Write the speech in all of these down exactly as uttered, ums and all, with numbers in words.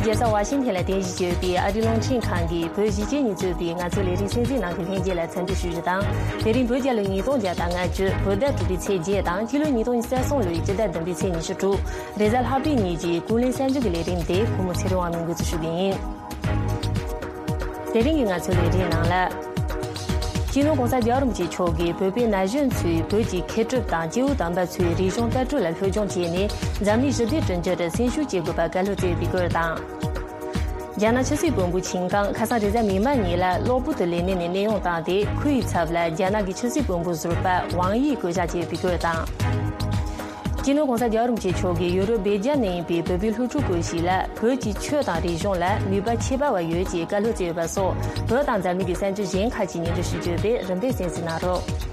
རྒྱལ་ས་ཝ་ཤིང་ཐན་ལ་རྟེན་གཞི་བྱས་ཡོད་པའི་ཨ་རིའི་རླུང་འཕྲིན་ཁང་གིས་བོད་གཞིས་བྱེས་གཉིས་གཙོས་པའི་ང་ཚོའི་ལས་རིམ་གསན་གཟིགས་གནང་མཁན་ལྷན་རྒྱས་ལ་འཚམས་འདྲི་ཞུ་རྒྱུ་དང་། དེ་རིང་བོད་རྒྱལ་ལོ་ཉིས་སྟོང་བརྒྱ་དང་ལྔ་བཅུ་བོད་ཟླ་དྲུག་པའི་ཚེས་བརྒྱད་དང་སྤྱི་ལོ་ཉིས་སྟོང་ཉི་ཤུ་རྩ་གསུམ་ལོའི་སྤྱི་ཟླ་བདུན་པའི་ཚེས་ཉི་ཤུ་དྲུག་རེས་གཟའ་ལྷག་པའི་ཉིན་གྱི་ཀུན་གླེང་གསར་འགྱུར་གྱི་ལས་རིམ་དེ་གུས་མོ་ཚེ་རིང་དབང་མོས་འགོ་འཛུགས་ཞུ་གི་ཡིན། དེ་རིང་གི་ང་ཚོའི་ལས་རིམ་ནང་ལ། སྤྱི་ནོར་༸གོང་ས་༸རྒྱལ་བ་རིན་པོ་ཆེ་མཆོག་གིས་བོད་པའི་ན་གཞོན་ཚོས་བོད་ཀྱི་མཁས་གྲུབ་དང་སྐྱེས་བུ་དམ་པ་ཚོའི་རིག་གཞུང་ལྟ་གྲུབ་ལ་སློབ་སྦྱོང་བྱས་ནས་འཛམ་གླིང་ཞི་བདེ་བསྐྲུན་རྒྱུར་སེམས་ཤུགས་སྐྱེད་དགོས་པར་བཀའ་སློབ་སྩལ་ཡོད་པའི་སྐོར་དང་། རྒྱ་ནག་ཆབ་སྲིད་དཔོན་པོ་ཆིན་ཀང་ཁ་སང་རེས་གཟའ་མིག་དམར་ཉིན་ལ་གློ་བུར་དུ་ལས་གནས་ནས་གནས་དབྱུང་བཏང་སྟེ། ཁོའི་ཚབ་ལ་རྒྱ་ནག་གི་ཆབ་སྲིད་དཔོན་པོ་ཟུར་པ་ཝང་དབྱི་བསྐོ་བཞག་བྱས་ཡོད་པའི་སྐོར་དང་། སྤྱི་ནོར་༸གོང་ས་༸རྒྱལ་བ་རིན་པོ་ཆེ་མཆོག་གིས་ཡུ་རོབ་སྦེལ་ཇམ་ནང་ཡིན་པའི་བོད་པའི་སློབ་ཕྲུག་སྐོར་ཞིག་ལ་བོད་ཀྱི་ཆོས་དང་རིག་གཞུང་ལ་ནུས་པ་ཆེ་བ་བ་ཡོད་ཅེས་བཀའ་སློབ་སྩལ་ཡོད་པ་སོགས། བོད་དང་འཛམ་གླིང་གི་གསར་འགྱུར་གཞན་ཁག་ཅིག་སྙན་སྒྲོན་ཞུ་རྒྱུ་ཡོད་པས་རིམ་པས་གསན་གཟིགས་གནང་རོགས།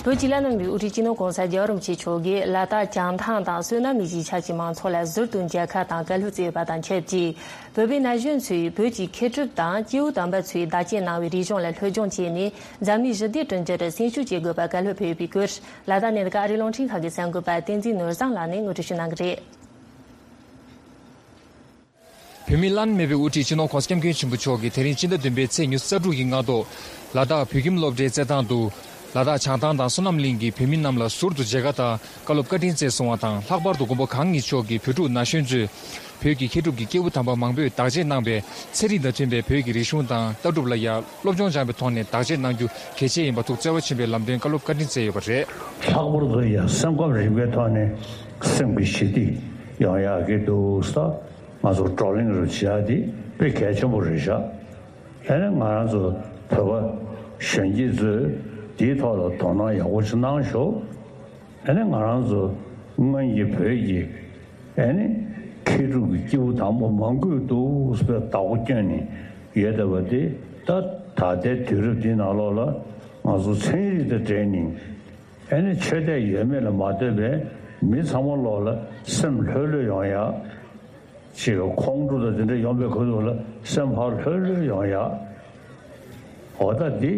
བོད་ཀྱི་བླ་ན་མེད་པའི་དབུ་ཁྲིད་སྤྱི་ནོར་༸གོང་ས་༸རྒྱལ་བ་རིན་པོ་ཆེ་མཆོག་གིས་ལ་དྭགས་བྱང་ཐང་དང་བསོད་ནམས་གླིང་གཞིས་ཆགས་ཀྱི་མང་ཚོགས་ལ་ཟུར་དུ་མཇལ་ཁ་དང་བཀའ་སློབ་སྩལ་ཡོད་པ་དང་ཆབས་ཅིག་བོད་པའི་ན་གཞོན་ཚོས་བོད་ཀྱི་མཁས་གྲུབ་དང་སྐྱེས་བུ་དམ་པ་ཚོས་བདག་གཅེས་གནང་བའི་རིག་གཞུང་ལ་སློབ་སྦྱོང་བྱས་ནས་འཛམ་གླིང་ཞི་བདེ་བསྐྲུན་རྒྱུར་སེམས་ཤུགས་སྐྱེད་དགོས་པར་བཀའ་སློབ་ཕེབས་ཡོད་པའི་སྐོར། ལ་དྭགས་ནས་ད་ག་ཨ་རིའི་རླུང་འཕྲིན་ཁང་གི་གསར་འགོད་པ་བསྟན་འཛིན་ནོར་བཟང་ལགས་ནས་ངོ་སྤྲོད་ཞུ་གནང་གི་རེད། བོད་མིའི་བླ་ན་མེད་པའི་དབུ་ཁྲིད་སྤྱི་ནོར་༸གོང་ས་༸སྐྱབས་མགོན་ཆེན་པོ་མཆོག་གིས་དེ་རིང་སྤྱི་ཟླ་བདུན་པའི་ཚེས་ཉི་ཤུ་རྩ་དྲུག་གི་སྔ་དྲོ། ལ་དྭགས་བོད་ཁྱིམ་སློབ་གྲྭའི་རྩེད་ཐང་དུ། ལ་དྭགས་བྱང་ཐང་དང་བསོད་ནམས་གླིང་གི་བོད་མི་རྣམས་ལ་ཟུར་དུ་མཇལ་ཁ་དང་བཀའ་སློབ་བཀའ་དྲིན་སྩལ་སོང་བ་དང་། ལྷག་པར་དུ་མགོན་པོ་གང་ཉིད་མཆོག་གིས་བོད་ཕྲུག་ན་གཞོན་ཚོས་བོད་ཀྱི་མཁས་གྲུབ་ཀྱི་སྐྱེས་བུ་དམ་པ་མང་པོས་བདག་གཅེས་གནང་བའི་ཚན་རིག་དང་མཐུན་པའི་བོད་ཀྱི་རིག་གཞུང་དང་ལྟ་གྲུབ་ལ་ཡང་སློབ་སྦྱོང་སྦྱངས་པའི་ཐོག་ནས་བདག་གཅེས་གནང་རྒྱུ་གལ་ཆེ་ཡིན་པ་ཐུགས་བརྩེ་བ་ཆེན་པོས་ལམ་སྟོན་བཀའ་སློབ་བཀའ་དྲིན་སྩལ་ཡོད་པ་རེད། ལྷག་པར་དུ་ཡང་སེམས་ཁམས་རིག་པའི་ཐོག་ནས་སེམས་ཀྱི་ཞི་བདེ་ཡོང་ཡག་གི་འདུག་ས། ང་ཚོ་བགྲོ་གླེང་རུ་བྱེད་ཡག་དེ་དཔེ་གལ་ཆེན་པོ་རེད་ཤག་ཨ་ནི་ང་རང་ཚོ་བོད་པ་གཞོན་སྐྱེས་ཚོས་དེའི་ཐོག་ལ་དོ་སྣང་ཡག་པོ་ཅིག་གནང་ཤོག་ཨ་ནི་ང་རང་ཚོ་སྔོན་གྱི་བོད་ཀྱི་ཨ་ནི་མཁས་གྲུབ་ཀྱི་སྐྱེས་བུ་དམ་པ་མང་པོས་འདུག་སེ་བདག་པོ་བསྐྱོན་ནས་ཡོད་བསྡད་པ་དེ། ད་ད་ལྟའི་དུས་རབས་འདིའི་ནང་ལོགས་ལ་ང་ཚོ་ཚན་རིག་དང་འབྲེལ་ནས་ཨ་ནི་ཆོས་དད་ཡོད་མེད་ལ་མ་ལྟོས་པའི་མི་ཚང་མ་ལོགས་ལ་སེམས་ལྷོད་ལྷོད་ཡོང་ཡག་ཅིག་ཁོང་ཁྲོ་དང་དེ་འདྲ་ཡོང་པའི་ཁུལ་དུ་ལ་སེམས་ཕར་ལྷོད་ལྷོད་ཡོང་ཡག་འོ་ད་འདི་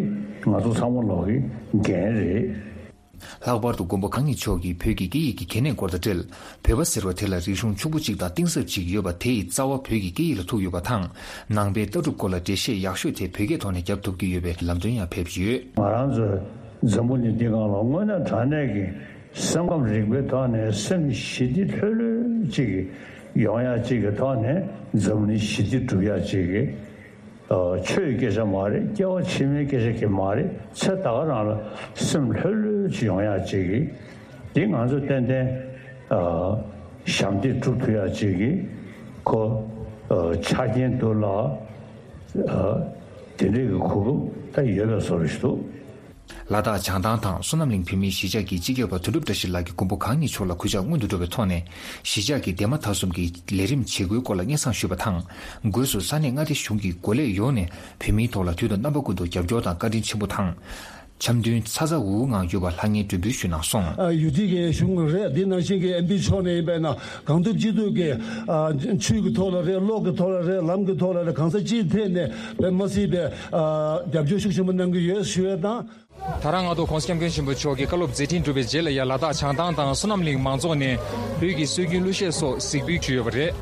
ང་ཚོ་ཚང་མ་ལོག་གི་འགན་རེད། ལྷག་པར་དུ་མགོན་པོ་གང་ཉིད་མཆོག་གིས་བོད་ཀྱི་སྐད་ཡིག་གི་གལ་གནད་སྐོར་དང་འབྲེལ། བོད་པ་ཟེར་བ་དེ་ལ་རིག་གཞུང་ཕྱུག་པོ་གཅིག་དང་གཏིང་ཟབ་ཅིག་ཡོད་པ་དེ་ཡི་རྩ་བ་བོད་ཀྱི་སྐད་ཡིག་ལ་ཐུག་ཡོད་པ་དང་། ནང་པའི་ལྟ་གྲུབ་སྐོར་ལ་འགྲེལ་བཤད་ཡག་ཤོས་དེ་བོད་སྐད་ཐོག་ནས་བརྒྱབ་ཐུབ་ཀྱི་ཡོད་པའི་ལམ་སྟོན་ཡང་ཕེབས་ཀྱི་ཡོད། ང་རང་ཚོའི་འཛམ་བུ་གླིང་འདི་སྒང་ལ་དངོས་གནས་དྲང་གནས་ཀྱི་སེམས་ཁམས་རིག་པའི་ཐོག་ནས་སེམས་ཞི་བདེ་ལྷོད་ལྷོད་ཅིག་ཡོང་ཡག་ཅིག་གི་ཐོག་ནས་འཛམ་གླིང་ཞི་བདེ་སྒྲུབ་ཡག་ཅིག་གི་ཆོས་ཀྱི་སྐད་ཆ་མ་རེད། སྐྱེ་བ་ཕྱི་མའི་སྐད་ཆ་གི་མ་རེད། ཚེ་ད་ག་རང་ལ་སེམས་ལྷོད་ལྷོད་ཅིག་ཡོང་ཡག་ཅིག་གི་འདི་ང་ཚོ་ཏན་ཏན་ཞབས་འདེགས་སྒྲུབ་ཐུབ་ཡག་ཅིག་གི་ཁོ་ཆ་རྐྱེན་འདུག་ལ། དེ་འདྲའི་གི་གོ་སྐབས་ད་ཡོད་པའི་བཟོ་འདྲ་ཞིག་འདུག་ལ་དྭགས་བྱང་ཐང་དང་བསོད་ནམས་གླིང་བོད་མིའི་གཞིས་ཆགས་ཀྱི་སྤྱི་ཁྱབ་པ་དོན་གྲུབ་བཀྲ་ཤིས་ལགས་ཀྱིས་མགོན་པོ་གང་ཉིད་མཆོག་ལ་གུས་ཕྱག་སྔོན་དུ་འགྲོ་བའི་ཐོག་ནས། གཞིས་ཆགས་ཀྱི་འདས་མ་ད་གསུམ་གྱི་ལས་རིམ་བྱེད་སྒོའི་སྐོར་ལ་སྙན་སེང་ཞུས་པ་དང་། སྒོས་སུ་ས་གནས་མངའ་སྡེ་གཞུང་གི་འགོ་ལས་ཡོངས་ནས་བོད་མིའི་ཐོག་ལ་དུས་དང་རྣམ་པ་ཀུན་ཏུ་རྒྱབ་སྐྱོར་དང་བཀའ་དྲིན་ཆེན་པོ་དང་། འཆམ་མཐུན་ཚ་ཚ་འུར་འུར་ངང་ཡོད་པར་ལྷང་ངེར་མགྲོན་འབོད་ཞུས་གནང་སོང་། ཨ། ཡུལ་དེ་གའི་གཞུང་རེད། འདི་ནང་བཞིན་གྱི་ཨེམ་པི་ཕྱོགས་ནས་ཡིན་པས་ན་གང་ཐུབ་ཅི་ཐུབ་ཀྱིས། ཨ། ཆོས་ཀྱི་ཐོག་ལ་རེད། གློག་གི་ཐོག་ལ་རེད། ལམ་གྱི་ཐོག་ལ་རེད། གང་ས་ཅིའི་ཐད་ནས་དཔེ་མ་སྲིད་པའི། ཨ། རྒྱབ་སྐྱོར་ཤུགས་ཆེན་པོ་གནང་གི་ཡོད་ཞུ་ཡས་དང་། ད་རང་སྔ་དྲོ་༸གོང་ས་༸སྐྱབས་མགོན་ཆེན་པོ་མཆོག་གི་བཀའ་སློབ་མཛད་འཕྲིན་གྲུབ་པའི་རྗེས་ལ་ཡ། ལ་དྭགས་བྱང་ཐང་དང་བསོད་ནམས་གླིང་མང་ཚོགས་ནས་བོད་ཀྱི་སྲོལ་རྒྱུན་གླུ་གཞས་སོགས་གཟིགས་འབུལ་ཞུས་ཡོད་པ་རེད།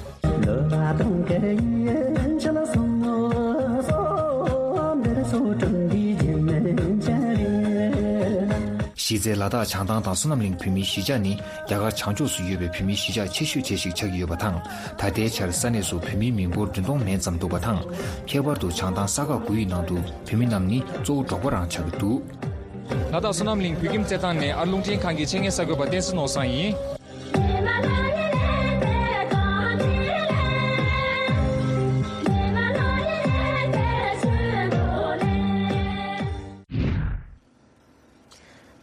གཞི་རྩའི་ལ་དྭགས་བྱང་ཐང་དང་བསོད་ནམས་གླིང་བོད་མིའི་གཞིས་ཆགས་ནི་རྒྱ་གར་བྱང་ཕྱོགས་སུ་ཡོད་པའི་བོད་མིའི་གཞིས་ཆགས་ཆེ་ཤོས་གྲས་ཤིག་ཆགས་ཀྱི་ཡོད་པ་དང་། ད་ལྟའི་ཆར་ས་གནས་སུ་བོད་མིའི་མི་འབོར་བདུན་སྟོང་མན་ཙམ་འདུག་པ་དང་། ཁྱད་པར་དུ་བྱང་ཐང་ས་ཁག་དགུ་ཡི་ནང་དུ་བོད་མི་རྣམས་ནི་གཙོ་བོ་འབྲོག་པ་རང་ཆགས་ཀྱི་འདུག་ལ་དྭགས་བསོད་ནམས་གླིང་བོད་ཁྱིམ་རྩེད་ཐང་ནས་ཨ་རླུང་འཕྲིན་ཁང་གི་ཆེད་མངགས་གསར་འགོད་པ་བསྟན་འཛིན་ནོར་བཟང་ཡིན།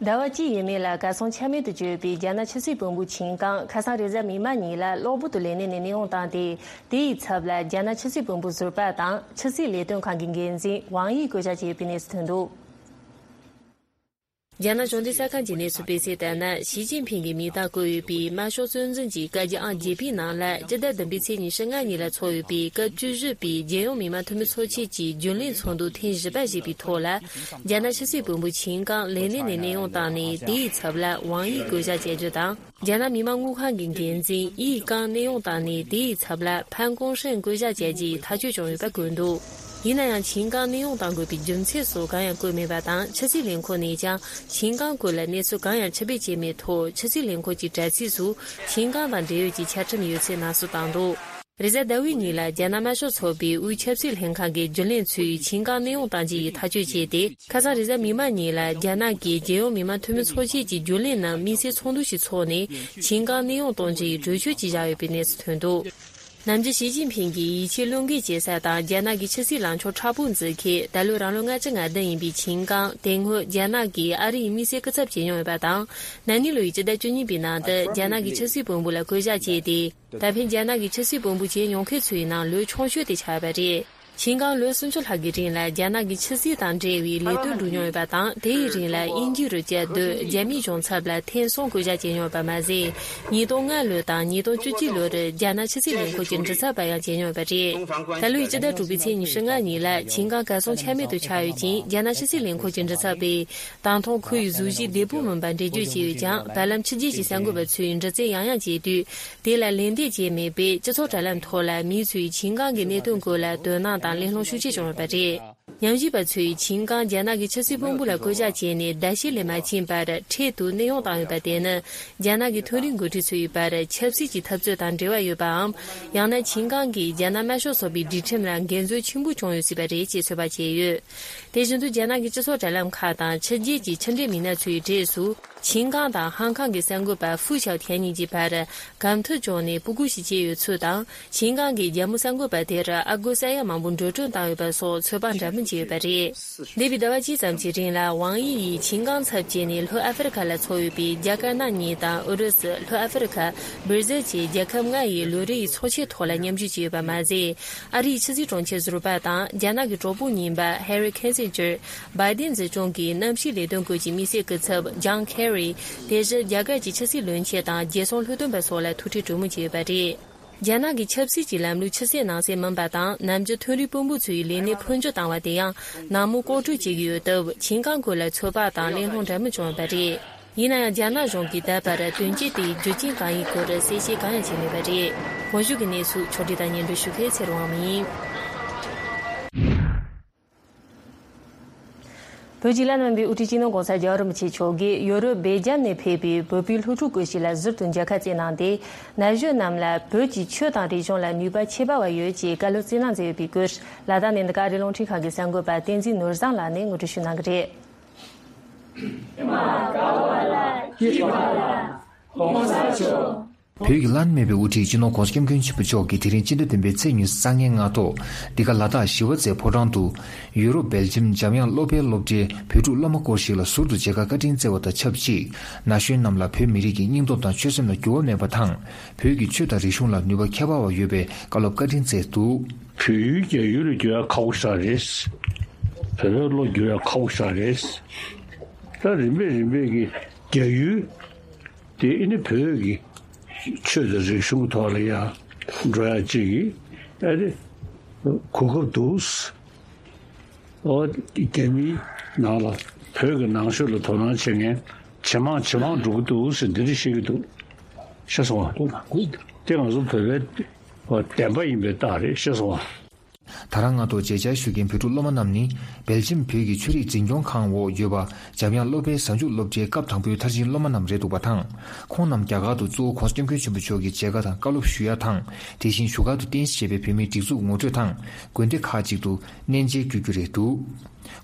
ཟླ་བ་གཅིག་ཡས་མས་ལ་གར་སོང་ཆ་མེད་དུ་གྱུར་ཡོད་པའི་རྒྱ་ནག་ཆབ་སྲིད་དཔོན་པོ་ཆིན་ཀང་ཁ་སང་རེས་གཟའ་མིག་དམར་ཉིན་ལ་གློ་བུར་དུ་ལས་གནས་ནས་གནས་དབྱུང་བཏང་སྟེ། དེའི་ཚབ་ལ་རྒྱ་ནག་ཆབ་སྲིད་དཔོན་པོ་ཟུར་པ་དང་ཆབ་སྲིད་ལས་དོན་ཁང་གི་འགན་འཛིན་ཝང་དབྱི་བསྐོ་བཞག་བྱས་ཡོད་པའི་གནས་ཚུལ་ཐོན་འདུག་རྒྱ་ནག་གཞུང་འབྲེལ་གསར་ཁང་གིས་གནས་ཚུལ་སྤེལ་གསལ་ལྟར་ན། ཞི་ཅིན་ཕིང་གིས་མིང་རྟགས་བཀོད་ཡོད་པའི་དམར་ཤོག་གཙོ་འཛིན་གྱི་བཀའ་རྒྱ་ཨང་བརྒྱད་པའི་ནང་ལ། སྤྱི་ཟླ་བདུན་པའི་ཚེས་ཉི་ཤུ་ལྔ་ཉིན་ལ་ཚོགས་ཡོད་པའི་སྐབས་བཅུ་བཞི་པའི་རྒྱལ་ཡོངས་མི་མང་འཐུས་མི་ཚོགས་ཆེན་གྱི་རྒྱུན་ལས་ཚོགས་འདུ་ཐེངས་བཞི་པ་ཞེས་པའི་ཐོག་ལ། རྒྱ་ནག་ཕྱི་སྲིད་བློན་པོ་ཆིན་ཀང་ལས་གནས་ནས་གནས་དབྱུང་བཏང་ནས། དེའི་ཚབ་ལ་ཝང་དབྱི་བསྐོ་བཞག་བྱས་རྒྱུ་དང་། རྒྱ་ནག་མི་དམངས་དངུལ་ཁང་གི་འགན་འཛིན་དབྱི་ཀང་གནས་དབྱུང་བཏང་ནས། དེའི་ཚབ་ལ་ཕན་ཀུང་ཧྲེང་བསྐོ་བཞག་བྱས་རྒྱུའི་ཐག་གཅོད་བྱུང་ཡོད་པ་བཀོད་འདུག་ཡིན་ན་ཡང་། ཆིན་ཀང་གནས་དབྱུང་གཏང་དགོས་པའི་རྒྱུ་མཚན་སོགས་གང་ཡང་བཀོད་མེད་པ་དང་། ཕྱི་སྲིད་ལས་ཁུངས་ནས་ཀྱང་ཆིན་ཀང་སྐོར་ལ་གནས་ཚུལ་གང་ཡང་ཕྱིར་འབུད་བྱས་མེད་ཐོག་ཕྱི་སྲིད་ལས་ཁུངས་ཀྱི་དྲ་ཚིགས་སུ་ཆིན་ཀང་དང་འབྲེལ་ཡོད་ཀྱི་ཆ་ཁྲིམས་ཡོད་ཚུལ་ནང་གསལ་བཏང་འདུག་རེས་གཟའ་ཟླ་བའི་ཉིན་ལ་རྒྱ་ནག་དམར་ཤོག་ཚོགས་པའི་དབུས་ཆབ་སྲིད་ལྷན་ཁང་གི་རྒྱུན་ལས་ཚོས་ཆིན་ཀང་གནས་དབྱུང་གཏང་རྒྱུ་ཡི་ཐག་གཅོད་བྱས་ཏེ། ཁ་སང་རེས་གཟའ་མིག་དམར་ཉིན་ལ་རྒྱ་ནག་གི་རྒྱལ་ཡོངས་མི་དམངས་འཐུས་མི་ཚོགས་ཆེན་གྱི་རྒྱུན་ལས་རྣམས་དམིགས་བསལ་ཚོགས་འདུ་ཞིག་འཚོགས་ནས། ཆིན་ཀང་གནས་དབྱུང་གཏོང་རྒྱུའི་གྲོས་ཆོད་ཅིག་བཞག་ཡོད་པའི་གནས་ཚུལ་ཐོན་འདུག་ནམ་རྒྱུན་ཞི་ཅིན་ཕིང་གིས་ཡིད་ཆེས་བློས་འགེལ་བྱེད་ས་དང་། རྒྱ་ནག་གི་ཕྱི་སྲིད་ལངས་ཕྱོགས་མཁྲེགས་པོ་འཛིན་མཁན། ད་ལོ་རང་ལོ་ལྔ་བཅུ་ང་བདུན་ཡིན་པའི་ཆིན་ཀང་། དེ་སྔོན་རྒྱ་ནག་གིས་ཨ་རི་ཡི་དམིགས་བསལ་སྐུ་ཚབ་བྱེད་མྱོང་ཡོད་པ་དང་། ན་ནིང་ལོ་ཡི་སྤྱི་ཟླ་བཅུ་གཉིས་པའི་ནང་དུ་རྒྱ་ནག་གི་ཕྱི་སྲིད་བློན་པོ་ལ་བསྐོ་བཞག་བྱས་ཏེ། ད་ཕན་རྒྱ་ནག་གི་ཕྱི་སྲིད་བློན་པོ་བྱེད་མྱོང་མཁན་ཚོའི་ནང་ལོ་ཆུང་ཤོས་དེ་ཆགས་པ་རེད། ཆིན་ཀང་ལོ་སུམ་ཅུ་ལྷག་གི་རིང་ལ་རྒྱ་ནག་གི་ཕྱི་སྲིད་དང་འབྲེལ་བའི་ལས་དོན་བསྒྲུབས་མྱོང་ཡོད་པ་དང་། དེའི་རིང་ལ་དབྱིན་ཇི་རུ་བསྐྱར་ཟློས། རྒྱ་མིའི་གཞུང་ཚབ་ལ་ཐེངས་གསུམ་བསྐོ་བཞག་བྱས་མྱོང་ཡོད་པ་མ་ཟད། ཉིས་སྟོང་ལྔ་ལོ་དང་ཉིས་སྟོང་བཅུ་གཅིག་ལོར་རྒྱ་ནག་ཕྱི་སྲིད་ལས་ཁུངས་ཀྱི་མགྲིན་ཚབ་པ་ཡང་བྱས་མྱོང་ཡོད་པ་རེད། ད་ལོའི་སྤྱི་ཟླ་དྲུག་པའི་ཚེས་ཉི་ཤུ་ལྔ་ཉིན་ལ་ཆིན་ཀང་གར་སོང་ཆ་མེད་དུ་ཆགས་ཡོད་ཅིང་། རྒྱ་ནག་ཕྱི་སྲིད་ལས་ཁུངས་ཀྱི་མགྲིན་ཚབ་པས། ད་ཐེངས་ཁོ་ཡི་གཟུགས་གཞི་བདེ་པོ་མིན་པ་འགྲེལ་བརྗོད་བྱས་ཡོད་ཀྱང་། བར་ལམ་ཕྱི་རྒྱལ་གྱི་གསར་འགོད་པ་ཚོས་འདྲི་རྩད་ཡང་ཡང་བྱས་དུས། དེ་ལ་ལན་འདེབས་བྱས་མེད་པས། སྤྱི་ཚོགས་དྲ་ལམ་ཐོག་ལ་མི་ཚོས་ཆིན་ཀང་གི་གནད་དོན་སྐོར་ལ་དོ་སྣང་དང་གླེང་སློང་ཤུགས་ཆེ་བྱུང་ཡོད་པ་རེད། ཉམས་ཞིབ་པ་ཚོས་ཆིན་ཀང་རྒྱ་ནག་གི་ཕྱི་སྲིད་བློན་པོ་ལ་བསྐོ་བཞག་བྱས་ནས་ཟླ་ཤས་ལས་མ་ཕྱིན་པར་འཕྲལ་དུ་གནས་དབྱུང་བཏང་ཡོད་པ་དེ་ནི། རྒྱ་ནག་གི་མཐོ་རིམ་འགོ་ཁྲིད་ཚོའི་བར་ཆབ་སྲིད་ཀྱི་འཐབ་རྩོད་དང་འབྲེལ་བ་ཡོད་པའམ། ཡང་ན་ཆིན་ཀང་གིས་རྒྱ་ནག་དམར་ཤོག་ཚོགས་པའི་སྒྲིག་ཁྲིམས་ལ་འགལ་འཛོལ་ཆེན་པོ་བྱུང་ཡོད་སྲིད་པ་རེད་ཅེས་ཚོད་དཔག་བྱས་ཡོད། དེ་བཞིན་དུ་རྒྱ་ནག་གི་སྤྱི་ཚོགས་དྲ་ལམ་ཁག་དང་ཕྱི་རྒྱལ་གྱི་ཕྱི་འབྲེལ་མི་སྣ་ཚོའི་གྲས་སུ། ཆིན་ཀང་དང་ཧང་ཀང་གི་གསར་འགོད་པ་ཧྥུ་ཞའོ་ཐན་གཉིས་ཀྱི་བར་གམ་མཐུན་བྱུང་ནས་སྤུ་གུ་ཞིག་སྐྱེས་ཡོད་ཚུལ་དང་། ཆིན་ཀང་གིས་རྒྱ་མོ་གསར་འགོད་པ་དེར་ཨ་སྒོར་ས་ཡ་མང་པོ་འགྲོ་གྲོན་བཏང་ཡོད་པ་སོགས་ཚོད་དཔག་འདྲ་མིན་བྱས་ཡོད་པ་རེད། འདས་པའི་ཟླ་བ་གཅིག་ཙམ་གྱི་རིང་ལ་ཝང་དབྱི་ཡིས་ཆིན་ཀང་ཚབ་བྱས་ནས་ལྷོ་ཨ་ཧྥེ་རི་ཁ་ལ་འཚོགས་ཡོད་པའི་རྒྱ་དཀར་ནག་གཉིས་དང་ཨུ་རུ་སུ། ལྷོ་ཨ་ཧྥེ་རི་ཁ། སྦིར་ཟིལ་བཅས་རྒྱལ་ཁབ་ལྔ་ཡི་ལོ་རེའི་ཚོགས་ཆེན་ཐོག་ལ་མཉམ་ཞུགས་བྱས་ཡོད་པ་མ་ཟད། ཨ་རིའི་ཕྱི་སྲིད་དྲུང་ཆེ་ཟུར་པ་དང་རྒྱ་ནག་གི་གྲོགས་པོ་རྙིང་པ་ཧེ་རི་ཁེ་སིན་ཇར། བའི་ཏིན་འཛིན་སྐྱོང་གི་གནམ་གཤིས་ལས་དོན་སྐོར་གྱི་དམིགས་བསལ་སྐུ་ཚབ་ཇོན་ཁེ་རི། དེ་བཞིན་རྒྱ་གར་གྱི་ཕྱི་སྲིད་བློན་ཆེན་དང་རྒྱལ་སྲུང་ལྷོ་སྟོན་པ་སོགས་ལ་ཐུག་འཕྲད་གྲོས་མོལ་བྱས་ཡོད་པ་རེད། རྒྱ་ནག་གི་ཆབ་སྲིད་ཀྱི་ལམ་ལུགས་ཕྱི་གསལ་ནང་གསལ་མིན་པ་དང་། ནམ་རྒྱུན་མཐོ་རིམ་དཔོན་པོ་ཚོའི་ལས་གནས་འཕོ་འགྱུར་བཏང་བ་དེ་ཡང་ནང་མོལ་ལྐོག་གྲོས་བྱེད་ཀྱི་ཡོད་སྟབས། ཆིན་ཀང་སྐོར་ལ་ཚོད་དཔག་དང་གླེང་སློང་འདྲ་མིན་བྱུང་ཡོད་པ་རེད། ཡིན་ན་ཡང་། རྒྱ་ནག་གཞུང་གིས་ད་བར་དོན་རྐྱེན་དེའི་རྒྱུ་རྐྱེན་གང་ཡིན་སྐོར་གསལ་བཤད་གང་ཡང་བྱས་མེད་པ་རེད། གོང་ཞུས་ཀྱི་གནས་ཚུལ་ཕྱོགས་སྒྲིག་དང་སྙན་སྒྲོན་ཞུ་མཁན་ཚེ་རིང་དབང་མོ་ཡིན། བོད་ཀྱི་བླ་ན་མེད་པའི་དབུ་ཁྲིད་སྤྱི་ནོར་༸གོང་ས་༸རྒྱལ་བ་རིན་པོ་ཆེ་མཆོག་གིས་ཡོ་རོབ་སྦེལ་ཇམ་ནས་ཕེབས་པའི་བོད་པའི་སློབ་ཕྲུག་སྐུ་ཞིག་ལ་ཟུར་དུ་མཇལ་ཁ་བསྩལ་གནང་སྟེ། ན་གཞོན་རྣམས་ལ་བོད་ཀྱི་ཆོས་དང་རིག་གཞུང་ལ་ནུས་པ་ཁྱད་པར་བ་ཡོད་ཅེས་བཀའ་སློབ་སྩལ་གནང་མཛད་ཡོད་པའི་སྐོར། ལ་དྭགས་ནས་འདི་ག་ཨ་རིའི་རླུང་འཕྲིན་ཁང་གི་གསར་འགོད་པ་བསྟན་འཛིན་ནོར་བཟང་ལགས་ནས་ངོ་སྤྲོད་ཞུ་གནང་གི་རེད། བོད་ཀྱི་བླ་ན་མེད་པའི་དབུ་ཁྲིད་སྤྱི་ནོར་༸གོང་ས་༸སྐྱབས་མགོན་ཆེན་པོ་མཆོག་གིས་དེ་རིང་སྤྱི་ཟླ་བདུན་པའི་ཚེས་ཉི་ཤུ་རྩ་ལྔའི་སྔ་དྲོ། འདི་ག་ལ་དྭགས་ཞི་བ་རྩེ་ཕོ་བྲང་དུ། ཡུ་རོབ་སྦེལ་ཇམ་འཇམ་དབྱངས་སློབ་དཔོན་སློབ་གྲྭའི་བོད་ཕྲུག་སློབ་མ་སྐོར་ཞིག་ལ་ཟུར་དུ་མཇལ་ཁ་བཀའ་དྲིན་སྩལ་བ་དང་ཆབས་ཅིག་ན་གཞོན་རྣམས་ལ་བོད་མི་རིགས་ཀྱི་སྙིང་སྟོབས་དང་ཆོད་སེམས་ལ་འགྱུར་བ་མེད་པ་དང་། བོད་ཀྱི་ཆོས་དང་རིག་གཞུང་ལ་ནུས་པ་ཁྱད་པར་བ་ཡོད་པའི་བཀའ་སློབ་བཀའ་དྲིན་སྩལ་འདུག་བོད་ཡུལ་རྒྱ་ཡུལ་ལ་འགྱུར་ཡ་ཁག་པོ་ཞིག་རེད། བོད་པའི་བློ་འགྱུར་ཡ་ཁག་པོ་ཞིག་རེད། ད་རིམ་པས་རིམ་པས་ཀྱི་རྒྱ་ཡུལ་དེ་ཨ་ནི་བོད་ཀྱི་ཆོས་དང་རིག་གཞུང་ཐོག་ལ་ཡ་འགྲོ་ཡ་གཅིག་གི་ཨ་ནི་གོ་སྐབས་འདུག་ཨོ་རྒྱ་མིའི་ནང་ལ་བོད་ཀྱི་ནང་ཆོས་ལ་དོ་སྣང་བྱེད་མཁན་ཇེ་མང་ཇེ་མང་འགྲོ་གི་འདུག་ཟེར་འདི་འདྲ་བཤད་ཀྱི་འདུག་ཤེས་སོང་ང་། དེ་ང་ཚོ་བོད་པའི་བདེན་པ་ཡིན་པའི་རྟགས་རེད། ཤེས་སོང་ང་། ད་རང་སྔ་དྲོ་མཇལ་བཅར་ཞུ་མཁན་བོད་ཕྲུག་སློབ་མ་རྣམས་ནི། སྦེལ་ཇམ་བོད་ཀྱི་ཆོས་རིག་འཛིན་སྐྱོང་ཁང་འོག་ཡོད་པ་འཇམ་དབྱངས་སློབ་དཔོན་གཟའ་མཇུག་སློབ་གྲྭའི་སྐབས་དང་པོའི་མཐར་ཕྱིན་སློབ་མ་རྣམས་རེད་འདུག་པ་དང་། ཁོང་རྣམས་རྒྱ་གར་དུ་གཙོ་བོ་༸གོང་ས་༸སྐྱབས་མགོན་ཆེན་པོ་མཆོག་གི་མཇལ་ཁ་དང་བཀའ་སློབ་ཞུ་ཡ་དང་། དེ་བཞིན་བཞུགས་སྒར་དུ་རྟེན་གཞི་བྱས་པའི་བོད་མིའི་སྒྲིག་འཛུགས་ངོ་སྤྲོད་དང་། དགོན་སྡེ་ཁག་ཅིག་ཏུ་གནས་མཇལ་བསྐྱོད་རྒྱུ་རེད་འདུག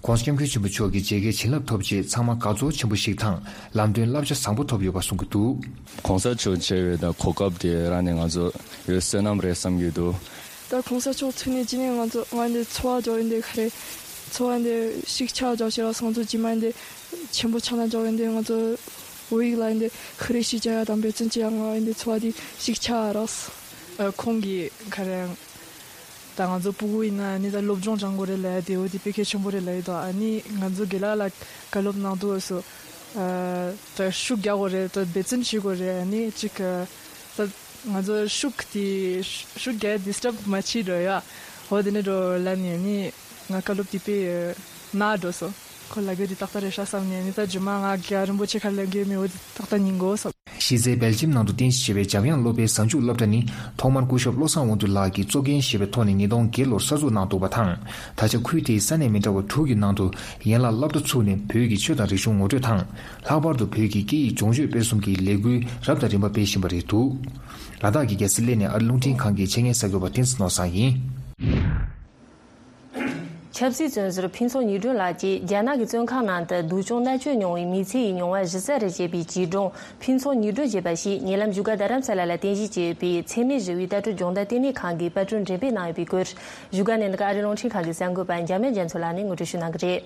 ༸གོང་ས་༸སྐྱབས་མགོན་ཆེན་པོ་མཆོག་གི་མཇལ་ཁའི་བྱིན་རླབས་ཐོབ་རྗེས་ཚང་མ་དགའ་ཚོར་ཆེན་པོ་ཞིག་དང་། ལམ་སྟོན་བསླབ་བྱ་བཟང་པོ་ཐོབ་ཡོད་པ་གསུང་གི་འདུག ༸གོང་ས་མཆོག་མཇལ་བའི་ད་གོ་སྐབས་དེ་རག་ནས་ང་ཚོ་ཡོད་བསོད་ནམས་རེད་བསམ་གྱི་འདུག་ད་༸གོང་ས་མཆོག་ཐུག་ནས་ཅི་ནས་ང་ཚོ་ང་འདི་འཚོ་བ་སྦྱོར་ཡིན་འདི་ཁ་རེ། འཚོ་བ་འདི་ཤིག་ཆགས་སྦྱོར་ཤེས་ར་སོང་ཚོ་ཇི་མ་འདི་ཆེན་པོ་ཆགས་ན་སྦྱོར་ཡིན་འདི་ང་ཚོ་བོད་ཡིག་ལ་འདི་ཁ་རེ་ཤིག་བྱ་ཡ་དང་འབད་བརྩོན་བྱེད་ཡ་ང་འདི་འཚོ་བ་འདི་ཤིག་ཆགས་ར། ཁོང་གིས་ཁ་རེ་ད་ང་ཚོ་སྤུ་གུ་ཡིན་ན་ནི་ད་སློབ་སྦྱོང་སྦྱང་དགོས་རེད་ལབ་ཡ་དེ་འོ་དེ་དཔེ་གལ་ཆེན་པོ་རེད་ལབ་ཡོད་དོ། ཨ་ནི་ང་ཚོ་དགེ་ལགས་ལ་བཀའ་སློབ་གནང་དུས་སུ། ཨ་ད་ཤུགས་རྒྱག་དགོས་རེད། ད་འབད་བརྩོན་བྱེད་དགོས་རེད། ཨ་ནི་ཅིག་ཨ་ད་ང་ཚོ་ཤུགས་དེ་ཤུགས་རྒྱག་ཌི་སི་ཊབ་མ་བྱེད་འགྲོ་ཡ། འོ་དེ་ནས་འགྲོ་ལབ་ནས་ཨ་ནི་ང་བཀའ་སློབ་དེ་དཔེ་ནག་འགྲོ་སོང་། ཁོ་ལབ་རྒྱུ་དེ་ཏག་ཏག་རེད་ཤག་བསམ་ནས་ཨ་ནི་ད་རྗེས་མ་ང་རྒྱ་རིན་པོ་ཆེ་ཁ་ལབ་རྒྱུ་མེད། འོ་དེ་ཏག་ཏག་ཉན་དགོས་བསམ། གཞི་རྩའི་སྦེལ་ཇམ་ནང་དུ་རྟེན་གཞི་བྱས་པའི་འཇམ་དབྱངས་སློབ་དཔལ་གཟའ་མཇུག་སློབ་གྲྭ་ནི་ཐོག་མར་སྐུ་ཞབས་བློ་བཟང་དབང་འདུས་ལགས་ཀྱིས་གཙོ་འགན་བཞེས་པའི་ཐོག་ནས་ཉིས་སྟོང་བརྒྱད་ལོར་གསར་འཛུགས་གནང་འདུག་པ་དང་། ད་ཆ་ཁུལ་དེའི་ས་གནས་མི་འདྲ་བ་དྲུག་གི་ནང་དུ་ཡན་ལག་སློབ་གྲྭ་ཚུགས་ནས་བོད་ཀྱི་ཆོས་དང་རིག་གཞུང་ངོ་སྤྲོད་དང་། ལྷག་པར་དུ་བོད་ཀྱི་སྐད་ཡིག་སྦྱོང་སྤྱོད་སྤེལ་གསུམ་གྱི་ལས་འགུལ་རབ་དང་རིམ་པ་སྤེལ་བཞིན་པ་རེད་འདུག། ལ་དྭགས་ཀྱི་རྒྱལ་ས་གླེ་ནས་ཨ་རི་རླུང་འཕྲིན་ཁང་གི་ཆེད་མངགས་གསར་འགོད་པ་བསྟན་འཛིན་ནོར་བཟང་ཡིན། ཆབ་སྲིད་བཙོན་ཟུར་ཕུན་ཚོགས་ཉི་སྒྲོན་ལགས་ཀྱིས་རྒྱ་ནག་གི་བཙོན་ཁང་ནང་དུ་སྡུག་སྦྱོང་མནར་གཅོད་མྱོང་བའི་མི་ཚེ་ཡི་མྱོང་བ་གཞི་རྩ་རུ་བྱས་པའི་བྱིས་སྒྲུང་ཕུན་ཚོགས་ཉི་སྒྲོན་ཞེས་པ་ཞིག་ཉེ་ལམ་བཞུགས་སྒར་རྡ་རམ་ས་ལ་ལ་རྟེན་གཞི་བྱས་པའི་འཚེ་མེད་ཞི་བའི་ལྟ་གྲུབ་སྦྱོང་བརྡར་བསྟི་གནས་ཁང་གིས་པར་སྐྲུན་འགྲེམས་སྤེལ་གནང་ཡོད་པའི་སྐོར། བཞུགས་སྒར་ནས་འདི་ག་ཨ་རི་རླུང་འཕྲིན་ཁང་གི་གསར་འགོད་པ་འཇམ་དབྱངས་རྒྱ་མཚོ་ལགས་ནས་ངོ་སྤྲོད་ཞུ་གནང་གི་རེད།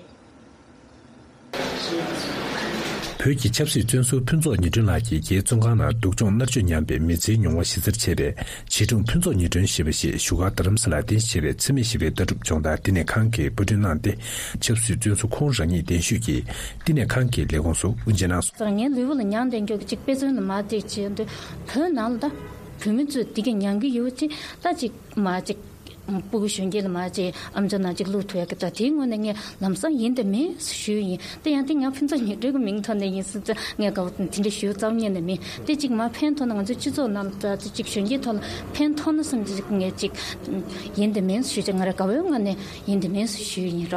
བོད་ཀྱི་ཆབ་སྲིད་བཙོན་ཟུར་ཕུན་ཚོགས་ཉི་སྒྲོན་ལགས་ཀྱིས་རྒྱའི་བཙོན་ཁང་ནང་སྡུག་སྦྱོང་མནར་གཅོད་མྱངས་པའི་མི་ཚེའི་མྱོང་བ་གཞི་རྩར་བྱས་པའི་བྱིས་སྒྲུང་ཕུན་ཚོགས་ཉི་སྒྲོན་ཞེས་པ་ཞིག་བཞུགས་སྒར་རྡ་རམ་ས་ལར་རྟེན་གཞི་བྱས་པའི་འཚེ་མེད་ཞི་བའི་ལྟ་གྲུབ་སྦྱོང་བརྡར་བསྟི་གནས་ཁང་གིས་པར་སྐྲུན་གནང་སྟེ། ཆབ་སྲིད་བཙོན་ཟུར་ཁོང་རང་ཉིད་གདན་ཞུས་ཀྱིས་བསྟི་གནས་ཁང་གི་ལས་ཁུངས་སུ་དབུ་འབྱེད་གནང་སོང་། ངའི་ལུས་པོ་ལ་མྱང་འདྲེན་རྒྱུ་གཅིག་དཔེ་མཚོན་ལ་མ་བལྟས་བྱས་འདི་བོད་ནང་ལ་ད་བོད་མི་ཚོས་འདི་ག་མྱང་གི་ཡོད་ཅེས་ད་ཅིག་མ་ཅིག་སྤུ་གུ་གཞོན་སྐྱེས་ལ་མ་བྱས་ཨམ་ཅོག་ནང་གཅིག་བླུག་ཐུབ་ཡག་གི་ད་དེའི་ངོས་ནས་ངས་ལམ་སང་ཡིན་དང་མིན་ཞུས་ཡིན། དེ་ཡང་དེ་ང་ཕུན་ཚོགས་ཉི་སྒྲོན་གྱི་མིང་ཐོག་ནས་ཡིན་སྲིད་ཙང་ངས་དགའ་བོ་དེ་འདྲ་ཞུ་རྩ་བ་ཉིད་ནས་མིན། དེ་གཅིག་མ་ཕན་ཐོགས་ན་ང་ཚོའི་སྤྱི་ཚོགས་ནང་ལ་ད་གཅིག་གཞོན་སྐྱེས་ཐོག་ལ་ཕན་ཐོགས་ན་བསམ་གྱི་ངས་གཅིག་ཡིན་དང་མིན་ཞུས་ཀྱང་ང་རང་དགའ་བོའི་ངོས་ནས་ཡིན་དང་མིན་ཞུས་ཡིན་ར།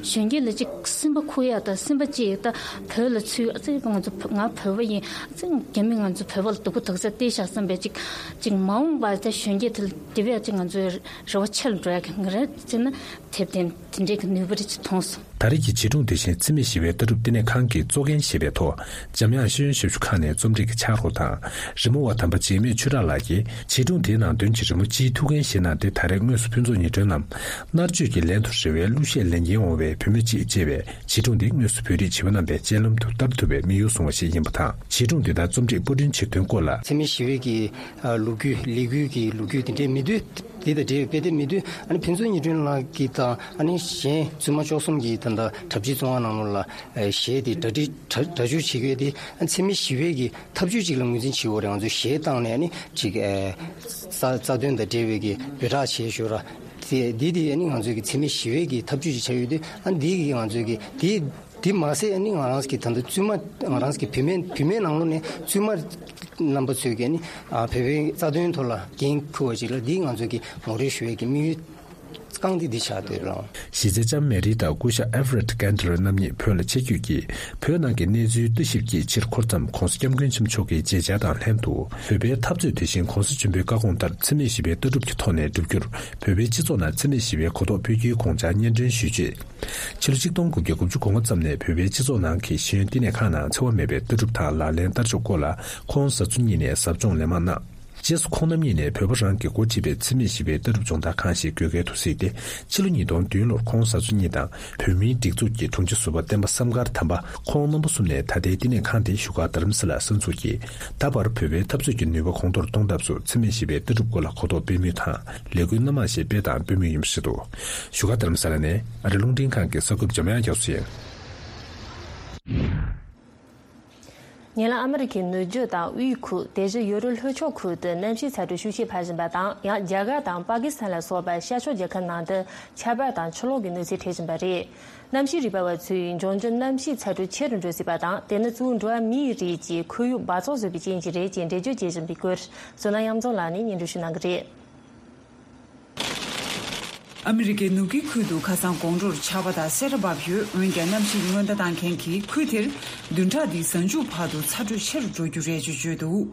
གཞོན་སྐྱེས་ལ་གཅིག་སེམས་པ་ཁུག་ཡག་དང་སེམས་པ་གཅིག་ད་བོད་ལ་ཚུད་ཨ་ཙི་ང་ཚོ་ང་བོད་པ་ཡིན་ཨ་ཙི་རྒྱ་མི་ང་ཚོ་བོད་པ་ལ་སྡུག་པོ་དག་ས་བལྟས་བཞག་བསམ་པའི་གཅིག་གཅིག་མ་འོངས་པ་ད་གཞོན་སྐྱེས་དེ་ལ་དེ་བས་ཨ་ཙི་ང་ཚོའི་རེ་བ་ཆེ་རུ་འགྲོ་ཡག་གི་ང་རེ་བྱས་ན་དེབ་དེ་དེ་འདྲའི་གི་ནུས་པ་རེ་ཅིག་མཐོང་སོང་། ད་རེས་ཀྱི་བྱིས་སྒྲུང་དེ་བཞིན་འཚེ་མེད་ཞི་བའི་ལྟ་གྲུབ་བསྟི་གནས་ཁང་གིས་གཙོ་འགན་བཞེས་པའི་ཐོག་འཇམ་དབྱངས་ཤེས་ཡོན་ཞབས་ཞུ་ཁང་ནས་རྩོམ་སྒྲིག་གི་ཕྱག་རོགས་དང་། རི་མོ་བ་དམ་པ་འཇིགས་མེད་ཆོས་གྲགས་ལགས་ཀྱིས་བྱིས་སྒྲུང་དེའི་ནང་དོན་གྱི་རི་མོ་སྤྱིའི་ཐུགས་འགན་བཞེས་གནང་སྟེ། ད་རེས་དངོས་སུ་ཕུན་ཚོགས་ཉི་སྒྲོན་ནམ་མནར་གཅོད་ཀྱི་ལན་དུ་རེ་བའི་གླུ་གཞས་ལེན་གྱིན་འོང་བའི་བུད་མེད་ཅིག་ཅེས་པའི་བྱིས་སྒྲུང་འདི་དངོས་སུ་བོད་རིགས་བྱིས་པ་རྣམ་པའི་སྤྱན་ལམ་དུ་བསྟར་ཐུབ་པའི་དམིགས་ཡུལ་བཟུང་བ་ཞིག་ཡིན་པ་དང་། བྱིས་སྒྲུང་འདི་དག་རྩོམ་སྒྲིག་པར་སྐྲུན་བྱེད་དོན་སྐོར་ལ། འཚེ་མེད་ཞི་བའི་གི་ལོ་རྒྱུས་ལས་འགུལ་གྱི་ལོ་རྒྱུས་དེ་འདྲའི་མི་འདུག་འདི་དང་འབྲེལ་བའི་དཔེ་དེབ་མི་འདུག་ཨ་ནི་ཕུན་ཚོགས་ཉི་སྒྲོན་ལགས་ཀྱིས་དང་ཨ་ནི་གཞན་བཙུན་མ་བཅུ་གསུམ་གྱིས་ད་ལྟ་གྲྭ་བཞི་བཙོན་ཁང་ནང་ལོགས་ལ་གཞས་དེ་གྲ་སྒྲིག་གྲ་སྒྲ་སྒྱུར་བྱེད་དགོས་དེ་ཨ་འཚེ་མེད་ཞི་བའི་གི་ཐབས་ཇུས་གཅིག་ལ་ངོས་འཛིན་བྱེད་དགོས་རེད། ང་ཚོས་གཞས་བཏང་ནས་ཨ་ནི་ཅིག་རྩ་རྩ་དོན་དང་འབྲེལ་བའི་གི་འབོད་སྒྲ་བྱེད་ཞོར་ར་དེ་འདི་དེ་ཨ་ནི་ང་ཚོའི་གི་འཚེ་མེད་ཞི་བའི་གི་ཐབས་ཇུས་ཅིག་ཆགས་ཡོད་དུས་ཨ་ནི་འདི་གི་ང་ཚོའི་གི་དེ། དེ་མ་ཟད་ཨ་ནི་ང་རང་གི་ད་ལྟ་བཙུན་མ་ང་རང་གི་བུད་མེད་བུད་མེད་ནང་ལོགས་ནས་བཙུན་མ་རྣམ་པ་ཚོས་ཀྱི་ཨ་ནི་ཨ་བོད་པའི་རྩ་དོན་ཐོག་ལ་འགན་འཁུར་བ་ཅིག་ལ་འདི་ང་ཚོ་གི་ངོ་སྤྲོད་ཞུ་ཡས་ཀྱི་དམིགས་ཡུལ་རྐང་འདི་འདི་ཆགས་བསྡད་ཡོད་ལགས། གཞི་རྩའི་ལྕམ་མེ་རི་དང་སྐུ་ཞབས་ཨེ་ཧྥ་རེད་ཀན་ཏེར་རྣམ་གཉིས་བོད་ལ་ཆེད་བསྐྱོད་ཀྱིས་བོད་ནང་གི་གནས་ཚུལ་ལྟ་ཞིབ་ཀྱི་ཕྱིར་འཁོར་མཚམས་༧གོང་ས་༧སྐྱབས་མགོན་ཆེན་པོ་མཆོག་གི་མཇལ་བཅར་དང་ལྷན་དུ་བོད་པའི་འཐབ་རྩོད་དེ་བཞིན་༧གོང་ས་ཆེན་པོའི་བཀའ་དགོངས་ལྟར་འཚེ་མེད་ཞི་བའི་ལྟ་གྲུབ་ཀྱི་ཐོག་ནས་བསྒྲུབ་རྒྱུར་བོད་པའི་སྤྱི་ཚོགས་ནང་འཚེ་མེད་ཞི་བའི་གོ་རྟོགས་སྤེལ་རྒྱུའི་དགོངས་འཆར་སྙན་སྒྲོན་ཞུས་རྗེས། ཕྱི་ལོ་ཆིག་སྟོང་དགུ་བརྒྱ་དགུ་བཅུ་གོ་ལྔ་ཙམ་ནས་བོད་པའི་སྤྱི་ཚོགས་ནང་གི་ཤེས་ཡོན་བསྟི་གནས་ཁང་ནང་འཚེ་བ་མེད་པའི་ལྟ་གྲུབ་དང་ལག་ལེན་བསྟར་ཕྱོགས་སྐོར་ལ་ཁོང་བཟའ་ཚོ་གཉིས་ནས་ཟབ་སྦྱོང་ལན་མང་གནང་། རྗེས་སུ་ཁོང་རྣམ་གཉིས་ནས་བོད་པ་རང་གིས་འགོ་ཁྲིད་པའི་འཚེ་མེད་ཞི་བའི་ལྟ་གྲུབ་སྦྱོང་བརྡར་ཁང་ཞིག་དགོས་གལ་དུ་གཟིགས་ཏེ། ཕྱི་ལོ་ཉིས་སྟོང་བདུན་ལོར་ཁོང་བཟའ་ཚོ་གཉིས་དང་བོད་མིའི་སྒྲིག་འཛུགས་ཀྱི་དྲུང་ཆེ་ཟུར་པ་བསྟན་པ་བསམ་དཀར་དམ་པ་ཁོང་རྣམ་པ་གསུམ་ནས་ད་ལྟའི་བསྟི་གནས་ཁང་དེ་བཞུགས་སྒར་རྡ་རམ་ས་ལར་གསར་འཛུགས་ཀྱིས། ད་བར་བོད་པའི་འཐབ་རྩོད་ཀྱི་ནུས་པ་གོང་མཐོར་གཏོང་ཐབས་སུ་འཚེ་མེད་ཞི་བའི་ལྟ་གྲུབ་སྐོར་ལ་གོ་རྟོགས་སྤེལ་མུས་དང་ལས་འགུལ་སྣ་མང་ཞིག་སྤེལ་དང་སྤེལ་མུས་ཡིན་པ་རེད་འདུག་བཞུགས་སྒར་རྡ་རམ་ས་ལ་ནས་ཨ་རི་རླུང་འཕྲིན་ཁང་གི་གསར་འགོད་པ་འཇམ་དབྱངས་རྒྱ་མཚོ་ཡིན། ཉེ་ལམ་ཨ་མི་རི་ཀའི་ནུབ་རྒྱུད་དང་དབུས་ཁུལ་དེ་བཞིན་ཡོ་རོབ་ལྷོ་ཕྱོགས་ཁུལ་དུ་གནམ་གཤིས་ཚ་དྲོད་ཤུགས་ཆེ་འཕར་བཞིན་པ་དང་། ཡང་རྒྱ་གར་དང་པ་ཀི་སི་ཐན་ལ་སོགས་པ་ཤར་ཕྱོགས་རྒྱལ་ཁབ་ནང་དུ་ཆར་པ་དང་ཆུ་ལོག་གི་གནོད་འཚེ་འཕྲད་བཞིན་པ་རེད། གནམ་གཤིས་རིག་པ་བ་ཚོས་འབྱུང་འགྱུར་གནམ་གཤིས་ཚ་དྲོད་ཆེ་རུ་འགྲོ་སྲིད་པ་དང་། དེ་ནི་གཙོ་བོ་འགྲོ་བ་མིའི་རིགས་ཀྱིས་ཁོར་ཡུག་འབག་བཙོག་བཟོས་པའི་རྐྱེན་གྱིས་རེད་ཅེས་འགྲེལ་བརྗོད་བྱེད་བཞིན་པའི་སྐོར། བསོད་ནམས་གཡང་འཛོམས་ལགས་ནས་སྙན་སྒྲོན་ཞུ་གནང་གི་རེད། ཨ་མི་རི་ཀའི་ནུབ་ཀྱི་ཁུལ་དུ་ཁ་སང་དགོང་དྲོར་ཆར་པ་དང་སེར་བབས་ཡོད། འོན་ཀྱང་གནམ་གཤིས་སྔོན་བརྡ་བཏང་མཁན་གྱིས་ཁུལ་དེར་བདུན་ཕྲག་འདིའི་གཟའ་མཇུག་བར་དུ་ཚ་དྲོད་ཆེ་རུ་འགྲོ་རྒྱུ་རེད་ཅེས་བརྗོད་འདུག་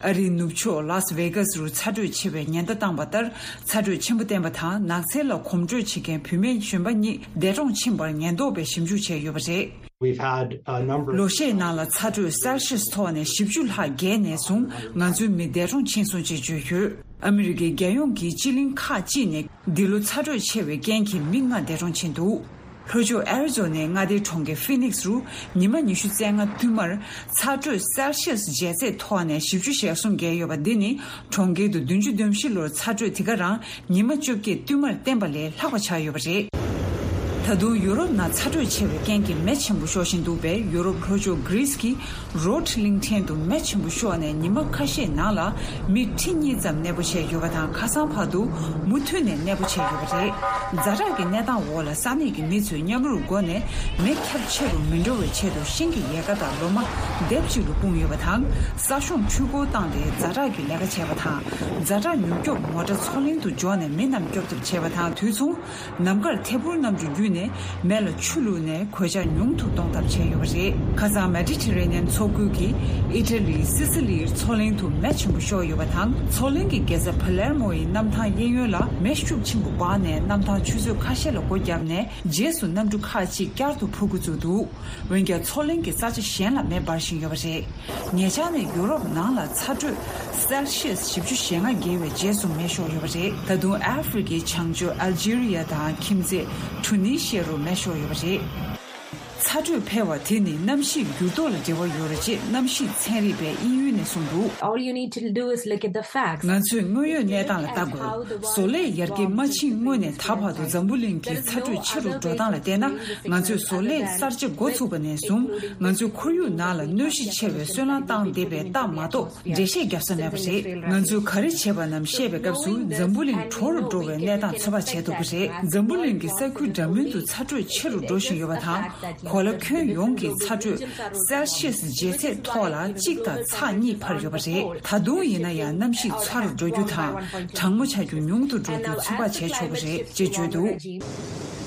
ཨ་རིའི་ནུབ་ཕྱོགས་ལཱས་ཝེ་གྷ་སི་རུ་ཚ་དྲོད་ཆེ་བའི་ཉེན་བརྡ་བཏང་བ་ལྟར། ཚ་དྲོད་ཆེན་པོ་བསྟན་པ་དང་ནགས་ཚལ་ལ་གོམ་བགྲོད་བྱེད་མཁན་བུད་མེད་གཞོན་པ་གཉིས་འདས་གྲོངས་ཕྱིན་པར་ཉེན་རྟོག་པས་ཞིབ་འཇུག་བྱས་ཡོད་པ་རེད། We've had a number of ལོ་ཤས་ནང་ལ་ཚ་དྲོད་སེལ་ཤི་ཡས་མཐོ་བ་ནས་བཞི་བཅུ་ལྷག་བརྒལ་ནས་བཟུང་ང་ཚོའི་མི་འདས་གྲོངས་ཕྱིན་སོང་ཅེས་བརྗོད་ཡོད། ཨ་མི་རི་ཀའི་རྒྱལ་ཡོངས་ཀྱི་སྤྱི་གླིང་ཁག་ཅིག་ནས་འདི་ལོ་ཚ་དྲོད་ཆེ་བའི་རྐྱེན་གྱིས་མི་ལྔ་འདས་གྲོངས་ཕྱིན་འདུག་ལྷོ་ཕྱོགས་ཨེ་རི་ཛོ་ནའི་མངའ་སྡེའི་གྲོང་ཁྱེར་ཧྥི་ནིག་སི་རུ་ཉི་མ་ཉི་ཤུ་རྩ་ལྔ་བསྟུད་མར་ཚ་དྲོད་སེལ་ཤི་ཡས་འཇལ་ཚད་མཐོ་བ་ནས་བཞི་བཅུ་ཞེ་གསུམ་བརྒལ་ཡོད་པ་འདི་ནི་གྲོང་ཁྱེར་དུ་བདུན་ཅུ་དོན་བཞི་ལོར་ཚ་དྲོད་དེ་ག་རང་ཉི་མ་བཅོ་བརྒྱད་བསྟུད་མར་བསྟན་པ་ལས་ལྷག་པ་ཆགས་ཡོད་པ་རེད། ད་དུང་ཡུ་རོབ་ནང་ཚ་དྲོད་ཆེ་བའི་རྐྱེན་གྱིས་མེ་ཆེན་པོ་ཤོར་བཞིན་འདུག་པས། ཡུ་རོབ་ལྷོ་ཕྱོགས་གྷི་རིས་ཀྱི་རོཌ་གླིང་ཕྲན་དུ་མེ་ཆེན་པོ་ཤོར་ནས་ཉི་མ་ཁ་ཤས་ནང་ལ་མི་ཁྲི་གཉིས་ཙམ་གནས་སྤོ་བྱས་ཡོད་པ་དང་། ཁ་སང་བར་དུ་མུ་མཐུད་ནས་གནས་སྤོ་བྱས་ཡོད་པ་རེད། ཛ་དྲག་གི་གནས་སྟངས་འོག་ལ་ས་གནས་ཀྱི་མི་ཚོས་མཉམ་རུབ་སྒོ་ནས་མེ་ཁྱབ་ཆེ་རུ་མི་འགྲོ་བའི་ཆེད་དུ་ཤིང་གི་ཡལ་ག་དང་ལོ་མ་ལྡེབ་གཅིག་ལ་སྤུངས་ཡོད་པ་དང་། ས་གཤོང་འཕྲུལ་འཁོར་བཏང་སྟེ་ཛ་དྲག་གི་ལས་ཀ་བྱས་པ་དང་། ཛ་དྲག་མྱུར་སྐྱོབ་མོ་ཊ་མཚོ་གླིང་དུ་འབྱོར་ནས་མི་རྣམས་སྐྱོབ་ཐབས་བྱས་པ་དང་། དུས་མཚུངས། ནམ་མཁར་ཐད་འཕུར་གནམ་གྲུ་བརྒྱུད་ནས་མེ་ལ་ཆུ་བླུགས་ནས་གོད་ཆག་ཉུང་དུ་གཏོང་ཐབས་བྱས་ཡོད་པ་རེད། ཁ་སང་མེ་ཌི་ཊེ་རེ་ནི་ཡན་མཚོ་ཁུལ་གྱི་ཨི་ཊ་ལིའི་སི་སི་ལིའི་མཚོ་གླིང་དུ་མེ་ཆེན་པོ་ཤོར་ཡོད་པ་དང་། མཚོ་གླིང་གི་རྒྱལ་ས་ཕ་ལེར་མོ་ཡི་གནམ་ཐང་གཡས་གཡོན་ལ་མེ་ཤུགས་ཆེན་པོ་འབར་ནས་གནམ་ཐང་ཆུ་ཚོད་ཁ་ཤས་ལ་སྒོ་བརྒྱབ་ནས། རྗེས་སུ་གནམ་གྲུ་ཁག་ཅིག་བསྐྱར་དུ་འཕུར་འགོ་བཙུགས་འདུག་འོན་ཀྱང་། མཚོ་གླིང་གི་ས་ཆ་གཞན་ལ་མེ་འབར་བཞིན་ཡོད་པ་རེད། ཉེ་ཆར་ནས་ཡུ་རོབ་ནང་ལ་ཚ་དྲོད་སེལ་ཤི་ཡས་བཞི་བཅུ་ཞེ་ལྔ་བརྒལ་བའི་རྗེས་སུ་མེ་ཤོར་ཡོད་པ་རེད། ད་དུང་ཨ་ཧྥེ་རི་ཁའི་བྱང་ཕྱོགས་ཨལ་ཇི་རི་ཡ་དང་ཁྱིམ་མཚེས་ཊུ་ནི་ཤི་ཡ་རུ་མེ་ཤོར་ཡོད་པ་རེད། ཚ་དྲོད་འཕེལ་བ་དེ་ནི་གནམ་གཤིས་འགྱུར་ལྡོག་ལ་འབྲེལ་བ་ཡོད་རེད་ཅེས་གནམ་གཤིས་ཚན་རིག་པས་དབྱིན་ཡུལ་ནས་གསུངས་འདུག All you need to do is look at the facts. ང་ཚོས་དངོས་ཡོད་གནས་སྟངས་ལ་ལྟ་དགོས། བཟོ་ལས་ཡར་རྒྱས་མ་ཕྱིན་སྔོན་ནས་ད་བར་དུ་འཛམ་བུ་གླིང་གི་ཚ་དྲོད་ཆེ་རུ་འགྲོ་སྟངས་ལ་བལྟས་ན། ང་ཚོས་བཟོ་ལས་གསར་བརྗེ་འགོ་ཚུགས་པ་ནས་བཟུང་། ང་ཚོའི་ཁོར་ཡུག་ནང་ལ་གནོད་གཞི་ཆེ་བའི་སོལ་རླངས་བཏང་བསྡད་པའི་རྟགས་མ་གཏོགས་འགྲེལ་བཤད་བརྒྱབ་ས་མེད་པ་རེད། ང་ཚོས་ག་རེ་བྱས་པ་རྣམས་བཤད་པའི་སྐབས་སུ། འཛམ་བུ་གླིང་དྲོ་རུ་འགྲོ་བའི་གནས་སྟངས་ཚོད་དཔག་བྱས་ཐུབ་ཀྱི་རེད། འཛམ་བུ་གླིང་གི་ས་ཁུལ་འདྲ་མིན་དུ་ཚ་དྲོད་ཆེ་རུ་འགྲོ་བཞིན་ཡོད་པ་དང་། གོ་ལ་ཁྱོན་ཡོངས་ཀྱི་ཚ་དྲོད་སེལ་ཤི་ཡས་ཇེ་ཚད་མཐོ་ལ་གཅིག་དང་ཚེག་གཉིས་འཕར་ཡོད་པ་རེད། ད་དུང་ཡིན་ན་ཡང་། གནམ་གཤིས་ཚ་རུ་འགྲོ་རྒྱུ་དང་། གྲང་མོ་ཆགས་རྒྱུ་ཉུང་དུ་འགྲོ་རྒྱུ་ཚོད་དཔག་བྱས་ཆོག་གི་རེད་ཅེས་བརྗོད་འདུག་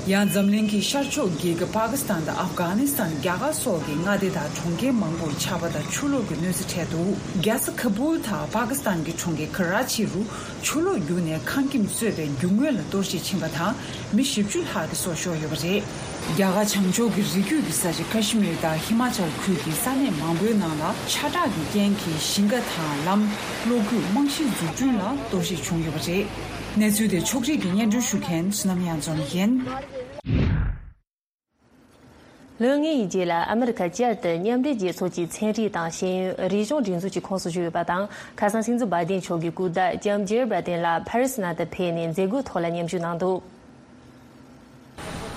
ཡང་འཛམ་གླིང་གི་ཤར་ཕྱོགས་རྒྱལ་ཁབ་པ་ཀི་སི་ཐན་དང་ཨབ་གྷ་ནི་སི་ཐན། རྒྱ་གར་སོགས་ཀྱི་མངའ་སྡེ་དང་གྲོང་ཁྱེར་མང་པོར་ཆར་པ་དང་ཆུ་ལོག་གི་གནོད་འཚེ་འཕྲད་འདུག་རྒྱལ་ས་ཁ་བུལ་དང་པ་ཀི་སི་ཐན་གྱི་གྲོང་ཁྱེར་ཁ་ར་ཆི་རུ་ཆུ་ལོག་རྒྱུག་ནས་ཁང་ཁྱིམ་གཙོས་པའི་རྒྱུ་དངོས་ལ་གཏོར་བཤིག་ཕྱིན་པ་དང་། མི་བཞི་བཅུ་ལྷག་གི་སྲོག་ཤོར་ཡོད་པ་རེད། རྒྱ་གར་བྱང་ཕྱོགས་ཀྱི་རི་རྒྱུད་ཀྱི་ས་ཆ་ཁ་ཤི་མིར་དང་ཧི་མ་ཅལ་ཁུལ་གྱི་ས་གནས་མང་པོའི་ནང་ལ་ཆར་དྲག་གི་རྐྱེན་གྱིས་ཞིང་ཁ་དང་ལམ། གློག་སྐུད། རྨང་གཞིའི་འཛུགས་སྐྲུན་ལ་གཏོར་བཤིག་བྱུང་ཡོད་པ་རེད། གནས་ཚུལ་དེ་ཕྱོགས་སྒྲིག་གིས་སྙན་སྒྲོན་ཞུ་མཁན་བསོད་ནམས་གཡང་འཛོམས་ཡིན། ལོ་ལྔའི་རྗེས་ལ་ཨ་མི་རི་ཁ་བསྐྱར་དུ་མཉམ་འབྲེལ་རྒྱལ་ཚོགས་ཀྱི་ཚན་རིག་དང་ཤེས་ཡོན་རིག་གཞུང་སྒྲིག་འཛུགས་ཀྱི་ཁོངས་སུ་ཞུགས་ཡོད་པ་དང་། ཁ་སང་སྲིད་འཛིན་བྷའི་ཏིན་མཆོག་གིས་སྐུ་ཟླ་ལྕམ་ཇེར་བྷའི་ཏིན་ལ་ཕ་རི་སི་ནང་དུ་ཕེབས་ནས་མཛད་སྒོའི་ཐོག་ལ་མཉམ་ཞུགས་གནང་འདུག་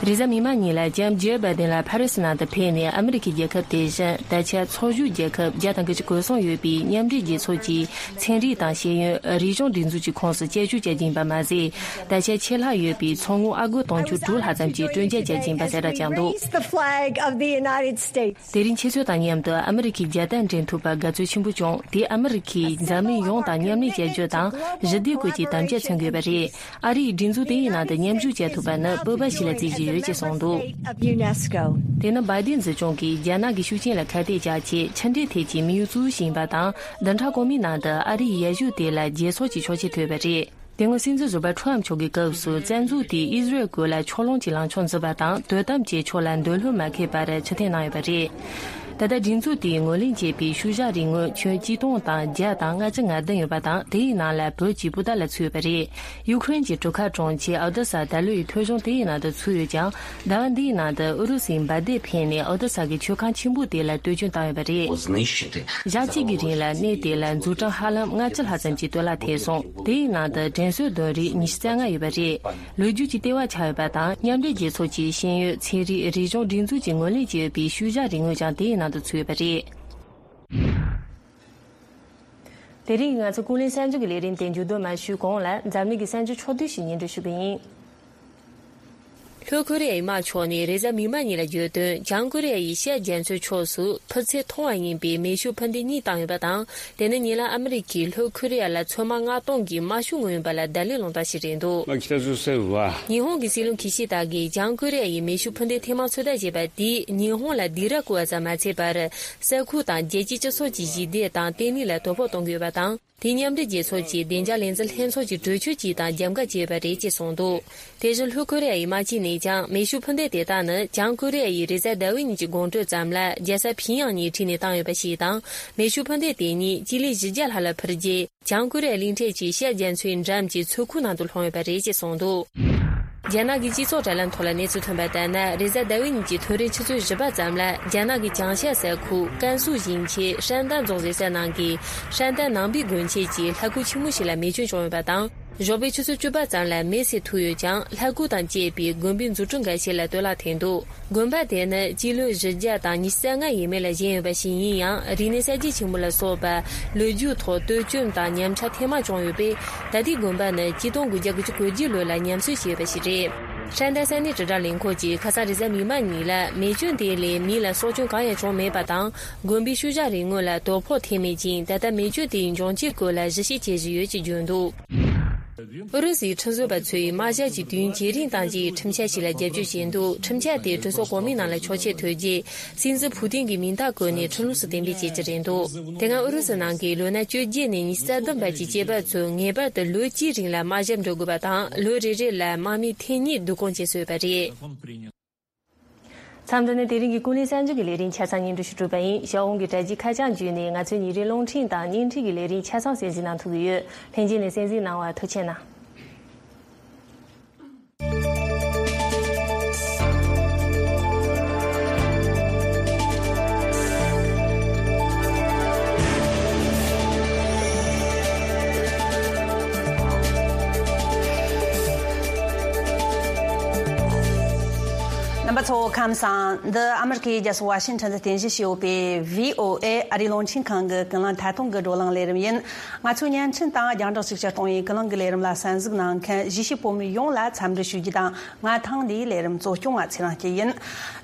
རེས་གཟའ་མིག་དམར་ཉིན་ལ་ལྕམ་ཇེར་བྷའི་ཏིན་ལ་ཕ་རི་སི་ནང་དུ་ཕེབས་ནས། ཨ་མི་རི་ཁའི་རྒྱལ་ཁབ་དེ་བཞིན་ད་ཆ་ཚོགས་ཞུགས་རྒྱལ་ཁབ་བརྒྱ་དང་དགུ་བཅུ་གོ་གསུམ་ཡོད་པའི་མཉམ་འབྲེལ་རྒྱལ་ཚོགས་ཀྱི་ཚན་རིག་དང་ཤེས་ཡོན་རིག་གཞུང་སྒྲིག་འཛུགས་ཀྱི་ཁོངས་སུ་དཔྱད་ཞིབ་བྱེད་ཀྱི་ཡིན་པ་མ་ཟད། ད་ཆ་ཆད་ལྷག་ཡོད་པའི་ཚོགས་དངུལ་ཨ་སྒོར་དུང་ཕྱུར་དྲུག་ལྷག་ཙམ་གྱི་སྤྲོད་འཇལ་བྱེད་ཀྱི་ཡིན་པ་གསལ་བསྒྲགས་བྱུང་འདུག Raise the flag of the United States. དེ་རིང་ཁྱེད་ཚོ་དང་མཉམ་དུ་ཨ་མི་རི་ཁའི་རྒྱལ་དར་འགྲེམས་ཐོག་ཨ་མི་རི་ཁའི་རྒྱལ་དར་འགྲེམས་ཐུབ་པར་དགའ་ཚོར་ཆེན་པོ་བྱུང་། དེས་ཨ་མི་རི་ཁས་འཛམ་གླིང་ཡོངས་དང་མཉམ་ལས་བྱ་རྒྱུ་དང་། ཞི་བདེ་སྐོར་གྱི་དམ་བཅའ་མཚོན་དགོས་པ་རེད། ཨ་རིས་སྒྲིག་འཛུགས་དེའི་ནང་དུ་མཉམ་ཞུགས་བྱེད་ཐུབ་པ་ནི་སྤོབས་པ་ཞིག་ལ་བརྩི་བཞིན་ཡོད་ཅེས་གསུངས་འདུག Of UNESCO. དེ་ནི་བྷའི་ཏིན་སྲིད་སྐྱོང་གིས་རྒྱ་ནག་གི་ཤུགས་རྐྱེན་ལ་ཁ་གཏད་བཅག་ཆེད་ཕྱི་འབྲེལ་ཐད་ཀྱི་དམིགས་ཡུལ་གཙོ་བོ་ཞིག་ཡིན་པ་དང་། བདུན་ཕྲག་གོང་མའི་ནང་དུ་ཨ་རིའི་ཡར་ཞུ་དེ་ལ་རྒྱལ་ཚོགས་ཀྱི་ཆོག་མཆན་ཐོབ་པ་རེད། དེ་སྔོན་སྲིད་འཛིན་ཟུར་པ་ཁྲོམ་མཆོག་གི་སྐབས་སུ་བཙན་འཛུལ་དེས་ཨི་ཟི་རལ་ཁུལ་ལ་ཕྱོགས་ལྷུང་གི་ལངས་ཕྱོགས་འཛིན་པ་དང་། དོ་དམ་བཅས་ཕྱོགས་ལ་འདོད་བློ་མ་ཁེལ་བར་ཕྱིར་འཐེན་གནང་ཡོད་པ་རེད། ད་ལྟ་སྒྲིག་འཛུགས་དེས་ངོས་ལེན་བྱས་པའི་ཤུལ་བཞག་རིག་དངོས་ཁྱོན་གཅིག་སྟོང་དང་བརྒྱ་དང་ལྔ་བཅུ་ང་བདུན་ཡོད་པ་དང་། དེའི་ནང་ལ་བོད་ཀྱི་སྤུ་ཟླ་ལ་ཚུད་ཡོད་པ་རེད། ཡུ་ཁུ་རེན་གྱི་གྲུ་ཁ་གྲོང་ཁྱེར་ཨོ་དེ་ས་ད་ལོའི་ཐོལ་བྱུང་དེའི་ནང་དུ་ཚུད་ཡོད་ཀྱང་། ཟླ་བ་འདིའི་ནང་དུ་ཨུ་རུ་སུའི་འབར་མདེལ་ཕེབས་ནས་ཨོ་དེ་ས་གི་མཆོད་ཁང་ཆེན་པོ་དེ་ལ་བསྟོད་སྐྱོན་བཏང་ཡོད་པ་རེད། ཞག་གཅིག་གི་རིང་ལ་གནས་དེ་ལ་འཛུགས་སྐྲུན་ཧ་ལམ་ལྔ་བཅུ་ལྷག་ཙམ་གྱི་གཏོར་བརླག་ཐེབས་སོང་། དེའི་ནང་དུ་དྲན་གསོའི་དོན་རིགས་ཉི་ཤུ་རྩ་ལྔ་ཡོད་པ་རེད། ལོ་རྒྱུས་ཀྱི་ལྟེ་བ་ཆགས་ཡོད་པ་དང་། མཉམ་འབྲེལ་རྒྱལ་ཚོགས་ཀྱི་ཤེས་ཡོན་ཚན་རིག་རིག་གཞུང་སྒྲིག་འཛུགས་ཀྱིས་ངོས་ལེན་བྱས་ཡོད་པའི་ཤུལ་བཞག་རིག་དངོས་ཀྱང་དེའི་ནང་དུ་ཚུད་ཡོད་པ་རེད། དེ་རིང་ང་ཚོ་ཀུན་གླེང་གསར་འགྱུར་གྱི་ལས་རིམ་དེ་མཇུག་བསྡོམས་མ་ཞུས་གོང་ལ། འཛམ་གླིང་གི་གསར་འགྱུར་ཕྱོགས་བསྡུས་ཤིག་སྙན་སྒྲོན་ཞུ་གི་ཡིན། ལྷོ་ཁོ་རེ་ཡའི་དམག་ཕྱོགས་ནས་རེས་གཟའ་མིག་དམར་ཉིན་ལ་བརྗོད་དོན། བྱང་ཁོ་རེ་ཡ་ཡིས་ཤར་རྒྱ་མཚོའི་ཕྱོགས་སུ་འཕུར་ཚད་མཐོ་བ་ཡིན་པའི་མེ་ཤུགས་འཕུར་མདེལ་གཉིས་བཏང་ཡོད་པ་དང་། དེ་ནི་ཉེ་ལམ་ཨ་མི་རི་ཀས་ལྷོ་ཁོ་རེ་ཡ་ལ་མཚོན་དམག་མངགས་གཏོང་གི་དམག་ཤུགས་མངོན་ཡོད་པ་ལ་བརྡ་ལན་སློང་སྟངས་ཤིག་རེད་འདུག まあ、北朝鮮は ཉི་ཧོང་གི་སྲིད་བློན་ཁི་ཤི་ད་གིས་བྱང་ཁོ་རེ་ཡ་ཡིས་མེ་ཤུགས་འཕུར་མདེལ་ཐེངས་མང་ཚོད་ལྟ་བྱས་པ་དེས་ཉི་ཧོང་ལ་སྡིགས་ར་བསྐུལ་བ་ཙམ་མ་ཚད་པར། ས་ཁུལ་དང་རྒྱལ་སྤྱིའི་སྤྱི་ཚོགས་ཀྱི་ཞི་བདེ་དང་བརྟན་ལྷིང་ལ་དོ་ཕོག་གཏོང་གི་ཡོད་པ་དང་། དེས་མཉམ་འབྲེལ་རྒྱལ་ཚོགས་ཀྱི་བདེ་འཇགས་ལས་འཛིན་ལྷན་ཚོགས་ཀྱི་གྲོས་ཆོད་ཅིག་དང་རྒྱབ་འགལ་བྱས་ཡོད་པ་རེད་ཅེས་གསུངས་འདུག་དེ་བཞིན་ལྷོ་ཁོ་རེ་ཡ་ཡི་དམག་སྤྱི་ནས་ཀྱང་མེ་ཤུགས་འཕུར་མདེལ་དེ་དག་ནི་བྱང་ཁོ་རེ་ཡ་ཡིས་རེས་གཟའ་ཟླ་བའི་ཉིན་གྱི་དགོང་དྲོ་ཙམ་ལ་རྒྱལ་ས་ཕིང་ཡང་ནས་ཁྲིད་ནས་བཏང་ཡོད་པ་ཞིག་དང་། མེ་ཤུགས་འཕུར་མདེལ་དེ་ཉིད་སྤྱི་ལེ་བཞི་བརྒྱ་ལྷག་ལ་འཕུར་རྗེས། བྱང་ཁོ་རེ་ཡ་གླིང་ཕྲན་གྱི་ཤར་རྒྱ་མཚོའི་འགྲམ་གྱི་མཚོ་ཁུག་ནང་དུ་ལྷུང་ཡོད་པ་རེད་ཅེས་གསུངས་འདུག་རྒྱ་ནག་གི་སྤྱི་ཚོགས་དྲ་ལམ་ཐོག་ལ་གནས་ཚུལ་ཐོན་པ་ལྟར་ན། རེས་གཟའ་ཟླ་བའི་ཉིན་གྱི་ཐོ་རེས་ཆུ་ཚོད་བཞི་པ་ཙམ་ལ་རྒྱ་ནག་གི་བྱང་ཤར་ས་ཁུལ་ཀན་སུའུ་ཞིང་ཆེན་ཧྲན་ཏན་རྫོང་ཟེར་ས་ནང་གི་ཧྲན་ཏན་ནང་པའི་དགོན་ཆེན་གྱི་ལྷ་ཁང་ཆེན་མོ་ཞིག་ལ་མེ་སྐྱོན་བྱུང་ཡོད་པ་དང་། ཞོགས་པའི་ཆུ་ཚོད་བཅུ་པ་ཙམ་ལ་མེ་སེར་ཐུག་ཡོད་ཀྱང་། ལྷ་སྐུ་དང་བཅས་པའི་དགོན་པའི་འཛུགས་སྐྲུན་འགའ་ཤས་ལ་གཏོར་བརླག་ཐེབས་འདུག་དགོན་པ་དེ་ནི་སྤྱི་ལོའི་བཞི་བརྒྱ་དང་ཉི་ཤུ་རྩ་ལྔ་ཡས་མས་ལ་བཞེངས་ཡོད་པ་ཞིག་ཡིན་ཡང་། རིག་གནས་གསར་བརྗེ་ཆེན་མོ་ལ་སོགས་པ་ལོ་རྒྱུས་ཐོག་བསྟོད་བཅོས་དང་ཉམས་ཆག་ཐེངས་མང་བྱུང་ཡོད་པས། ད་ལྟའི་དགོན་པ་ནི་ཆིག་སྟོང་དགུ་བརྒྱ་དགུ་བཅུ་གོ་བརྒྱད་ལོ་ལ་ཉམས་གསོ་བྱས་ཡོད་པ་ཞིག་རེད། ཧྲན་ཏ་ས་གནས་དྲིལ་བསྒྲགས་ལས་ཁུངས་ཀྱིས་ཁ་སང་རེས་གཟའ་མིག་དམར་ཉིན་ལ་མེ་སྐྱོན་དེ་ལས་མི་ལ་སྲོག་སྐྱོན་གང་ཡང་བྱུང་མེད་པ་དང་། དགོན་པའི་ཤུལ་བཞག་རི་ངོས་ལ་དོ་ཕོག་ཐེབས་མེད་ཅིང་། ད་ལྟ་མེ་སྐྱོན་དེའི་འབྱུང་རྐྱེན་སྐོར་ལ་ཞིབ་བཤེར་བྱེད་བཞིན་ཡོད་ཅེས་བརྗོད་འདུག་ཨུ་རུ་སུའི་ཁྲིམས་བཟོ་བ་ཚོས་དམག་ཞབས་ཀྱི་དུས་ཡུན་ཇེ་རིང་གཏང་རྒྱུའི་ཁྲིམས་འཆར་ཞིག་ལ་རྒྱབ་སྐྱོར་བྱས་འདུག་ཁྲིམས་འཆར་དེ་གྲོས་ཚོགས་གོང་མའི་ནང་ལ་ཆོག་མཆན་ཐོབ་རྗེས། སྲིད་འཛིན་ཕུ་ཏིན་གྱིས་མིང་རྟགས་བཀོད་ནས་ཁྲིམས་ལུགས་སུ་གཏན་འབེབས་བྱེད་ཀྱི་རེད་འདུག་དེ་སྔ་ཨུ་རུ་སུ་ནང་གི་ལོ་ན་བཅོ་བརྒྱད་ནས་ཉི་ཤུ་རྩ་བདུན་བར་གྱི་སྐྱེས་པ་ཚོས་ངེས་པར་དུ་ལོ་གཅིག་རིང་ལ་དམག་ཞབས་འགྲོ་དགོས་པ་དང་། ལོ་རེ་རེ་ལ་དམག་མི་ཐེངས་གཉིས་བསྡུ་སྐོང་བྱེད་སྲོལ་ཡོད་པ་རེད། མཚམས་འདི་ནས་དེ་རིང་གི་ཀུན་གླེང་གསར་འགྱུར་གྱི་ལས་རིམ་ཆ་ཚང་སྙན་སྒྲོན་ཞུ་གྲུབ་པ་ཡིན། ཞའོ་ཝུང་གི་དྲ་རྒྱའི་ཁ་བྱང་བརྒྱུད་ནས་ང་ཚོའི་ཉིན་རེའི་རླུང་འཕྲིན་དང་བརྙན་འཕྲིན་གྱི་ལས་རིམ་ཆ་ཚང་གསན་གཟིགས་གནང་ཐུབ་ཀྱི་ཡོད། ལྷན་རྒྱས་ནས་གསན་གཟིགས་གནང་བར་ཐུགས་རྗེ་གནང་། རྣམ་པ་ཚོ་ཁམས་བཟང་། འདི་ཨ་མི་རི་ཀའི་རྒྱལ་ས་ཝ་ཤིང་ཊོན་དུ་རྟེན་གཞི་བྱས་ཡོད་པའི་བྷི་ཨོ་ཨེ་ཨ་རིའི་རླུང་འཕྲིན་ཁང་གི་ཀུན་གླེང་ཐད་གཏོང་གི་བགྲོ་གླེང་ལས་རིམ་ཡིན། ང་ཚོའི་བརྙན་འཕྲིན་དང་རྒྱང་བསྒྲགས་ཤུགས་ཆེར་གཏོང་བའི་ཀུན་གླེང་གི་ལས་རིམ་ལ་གསན་གཟིགས་གནང་མཁན་གཞིས་བྱེས་བོད་མི་ཡོངས་ལ་འཚམས་འདྲི་ཞུ་རྒྱུ་དང་། ང་ཐེངས་འདིའི་ལས་རིམ་གཙོ་སྐྱོང་བ་ཚེ་རིང་སྐྱིད་ཡིན།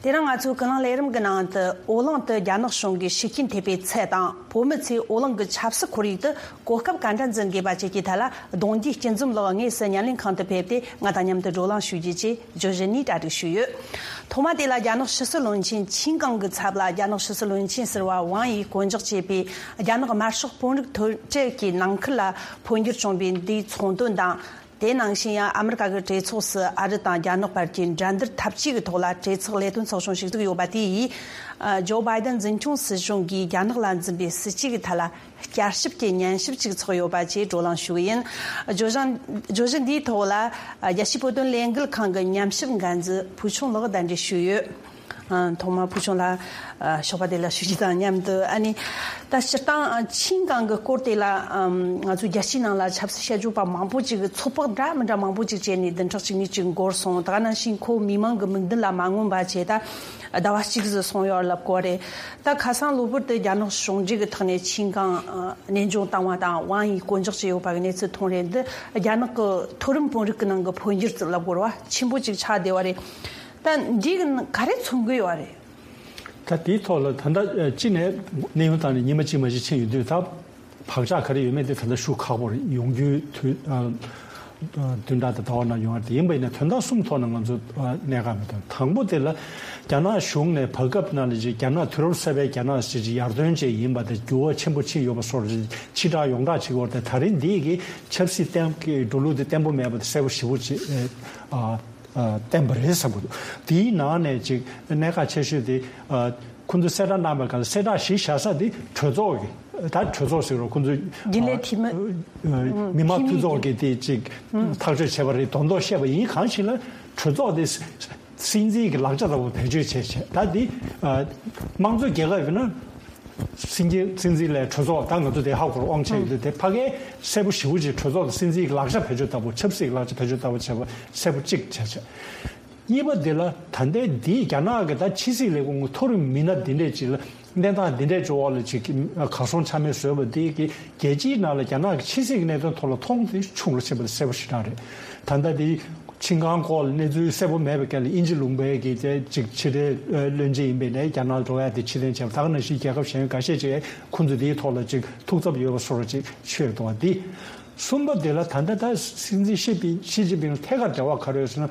དེ་རིང་ང་ཚོའི་ཀུན་གླེང་ལས་རིམ་གྱི་ནང་དུ། ཨོ་གླིང་དུ་རྒྱ་ནག་གཞུང་གིས་ཤུགས་རྐྱེན་ཐེབས་པའི་ཚད་དང་། བོད་མི་ཚོས་ཨོ་གླིང་གི་ཆབ་སྲིད་ཁོར་ཡུག་ཏུ་གོ་སྐབས་ག་འདྲ་འཛིན་དགོས་པ་བཅས་ཀྱི་ཐད་ལ། གདུང་རྒྱུད་སྐྱིད་འཛོམས་ལགས་དངོས་སུ་བརྙན་ལེན་ཁང་དུ་ཕེབས་ཏེ། ང་དང་མཉམ་དུ་བགྲོ་གླེང་ཞུ་རྒྱུ་བཅས་བརྗོད་གཞི་ནས་གྲ་སྒྲིག་ཞུས་ཡོད། ཐོག་མ་དེ་ལ་རྒྱ་ནག་ཕྱི་སྲིད་བློན་ཆེན་ཆིན་ཀང་གི་ཚབ་ལ་རྒྱ་ནག་ཕྱི་སྲིད་བློན་ཆེན་ཟུར་པ་ཝང་ཡིས་བསྐོ་འཇོག་བྱས་པའི་རྒྱ་ནག་དམར་ཤོག་དཔོན་རིགས་མཐོ་གྲས་ཀྱི་ནང་ཁུལ་ལ་འཕོ་འགྱུར་བྱུང་བའི་འདིའི་ཚོགས་འདུ་དང་། དེ་ནང་བཞིན་ཡང་ཨ་མི་རི་ཀ་གི་གྲོས་ཚོགས་སུ་ཨ་རི་དང་རྒྱ་ནག་བར་གྱི་འགྲན་བསྡུར་འཐབ་ཇུས་ཀྱི་ཐོག་ལ་གྲོས་ཚོགས་ལས་དོན་ཚོགས་ཆུང་ཞུགས་འདུག་ཡོད་པ་དེ་ཡིས། ཨ། ཇོ་བྷའི་ཏན་འཛིན་སྐྱོང་སྲིད་གཞུང་གིས་རྒྱ་ནག་ལ་འཛིན་པའི་སྲིད་ཇུས་ཀྱི་ཐད་ལ་བསྐྱར་ཞིབ་ཀྱི་ཉན་ཞིབ་ཅིག་ཚོགས་ཡོད་པ་བཅས་བགྲོ་གླེང་ཞུ་གི་ཡིན། བརྗོད་གཞི། བརྗོད་གཞི་འདིའི་ཐོག་ལ། ཨ། རྒྱལ་སྤྱིའི་བོད་དོན་ལས་འགུལ་ཁང་གི་ཉམས་ཞིབ་འགན་འཛིན་ཕུའུ་ཆུང་ལགས་གདན་འདྲེན་ཞུས་ཡོད། ཨ། ཐོག་མར་ཕུའུ་ཆུང་ལགས། ཨ། ཞོགས་པ་བདེ་ལེགས་ཞུ་རྒྱུ་དང་མཉམ་དུ། ཨ་ནི། ད་སྤྱིར་བཏང་ཆིན་ཀང་གི་སྐོར་དེ་ལ། ཨམ། ང་ཚོའི་རྒྱལ་སྤྱིའི་ནང་ལ་ཆབ་སྲིད་དཔྱད་བརྗོད་པ་མང་པོ་ཅིག་གིས་ཚོད་དཔག་འདྲ་མི་འདྲ་མང་པོ་ཅིག་བྱས་ནས་བདུན་ཕྲག་གཅིག་གཉིས་ཅིག་འགོར་སོང་། ད་ག་ནང་བཞིན་ཁོ་མི་མང་གི་མིག་མདུན་ལ་མ་མངོན་པ་བྱས། ད་ཟླ་བ་གཅིག་ཙམ་སོང་ཡོད་ལབ་དགོས་རེད། ད་ཁ་སང་གློ་བུར་དུ་རྒྱ་ནག་གཞུང་འབྲེལ་གྱི་ཐོག་ནས་ཆིན་ཀང་། ཨ། གནས་དབྱུང་བཏང་བ་དང་ཝང་ཡིས་བསྐོ་འཇོག་བྱས་ཡོད་པ་གི་གནས་ཚུལ་མཐོང་རེད། འདི་རྒྱ་ནག་གི་མཐོ་རིམ་དཔོན་རིགས་ཀྱི་ནང་གི་འཕོ་འགྱུར་ཙམ་ལབ་དགོས་རེད་བ། ཆེན་པོ་ཅིག་ཆགས་བསྡད་པ་རེད། ད་འདི་གི་ག་རེ་མཚོན་གྱི་ཡོད་རེད། ད་དེའི་ཐོག་ལ་ད་ལྟ་ཅི་ནས་གནས་དབྱུང་བཏང་ནས་ཉི་མ་གཅིག་མ་གཅིག་ཕྱིན་ཡོད་དུས། ད་བག་ཆགས་ག་རེ་ཡོད་མེད་དེ་ད་ལྟ་ཞུ་ཁག་པོ་རེད། ཡོང་རྒྱུའི་དུས། ཨ། བདུན་ཕྲག་དང་ཟླ་བ་ནང་ཡོང་བ་དེ་ཡིན་པ་ཡིན་ན། དོན་དག་གསུམ་ཐོག་ནས་ང་ཚོ་གནད་འགག་མི་འདུག་དང་པོ་དེ་ལ་རྒྱ་ནག་གཞུང་ནས་བར་སྐབས་ནང་ལ་ཅིག་རྒྱ་ནག་དུས་རབས་གསར་པའི་རྒྱ་ནག་ཅིག་ཅིག་ཡར་ཐོན་བཅས་ཡིན་པ་དང་འགྱུར་བ་ཆེན་པོ་ཕྱིན་ཡོད་པ་སོགས་ཅིག་ཕྱིར་བསྒྲགས་ཡོངས་གྲགས་བྱེད་ཀྱི་ཡོད་རེད། ད་རིང་འདི་གི་ཆབ་སྲིད་བརྟན་གྱི་འགྲོ་ལུགས་དེ་བརྟན་པོ་མེད་པ་དེ་གསལ་པོ་ཞེ་པོ་ཅིག་ཨ། ཨ། བརྟན་པ་རེད་བསམ་གྱི་འདུག་དེའི་ནང་ནས་ཅིག་གནད་འགག་ཆེ་ཤོས་དེ། ཨ། ཁོང་ཚོས་གསལ་བསྒྲགས་གནང་བའི་སྐབས་ལ་གསལ་བསྒྲགས་གཞི་བཞག་ས་དེ་གྲོས་ཚོགས་ཀྱི། ད་གྲོས་ཚོགས་ཟེར་རོ། ཁོང་ཚོས་རྒྱུན་ལས་འཐུས་མི། ཨ། མི་དམངས་འཐུས་ཚོགས་ཀྱི་དེ་ཅིག་ཐག་གཅོད་བྱས་པ་རེད་མདོག་མདོག་བཤད་པ་ཡིན། གང་ཞིག་ལ་གྲོས་ཚོགས་དེ་སྲིད་འཛིན་གྱི་ལག་ཆ་ལྟ་བུ་བེད་སྤྱོད་བྱས་བྱས། ད་དེ། ཨ། དམངས་གཙོའི་རྒྱལ་ཁབ་ཡིན་ན། སྲིད་འཛིན། སྲིད་འཛིན་ལས་གྲོས་ཚོགས། ད་ང་ཚོ་དེ་ཧ་གོ་རེད། དབང་ཆ་ཡོད་དུས་དེ་ཕ་གིའི་གསལ་པོ་ཞེ་པོ་ཅིག་གྲོས་ཚོགས་དང་སྲིད་འཛིན་གྱི་ལག་ཆ་བེད་སྤྱོད་ལྟ་བུ། ཆབ་སྲིད་ཀྱི་ལག་ཆ་བེད་སྤྱོད་ལྟ་བུ་བྱས་པ་གསལ་པོ་གཅིག་བྱས་བྱས། གཉིས་པ་དེ་ལ་ད་ལྟའི་འདིའི་རྒྱ་ནག་གི་ད་ཕྱི་སྲིད་ལས་ཁུངས་མཐོ་རིམ་མི་སྣ་འདི་འདྲས་ཅིག་ལ་གནས་སྟངས་འདི་འདྲས་ཅིག་འོག་ལ་ཅིག་གར་སོང་ཆ་མེད་བཟོས་པ་འདི་གིས་རྒྱལ་སྤྱིའི་ནང་ལ་རྒྱ་ནག་གི་ཕྱི་སྲིད་ཀྱི་གནད་དོན་ཐོག་ལ་མཐོང་ཚུལ་ཆུང་རུ་ཕྱིན་པ་དེ་གསལ་པོ་ཞེ་དྲག་རེད། ད་ལྟ་དེ། ཆིན་ཀང་སྐོར་ལ་གནས་ཚུལ་གསལ་པོ་མེད་པའི་སྐབས་ལ་དབྱིན་ཇི་ལུང་པའི་གི་དེ་ཅིག་ཕྱི་འབྲེལ་བློན་ཆེན་ཡིན་པའི་ནས་རྒྱ་ནག་འགྲོ་ཡ་དེ་ཕྱིར་འཐེན་བྱས་པ། ད་ག་ནང་བཞིན་རྒྱལ་ཁབ་གཞན་འགའ་ཤས་ཀྱིས་ཁོང་ཚོ་དེའི་ཐོག་ལ་ཅིག་ཐུགས་འཚབ་ཡོད་པ་སོགས་ཅིག་ཤོད་འདུག་པ་འདི། གསུམ་པ་དེ་ལ་ད་ལྟ་ད་སྲིད་འཛིན་ཞི་ཕིང་། ཞི་ཅིན་ཕིང་ལ་ཐད་ཀར་འབྲེལ་བ་ག་རེ་ཡོད་ཟེར་ན།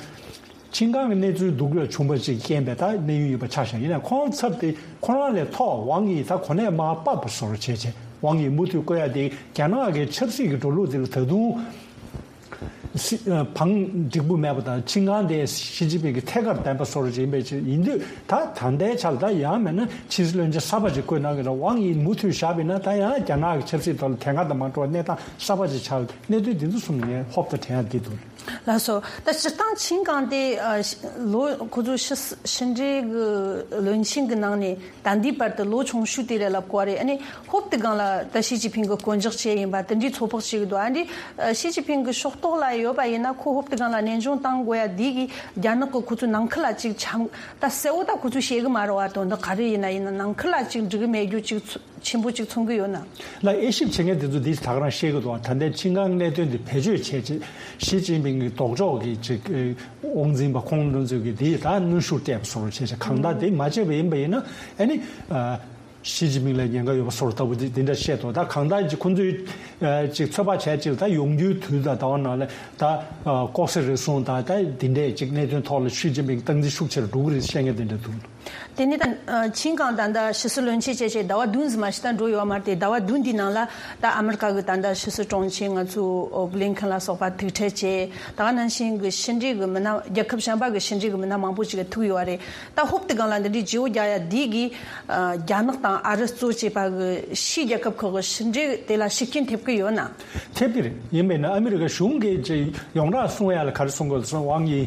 ཆིན་ཀང་གི་གནས་ཚུལ་སྡུག་ལ་བྱུང་བ་ཅིག་རྐྱེན་པས་ད་གནས་དབྱུང་ཡོད་པ་ཆགས་ཤག་ཡིན་ནའང་ཁོང་ཚབ་དེ་ཁོ་རང་ལས་མཐོ་བ་ཝང་ཡིས་ད་གོ་གནས་མར་ཕབ་པ་སོགས་བྱས་བྱས། ཝང་ཡིས་མུ་མཐུད་བསྐོ་ཡ་དེ་རྒྱ་ནག་གི་ཆབ་སྲིད་ཀྱི་འགྲོ་ལུགས་དེ་ལ་ད་དུང་། སྲིད་བང་འགྲིག་པོ་མེད་པ་དང་ཆིང་ཀང་དེ་ཞི་ཅིན་ཕིང་གི་ཐད་ཀར་བདེན་པ་བཟོ་རོགས་ཡིན་པའི་ཆེད་ཡིན་དུས། ད་ད་ལྟའི་ཆར་ད་ཡང་མིན་ན་ཕྱི་སྲིད་བློན་ཆེན་གསར་པ་ཅིག་བསྐོས་གནང་གི་རེད། ཝང་དབྱི་མུ་མཐུད་བཞག་པ་ཡིན་ན། ད་ཡང་རྒྱ་ནག་གི་ཆབ་སྲིད་ཐོག་ལ་དེ་སྔ་དང་མ་འདྲ་བ་གནས་སྟངས་གསར་པ་ཅིག་ཆགས། གནད་དོན་འདི་ཚོ་གསུམ་ངས་ཧོབ་ཏེ་དྲན་ཡ་འདི་འདུག། ལགས་སོ། ད་སྤྱིར་བཏང་ཆིང་ཀང་དེ་ཨ་ལོ་ཁོ་ཚོ་ཕྱི་ཕྱི་འབྲེལ་གྱི་བློན་ཆེན་གྱི་ནང་ནས་ད་ལྟའི་བར་དུ་ལོ་ཆུང་ཤོས་དེ་རེད་ལབ་དགོས་རེད། ཨ་ནི་ཧོབ་ཏེ་སྒང་ལ་ད་ཞི་ཅིན་ཕིང་གི་དཀོན་མཆོག་བྱས་ཡིན་པ་དེ་འདྲའི་ཚོད་དཔག་བྱེད་ཀྱི་འདུག། ཨ་འདི་ཞི་ཅིན་ཕིང་གི་ཕྱོགས་གཏོགས་ལ་ཡོད་པ་ཡིན་ན་ཁོ་ཧོབ་ཏེ་སྒང་ལ་ནན་སྦྱོང་བཏང་དགོས་ཡ་འདི་གིས་རྒྱ་ནག་གི་ཁོ་ཚོའི་ནང་ཁུལ་ལ་ཅིག་འཆམ། ད་གསལ་བོ་ད་ཁོ་ཚོས་བཤད་གི་མ་རེད་བ། དོན་དག་ག་རེ་ཡིན་ན་ཡིན་ན་ནང་ཁུལ་ལ་ཅིག་འགྲིག་གི་མེད་རྒྱུ་ཅིག་ཚོ་ཆེན་པོ་ཅིག་མཚོན་གི་ཡོད་ན། ལ་དབྱེ་ཞིབ་བྱེད་མཁན་དེ་ཚོ་འདི་ད་ག་རང་བཤད་གི་འདུག། ད་ལྟའི་ཆིང་ཀང་གནད་དོན་འདི་བེད་སྤྱོད་བྱས་རྗེས་ཞི་ཅིན་ཕིང་གི་ལྡོག་ཕྱོགས་ཀྱི་ཅིག་དབང་འཛིན་པ་ཁོང་ཚོས་ཀྱི་འདི་ད་གནོན་ཤུགས་སྤྲད་པ་བཟོ་འདྲ་བྱས་བྱས། གང་ལྟར་དེ་མ་བྱས་པ་ཡིན་པ་ཡིན་ན་ཨ་ནི་ཞི་ཅིན་ཕིང་ལ་ཉེན་ཁ་ཡོད་པ་བཟོ་འདྲ་ལྟ་བུ་འདི་འདི་འདྲ་བཤད་འདུག། ད་གང་ལྟར་ཅིག་ཁོང་ཚོས་ཅིག་ཚོད་དཔག་བྱས་ཅིག་ད་ཡོང་རྒྱུའི་དུས་དང་ཟླ་བ་ནང་ལ་ད་ལྐོག་ཟ་རུལ་སུངས་དང་ད་འདི་འདྲའི་ཅིག་གནད་དོན་ཐོག་ལ་ཞི་ཅིན་ཕིང་སྟངས་འཛིན་ཤུགས་ཆེ་རུ་འགྲོ་གི་རེད་བཤད་མཁན་དེ་འདྲ་འདུག། དེ་ནས་ད་ཆིང་ཀང་ད་ལྟ་ཕྱི་སྲིད་བློན་ཆེན་བྱས་བྱས་ཟླ་བ་བདུན་ཙམ་མ་ཞིག་ད་འགྲོ་ཡོད་མ་རེད་དེ། ཟླ་བ་བདུན་འདིའི་ནང་ལ་ད་ཨ་མི་རི་ཀ་གི་ད་ལྟ་ཕྱི་སྲིད་དྲུང་ཆེ་ང་ཚོ་བྷི་ལིན་ཁན་ལ་སོགས་པ་ཐུག་འཕྲད་བྱས། ད་ག་ནང་བཞིན་གྱི་ཕྱི་འབྲེལ་གྱི་མི་སྣ་རྒྱལ་ཁབ་གཞན་པ་གི་ཕྱི་འབྲེལ་གྱི་མི་སྣ་མང་པོ་ཞིག་ཐུག་ཡོད་རེད། ད་ཧོབ་ཏེ་སྒང་ལ་འདི་འདྲའི་བརྗེ་བོ་རྒྱག་ཡ་འདི་གིས་རྒྱ་ནག་དང་ཨ་རི་གཙོ་བྱས་པ་གི་ཕྱིའི་རྒྱལ་ཁབ་ཁག་གི་ཕྱི་འབྲེལ་དེ་ལ་ཤུགས་རྐྱེན་ཐེབས་ཀྱི་ཡོད་ན། ཐེབས་ཀྱི་རེད། ཡིན་པས་ན་ཨ་མི་རི་ཀ་གཞུང་གིས་ཡོངས་གྲགས་གསུང་ཡ་ལ་ག་རེ་གསུང་དགོས་སོང་། ཝང་དབྱི་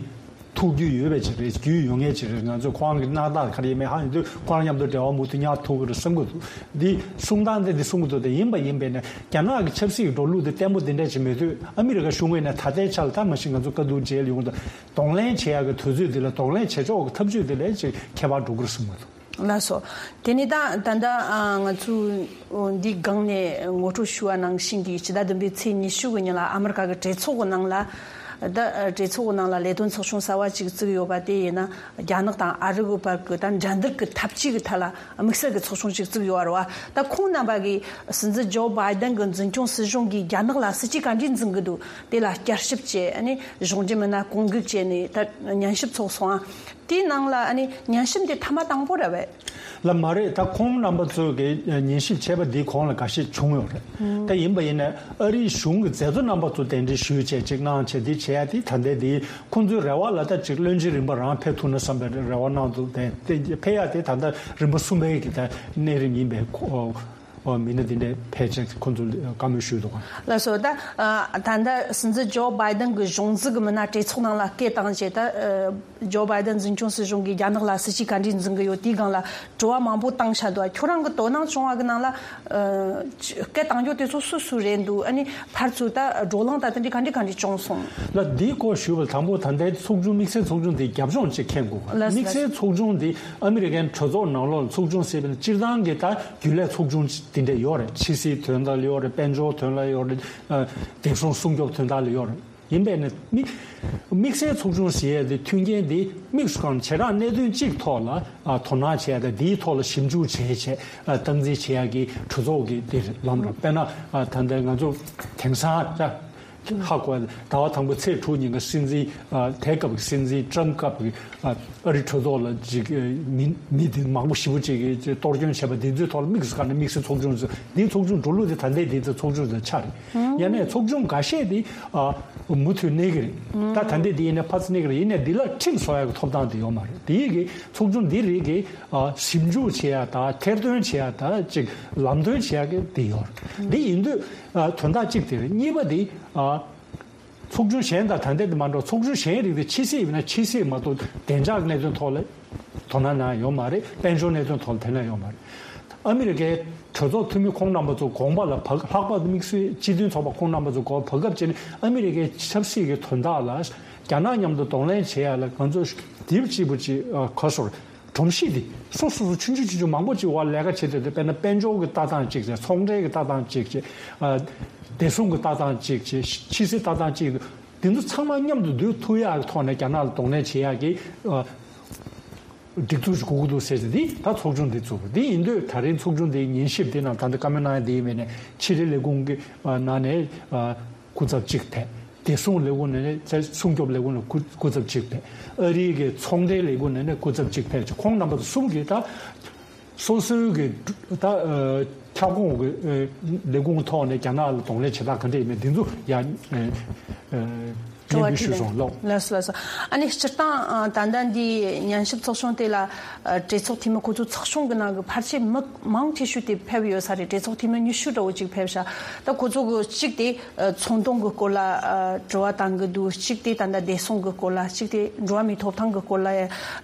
ཐུག་རྒྱུ་ཡོད་པའི་ཅིག་རེད། རྒྱུས་ཡོད་མཁན་ཅིག་རེད། ང་ཚོས་ཁོང་གི་སྣང་དག་ག་རེ་ཡིན་མིན་ཧ་ཡིན་དུས་ཁོང་མཉམ་དུ་འབྲེལ་བ་མུ་མཐུད་ཉར་ཐུབ་ཀྱི་རེད་བསམ་གྱི་འདུག། འདི་གསུང་སྟངས་དེ་འདི་གསུང་གི་འདུག། དེ་ཡིན་པ་ཡིན་པས་ན་རྒྱ་ནག་གི་ཆབ་སྲིད་ཀྱི་འགྲོ་ལུགས་དེ་བརྟན་པོ་དེ་འདྲ་ཅིག་མེད་དུས། ཨ་མི་རི་ཀ་གཞུང་གིས་ནས་ད་ལྟའི་ཆར་ལ་ད་མ་གཞི་ང་ཚོ་བཀའ་བསྡུར་བྱས་ཡོང་དུས་གདོང་ལེན་བྱེད་ཡག་གི་དུས་ཚོད་དེ་ལ་གདོང་ལེན་བྱེད་ཕྱོགས་ཀྱི་ཐབས་ཇུས་དེ་ལ་ཅིག་ཁྱད་པར་འགྲོ་གི་རེད་བསམ་གྱི་འདུག། ལགས་སོ། དེ་ནས་ད་ད་ལྟ་ཨ་ང་ཚོས་འདིའི་སྒང་ནས་ངོ་སྤྲོད་ཞུ་བ་ནང་བཞིན་གྱི་ཕྱི་ཟླ་བདུན་པའི་ཚེས་ཉི་ཤུ་གི་ཉིན་ལ་ཨ་མི་རི་ཀ་གི་གྲོས་ཚོགས་ཀྱི་ནང་ལ། ད་གྲོས་ཚོགས་ཀྱི་ནང་ལ་ལས་དོན་ཚོགས་ཆུང་གསར་བ་ཅིག་བཙུགས་ཡོད་པ་དེ་ཡིན་ན། རྒྱ་ནག་དང་ཨ་རི་གི་བར་གྱི་ད་འགྲན་བསྡུར་གྱི་འཐབ་ཇུས་ཀྱི་ཐད་ལ་དམིགས་བསལ་གྱི་ཚོགས་ཆུང་ཅིག་བཙུགས་ཡོད་རེད་བ། ད་ཁོང་རྣམ་པ་གིས་སྲིད་འཛིན་ཇོ་བྷའི་ཏན་གྱི་འཛིན་སྐྱོང་སྲིད་གཞུང་གིས་རྒྱ་ནག་ལ་སྲིད་ཇུས་ག་འདྲས་འཛིན་གྱི་འདུག། དེ་ལ་བསྐྱར་ཞིབ་བྱས། ཨ་ནི་གཞུང་འབྲེལ་མི་སྣ་བསྐོ་འགུག་བྱས་ནས་ད་ཉན་ཞིབ་ཚོགས་སོང་ཨ། དེའི་ནང་ལ་ཨ་ནི་ཉན་ཞིབ་འདི་ཐེངས་མ་དང་པོ་རེད་པས། ལགས་མ་རེད། ད་ཁོང་རྣམ་པ་ཚོ་གིས་ཉན་ཞིབ་བྱས་པ་འདིའི་གོང་ལ་འགའ་ཤས་བྱུང་ཡོད་རེད། ད་ཡིན་པ་ཡིན་ན་ཨ་རིའི་གཞུང་གི་མཛད་གཙོ་རྣམ་པ་ཚོ་གདན་འདྲེན་ཞུས་བྱས་ཅིག་གནང་བྱས་འདི་བྱས་ཡ་དེ་ད་ལྟའི་འདི་ཁོང་ཚོའི་རེ་བ་ལ་ད་ཅིག་བློན་ཆེན་རིམ་པ་རང་ཕེབས་ཐུབ་ན་བསམ་པའི་རེ་བ་གནང་འདུག། དེ་དེ་ཕེབས་ཡ་དེ་ད་ལྟ་རིམ་པ་གསུམ་པའི་གི་ད་གནས་རིམ་ཡིན་པས། ཁོ་ཨོ་མི་སྣ་འདི་འདྲའི་ཕལ་ཆེར་ཁོང་ཚོ་བཀའ་མོལ་ཞུས་འདུག་ག། ལགས་སོ། ད་ཨ་ད་ལྟ་སྲིད་འཛིན་ཇོ་བྷའི་ཏན་གྱི་གཞུང་འཛུགས་ཀྱི་མི་སྣ་གྲོས་ཚོགས་ནང་ལ་སྐད་བཏང་རྗེས། ད་ཨ་ཇོ་བྷའི་ཏན་འཛིན་སྐྱོང་སྲིད་གཞུང་གིས་རྒྱ་ནག་ལ་སྲིད་ཇུས་ག་འདྲས་འཛིན་གྱི་ཡོད་དེའི་སྒང་ལ་དྲི་བ་མང་པོ་བཏང་བཞག་འདུག། ཁྱོད་རང་གི་དོ་སྣང་བྱུང་བ་གི་ནང་ལ་ཨ་སྐད་བཏང་རྒྱུ་དེ་ཚོ་སུ་སུ་རེད་འདུག། ཨ་ནི་ཕར་ཚུར་ད་བགྲོ་གླེང་ད་དེ་འདྲས་ག་འདྲས་ག་འདྲས་བྱུང་སོང་། ལགས། འདིའི་སྐོར་ཞུས་པ་དང་པོ་ད་ལྟའི་ཚོགས་ཆུང་དམིགས་བསལ་ཚོགས་ཆུང་དེ་རྒྱབ་ལྗོངས་ཅིག་མཁྱེན་དགོས། ལགས། དམིགས་བསལ་ཚོགས་ཆུང་དེ་ཨ་མི་རི་ཀའི་གྲོས་ཚོགས་ནང་ལོགས་ལ་ཚོགས་ཆུང་ཟེར་བ་ནི་སྤྱིར་བཏང་གི་ད་རྒྱུན་ལས་ཚོགས་ཆུང་དེ་འདྲ་ཡོད་རེད། ཕྱི་སྲིད་དོན་དག་ལ་ཡོད་རེད། དཔལ་འབྱོར་དོན་ལ་ཡོད་རེད། ཨ་བདེ་སྲུང་སྲུང་སྐྱོབ་དོན་དག་ལ་ཡོད་རེད། ཡིན་པས་ནི་དམིགས་དམིགས་བསལ་ཚོགས་ཆུང་ཟེར་ཡས་དེ་མཐུན་རྐྱེན་དེ་དམིགས་སུ་བཀར་ནས་བྱེ་བྲག་གནད་དོན་གཅིག་ཐོག་ལ་ཨ་དོ་སྣང་བྱེད་ཡ་དང་། དེའི་ཐོག་ལ་ཞིབ་འཇུག་བྱེད་བྱེད་ཨ་སྟངས་འཛིན་བྱེད་ཡ་གི་གྲོས་ཚོགས་ཀྱི་དེ་རེད། ལམ་རེད། དཔེར་ན་ཨ་ད་ལྟ་ང་ཚོ་དེང་སང་ད་ཧ་གོ་ཡ་ཟླ་བ་དང་པོ་ཚེས་དྲུག་ཉིན་ག་སྲིད་འཛིན་ཨ་དེ་སྐབས་ཀྱི་སྲིད་འཛིན་ཊམ་སྐབས་ཀྱི་ཨ་ཨ་རི་གྲོས་ཚོགས་ལ་ཅིག་མི་མི་དེ་མང་པོ་ཞེ་པོ་ཅིག་གིས་གཏོར་སྐྱོན་བྱས་པ་དེ་ཚོའི་ཐོག་ལ་དམིགས་སུ་བཀར་ནས་དམིགས་བསལ་ཚོགས་ཆུང་ཟེར། འདིའི་ཚོགས་ཆུང་འགྲོ་ལུགས་དེ་ད་ལྟའི་དེ་ཚོ་ཚོགས་ཆུང་ཟེར་ཆགས་རེད། ཡང་ན་ཚོགས་ཆུང་འགའ་ཤས་དེ་ཨ་མུ་མཐུད་གནས་ཀྱི་རེད། ད་ད་ལྟའི་དེ་ཡིན་ན་ཕར་ཚུར་གནས་ཀྱི་རེད། ཡིན་ནའི་འདི་ལ་ཁྲིམས་བཟོ་ཡག་གི་ཐོབ་ཐང་དེ་ཡོད་མ་རེད། དེ་ཡི་གི་ཚོགས་ཆུང་འདི་རིགས་ཀྱི་ཨ་ཞིབ་འཇུག་བྱེད་ཡག་དང་ཐེར་འདོན་བྱེད་ཡག་དང་ཅིག་ལམ་སྟོན་བྱེད་ཡག་གི་དེ་ཡོད་རེད། འདི་ཡིན་དུས་ཨ་དོན་དག་གཅིག་དེ་རེད། གཉིས་པ་དེ་ཨ་ཚོགས་ཆུང་གཞན་དང་ད་ལྟའི་དེ་མ་འདྲ་བ། ཚོགས་ཆུང་གཞན་རིགས་དེ་ཕྱི་སྲིད་ཡིན་ན་ཕྱི་སྲིད་མ་གཏོགས་བདེ་འཇགས་གནད་དོན་ཐོག་ལ་དོ་སྣང་གནང་ཡོད་མ་རེད། དཔལ་འབྱོར་གནད་དོན་ཐོག་ལ་དོ་སྣང་ཡོད་མ་རེད། ཨ་མི་རི་ཀའི་གྲོས་ཚོགས་འཐུས་མི་ཁོང་རྣམ་པ་ཚོ་དགོངས་པ་ལ་བབས། ལྷག་པར་དུ་དམིགས་བསལ་སྤྱི་མཐུན་ཚོགས་པ་ཁོང་རྣམ་པ་ཚོ་དགོངས་པ་བབས་སྐབས་ཅིག་ནས་ཨ་མི་རི་ཀའི་ཆབ་སྲིད་ཀྱི་དོན་དག་ལ་རྒྱ་ནག་མཉམ་དུ་གདོང་ལེན་བྱེད་ཡ་ལ་ང་ཚོ་དེབ་གཅིག་པུ་ཅིག་ཨ་ག་ཟེར། སྒྲོམ་གཞི་འདི་སོ་སོ་སོ་ཆུང་ཆུང་ཆུང་ཆུང་མང་པོ་ཅིག་འོག་ལས་ཀ་བྱེད་བསྡད་དེ། དཔེར་ན་དཔལ་འབྱོར་གྱི་ལྟ་སྟངས་གཅིག་བྱས། ཚོང་འབྲེལ་གྱི་ལྟ་སྟངས་གཅིག་བྱས། ཨ་བདེ་སྲུང་གི་ལྟ་སྟངས་གཅིག་བྱས། ཕྱི་སྲིད་ལྟ་སྟངས་གཅིག། འདི་ཚོ་ཚང་མ་མཉམ་དུ་འདུས་ཐུབ་ཡག་གི་ཐོག་ནས་རྒྱ་ནག་ལ་གདོང་ལེན་བྱེད་ཡག་གི་ཨ་སྒྲིག་འཛུགས་ཤིག་དགོས་ཀྱི་འདུག་ཟེར་ཏེ། འདི་ད་ཚོགས་ཆུང་འདི་བཙུགས་པ་འདི་ཡིན་དུས། ད་རིང་ཚོགས་ཆུང་འདིའི་ཉན་ཞིབ་འདི་ནང་ད་ལྟ་བཀའ་མོལ་གནང་ཡ་འདི་ཡིན་པས་ནས་ཕྱི་དྲིལ་ལས་ཁུངས་ཀྱི་ཨ་ནང་ནས་ཨ་སྐུ་ཚབ་གཅིག་ཕེབས། བདེ་སྲུང་ལས་ཁུངས་ནས་ནས་སྲུང་སྐྱོབ་ལས་ཁུངས་ནས་སྐུ་སྐུ་ཚབ་གཅིག་ཕེབས། ཨ་རིའི་གི་ཚོང་འབྲེལ་ལས་ཁུངས་ནས་ནས་སྐུ་ཚབ་གཅིག་ཕེབས་བྱས། ཁོང་རྣམ་པ་ཚོ་གསུམ་གྱིས་ད་སོ་སོའི་གི་ད་ཨ་ཁྱབ་ཁོངས་ཀྱི་ཨ་ལས་ཁུངས་ཐོག་ནས་རྒྱ་ནག་ལ་གདོང་ལེན་བྱེད་སྟངས་ག་འདྲ་ཡིན་མིན་འདི་ཚོ་ཡ་ཨ་ཨ་ སྙན་སྒྲོན་ཞུས་སོང་། ལགས་སོ། ལགས་སོ། ལགས་སོ། ཨ་ནི་སྤྱིར་བཏང་ཨ་ད་ལྟ་འདི་ཉན་ཞིབ་ཚོགས་ཆུང་དེ་ལ་ཨ་གྲོས་ཚོགས་འཐུས་མི་ཁོ་ཚོ་ཚོགས་ཆུང་གི་ནང་གི་ཕལ་ཆེར་མི་མང་ཆེ་ཤོས་དེ་ཕེབས་ཡོད་ས་རེད། གྲོས་ཚོགས་འཐུས་མི་ཉི་ཤུ་འདྲ་བོ་ཅིག་ཕེབས་ཤག་ད་ཁོ་ཚོ་གི་གཅིག་དེ་ཨ་ཚོང་དོན་གི་སྐོར་ལ་ཨ་དྲི་བ་བཏང་གི་འདུག་གཅིག་དེ་ད་ལྟ་བདེ་སྲུང་གི་སྐོར་ལ། གཅིག་དེ་འགྲོ་བ་མིའི་ཐོབ་ཐང་གི་སྐོར་ལ་ཨ་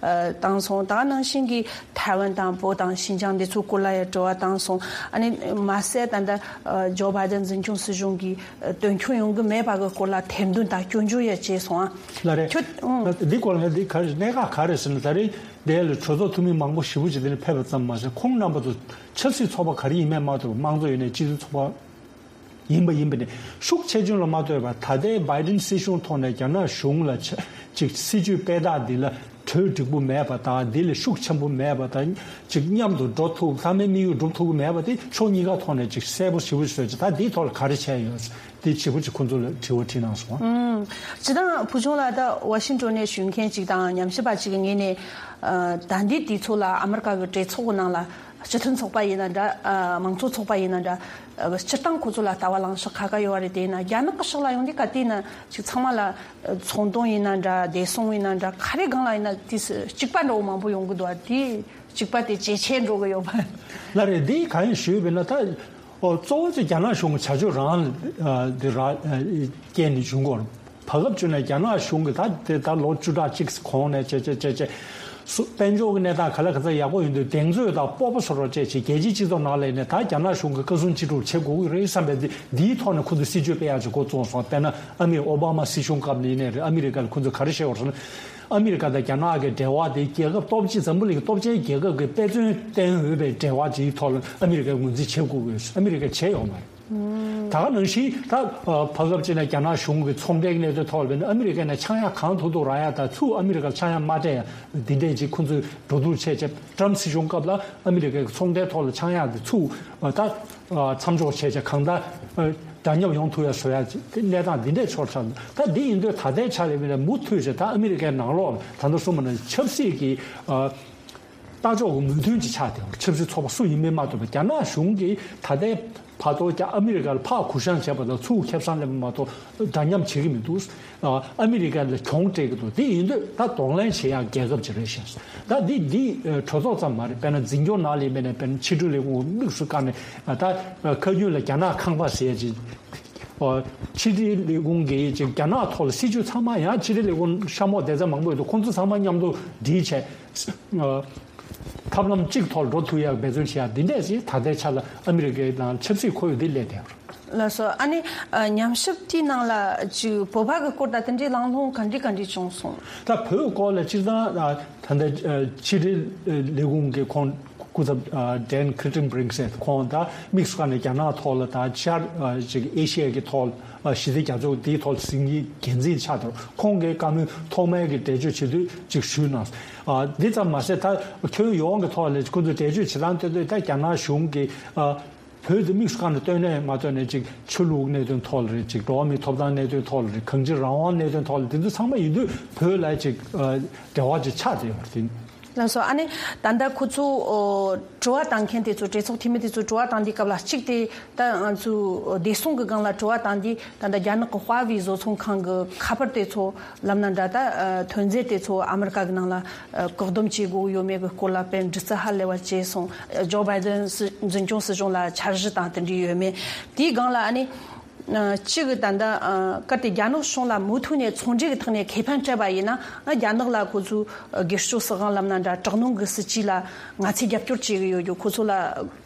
བཏང་སོང་། ད་ག་ནང་བཞིན་གྱི་ཐའེ་ཝན་དང་བོད་དང་ཤིན་ཅང་དེ་ཚོའི་སྐོར་ལ་ཡང་དྲི་བ་བཏང་སོང་། ཨ་ནི་མ་ཟད་ད་ལྟ་ཨ་ཇོ་བྷའི་ཏན་འཛིན་སྐྱོང་སྲིད་གཞུང་གིས་ཨ་དོན་འཁྱོལ་ཡོང་གི་མེད་པ་གི་སྐོར་ལ་ཐེར་འདོན་དང་སྐྱོན་བརྗོད་ཡང་བྱས་སོང་ཨ། ལགས་རེད། ཁྱོད་ཨང་། འདི་སྐོར་ལ་འདི་ག་རེ་གནད་འགག་ག་རེ་ཟེར་ན། ད་རེས་འདི་ལ་གྲོས་ཚོགས་འཐུས་མི་མང་པོ་ཞེ་པོ་ཅིག་འདི་ལ་ཕེབས་པ་ཙམ་མ་ཟད། ཁོང་རྣམ་པ་ཚོ་ཆབ་སྲིད་ཚོགས་པ་ག་རེ་ཡིན་མིན་མ་གཏོགས། དམངས་གཙོ་ཡིན་ནའི་སྤྱི་མཐུན་ཚོགས་པ་ཡིན་པ་ཡིན་པ་ནས་ཤུགས་ཆེ་ཆུང་ལ་མ་ལྟོས་པར། ད་ལྟའི་བྷའི་ཏིན་སྲིད་གཞུང་ཐོག་ནས་རྒྱ་ནག་གཞུང་ལ་ཆ་ཅིག་སྲིད་ཇུས་སྤེལ་སྟངས་འདི་ལ་གྲོས་འགྲིག་པོ་མེད་པ་དང་། འདི་ལ་ཤུགས་ཆེན་པོ་མེད་པ་དང་། ཅིག་མཉམ་དུ་འགྲོ་ཐུབ། ཚང་མའི་དམིགས་ཡུལ་འགྲུབ་ཐུབ་ཀྱི་མེད་པ་དེ་ཕྱོགས་གཉིས་ཀ་ཐོག་ནས་ཅིག་གསལ་པོ་ཞེ་པོ་ཞིག་བཟོས་ཅིག་ད་འདིའི་ཐོག་ལ་ག་རེ་བྱས་ཡོད། དེ་ཞེ་པོ་ཅིག་ཁོང་ཚོ་ལ་དྲི་བ་དྲིས་གནང་སོང་། ཨུམ། སྤྱིར་བཏང་ཕུལ་བྱུང་ལགས་ད་ཝ་ཤིང་ཊོན་ནས་བཞུགས་མཁན་ཅིག་དང་ཉམས་ཞིབ་པ་ཅིག་གི་ངོས་ནས་ཨ་ད་འདི་དུས་ཚོད་ལ་ཨ་མི་རི་ཀ་གི་གྲོས་ཚོགས་ཀྱི་ནང་ལ། སྤྱི་མཐུན་ཚོགས་པ་ཡིན་ན་འདྲ། ཨ་མང་གཙོ་ཚོགས་པ་ཡིན་ན་འདྲ། ཨ་སྤྱིར་བཏང་ཁོ་ཚོ་ལ་ལྟ་བ་ལངས་ཕྱོགས་ཁ་ཁ་ཡོད་པ་རེད། དེ་ཡིན་ན་རྒྱ་ནག་གི་ཕྱོགས་ལ་ཡོང་དུས་ག་དུས་ན་ཅིག་ཚང་མ་ལ་ཨ་ཚོང་དོན་ཡིན་ན་འདྲ། བདེ་སྲུང་ཡིན་ན་འདྲ། ག་རེ་སྒང་ལ་ཡིན་ན་དུས་སུ་གཅིག་པ་འདྲ་བོ་མང་པོ་ཡོང་གི་འདུག་ཨ། དེ་གཅིག་པ་དེ་ཇེ་ཆེ་འགྲོ་གི་ཡོད་པ། ལགས་རེད། འདི་གང་ཡིན་ཞུས་པས་ན། ད་ཨོ་གཙོ་བོ་ཅིག་རྒྱ་ནག་གཞུང་གི་བྱ་སྤྱོད་རང་ཨ་འདི་ར་ཨ་རྐྱེན་ནས་བྱུང་གི་ཡོད་རེད། བར་སྐབས་བྱུང་ནས་རྒྱ་ནག་གཞུང་གིས་ད་དེ་ད་ལོ་བཅུ་ཕྲག་གཅིག་གོང་ནས་བྱས་བྱས་བྱས་བྱས་སུ་དཔལ་འབྱོར་གྱི་གནས་སྟངས་ག་ལ་ག་ཚོད་ཡག་པོ་ཡིན་དུས་གདེང་ཚོད་དང་སྤོབས་པ་བཟོ་རོགས་བྱས་བྱས། རྒྱལ་སྤྱིའི་སྤྱི་ཚོགས་ནང་ལ་ནས་ད་རྒྱ་ནག་གཞུང་གིས་བཀའ་གསུང་ཅི་སྒྲུབ་བྱེད་དགོས་ཀྱི་རེད་བསམ་པའི་འདི་འདིའི་ཐོག་ནས་ཁོ་ཚོས་སྲིད་ཇུས་སྤེལ་ཡག་ཅིག་འགོ་བཙུགས་སོང་། དཔེར་ན་ཨ་མི་ཨོ་བྷ་མ་སྲིད་གཞུང་སྐབས་ནས་ཡིན་ནའི་རེད། ཨ་མི་རི་ཀ་ལ་ཁོ་ཚོས་ག་རེ་བཤད་ཡོད་རེད་ཟེར་ན། ཨ་མི་རི་ཀ་དང་རྒྱ་ནག་གི་འབྲེལ་བ་དེ་རྒྱལ་ཁབ་སྟོབས་ཆེ་འཛམ་བུ་གླིང་གི་སྟོབས་ཆེན་རྒྱལ་ཁབ་ཀྱི་དཔེ་མཚོན་བསྟན་འོས་པའི་འབྲེལ་བ་དེའི་ཐོག་ལ་ཨ་མི་རི་ཀས་ངོས་འཛིན་བྱེད་དགོས་ཀྱི་ཡོད། ཨ་མི་རི་ཀས་བྱས་ཡོད་མ་རེད། ད་ག་ནང་བཞིན་ད་བར་སྐབས་ཅིག་ནས་རྒྱ་ནག་གཞུང་གི་ཚོང་འབྲེལ་གནད་དོན་ཐོག་ལ་བྱས་ན་ཨ་མི་རི་ཀས་ནས་ཆག་ཡང་གང་ཐུབ་ཐུབ་རག་ཡ་དང་། ཚུར་ཨ་མི་རི་ཀར་ཆག་ཡང་མ་སྤྲད་ཡ་འདི་འདྲས་ཅིག་ཁོ་ཚོས་འགྲོ་འདུག་བྱས་བྱས། ཏྲམ་སྲིད་གཞུང་སྐབས་ལ་ཨ་མི་རི་ཀའི་ཚོང་འབྲེལ་ཐོག་ལ་ཆག་ཡང་དེ་ཚུར་ད་མཚམས་འཇོག་བྱས་བྱས། གང་ལྟར་འདྲ་མཉམ་ཡོང་ཐུབ་ཡ་བཟོ་ཡ་གནས་སྟངས་འདི་འདྲས་ཆགས་ཚར། ད་འདི་ཡིན་དུས་ད་ལྟའི་ཆ་ལ་ཡིན་ན་མུ་མཐུད་བྱས་ད་ཨ་མི་རི་ཀའི་ནང་ལོགས་ལ་ད་ལྟ་གསུངས་པ་ནང་ཆབ་སྲིད་ཀྱི་ལྟ་ཕྱོགས་ཀྱི་མོས་མཐུན་ཅིག་ཆགས་བསྡད་ཡོད། ཆབ་སྲིད་ཚོགས་པ་སུ་ཡིན་མིན་མ་གཏོགས་པ། རྒྱ་ནག་གཞུང་གིས་ད་ལྟའི་བར་དུ་ཀྱང་ཨ་མི་རི་ཀ་ལ་ཕར་གུ་བཤངས་བྱས་པ་དང་ཚུར་ཁེ་བཟང་སླེབས་པ་མ་གཏོགས་འདྲ་མཉམ་བྱེད་ཀྱི་མི་འདུག་ཨ་མི་རི་ཀ་ལ་གྱོང་སྤྲད་ཀྱི་འདུག་དེ་ཡིན་དུས་ད་གདོང་ལེན་བྱེད་ཡག་རྒྱལ་ཁབ་ཅིག་རེད་ཤག་ད་འདི་འདི་གྲོས་ཚོགས་ཙམ་མ་རེད། དཔེར་ན་འཛིན་སྐྱོང་ནང་ལ་ཡིན་པ་ནས་དཔེར་ན་ཕྱི་དྲིལ་ལས་ཁུངས་དམིགས་སུ་བཀར་ནས་ད་ཁ་རྒྱུན་ལ་རྒྱ་ནག་ཁང་པ་ཟེར་ཡ་ཅིག་ཨོ། ཕྱི་དྲིལ་ལས་ཁུངས་ཀྱིས་ཅིག་རྒྱ་ནག་ཐོག་ལ་སྲིད་ཇུས་ཚང་མ། ཡང་ཕྱི་དྲིལ་ལས་ཁུངས་ཤ་མོག་སྡེ་ཚན་མང་པོ་ཡོད་དུས་ཁོང་ཚོ་ཚང་མ་མཉམ་དུ་སྒྲིལ་བྱས། ཨོ། ཐབས་ལམ་གཅིག་ཐོག་ལ་འགྲོ་ཐུབ་ཡག་འབད་བརྩོན་བྱེད་ཡག་འདི་འདྲས་ཞིག་ད་ལྟའི་ཆ་ལ་ཨ་མི་རི་ཀའི་ནང་ཆབ་སྲིད་ཁོར་ཡུག་འདི་སླེབས་བསྡད་ཡོད་རེད། ལགས་སོ། ཨ་ནི་ཨ་ཉམས་ཞིབ་དེའི་ནང་ལ་ཅིག་བོད་པ་གི་སྐོར་དང་དེ་འདྲའི་གླེང་སློང་ག་འདྲ་ག་འདྲ་བྱུང་སོང་། ད་བོད་སྐོར་ལ་སྤྱིར་བཏང་ད་ལྟ་ཕྱི་དྲིལ་ལས་ཁུངས་ཀྱི་ཁོང་སྐུ་ཚབ་ཨ་ཌེན་ཁི་རི་ཊན་བྷི་རིང་ཟེར། ཁོང་ད་དམིགས་སུ་བཀར་ནས་རྒྱ་ནག་ཐོག་ལ་དང་ཕྱི་ཨ་ཅིག་ཨེ་ཤི་ཡ་གི་ཐོག་ཨ་ཞི་བདེ་རྒྱ་མཚོ་དེའི་ཐོག་ཟིན་གྱི་འགན་འཛིན་ཆགས་འདུག་ཁོང་གིས་བཀའ་མོལ་ཐོག་མའི་གི་འགྲེལ་བརྗོད་བྱེད་དུས་ཅིག་ཞུས་གནང་། ཨ་འདི་ཙམ་མ་ཟད་ད་ཁྱོན་ཡོངས་ཀྱི་ཐོག་ལ་ཁོང་ཚོས་འགྲེལ་བརྗོད་བྱེད་སྟངས་སྟོན་དུས་ད་རྒྱ་ནག་གཞུང་གིས་ཨ་བོད་དུ་དམིགས་སུ་བཀར་ནས་ལྟོས་ནས་མ་ལྟོས་ནས་ཅིག་ཆོས་ལུགས་གནད་དོན་ཐོག་ལ་རེད། ཅིག་འགྲོ་བ་མིའི་ཐོབ་ཐང་གནད་དོན་ཐོག་ལ་རེད། གང་ཅི་རང་དབང་གནད་དོན་ཐོག་ལ་དེ་ཚོ་ཚང་མ་ཡིན་དུས་བོད་ལ་ཅིག་ཨ་འབྲེལ་བ་ཅིག་ཆགས་བསྡད་ཡོད་རེད། ལགས་སོ། ཨ་ནི་ད་ལྟ་ཁོ་ཚོ་ཨོ་དྲི་བ་བཏང་མཁན་དེ་ཚོ་གྲོས་ཚོགས་འཐུས་མི་དེ་ཚོ་དྲི་བ་བཏང་དུས་སྐབས་ལ་གཅིག་དེ་ད་ང་ཚོའི་བདེ་སྲུང་གི་སྒང་ལ་དྲི་བ་བཏང་དུས་ད་ལྟ་རྒྱ་ནག་གི་ཧྭ་ཝེ་བཟོ་ཚོང་ཁང་གི་ཁ་པར་དེ་ཚོ་ལབ་ན་འདྲ། ད་ཐོན་རྫས་དེ་ཚོ་ཨ་མི་རི་ཀ་གི་ནང་ལ་བཀག་སྡོམ་བྱེད་དགོས་ཡོད་མེད་ཀྱི་སྐོར་ལ་དཔེ་འདྲི་རྩད་ཧ་ལས་པ་བྱས་སོང་། ཇོ་བྷའི་ཏན་སྲིད་འཛིན་སྐྱོང་སྲིད་གཞུང་ལ་འཆར་གཞི་དང་དེ་འདྲ་ཡོད་མེད། དེའི་སྒང་ལ་ཨ་ནི་གཅིག་གི་ད་ལྟ་གལ་ཏེ་རྒྱ་ནག་གཞུང་ལ་མུ་མཐུད་ནས་ཚོང་འབྲེལ་གྱི་ཐོག་ནས་ཁེ་ཕན་སྤྲད་པ་ཡིན་ན། རྒྱ་ནག་ལ་ཁོ་ཚོའི་སྒེར་གཅོད་སྲིད་དབང་ལབ་ན་འདྲ། དྲག་གནོན་གྱི་སྲིད་ཇུས་ལ་ང་ཚོས་རྒྱབ་སྐྱོར་བྱེད་ཀྱི་ཡོད་རྒྱུ། ཁོ་ཚོ་ལ་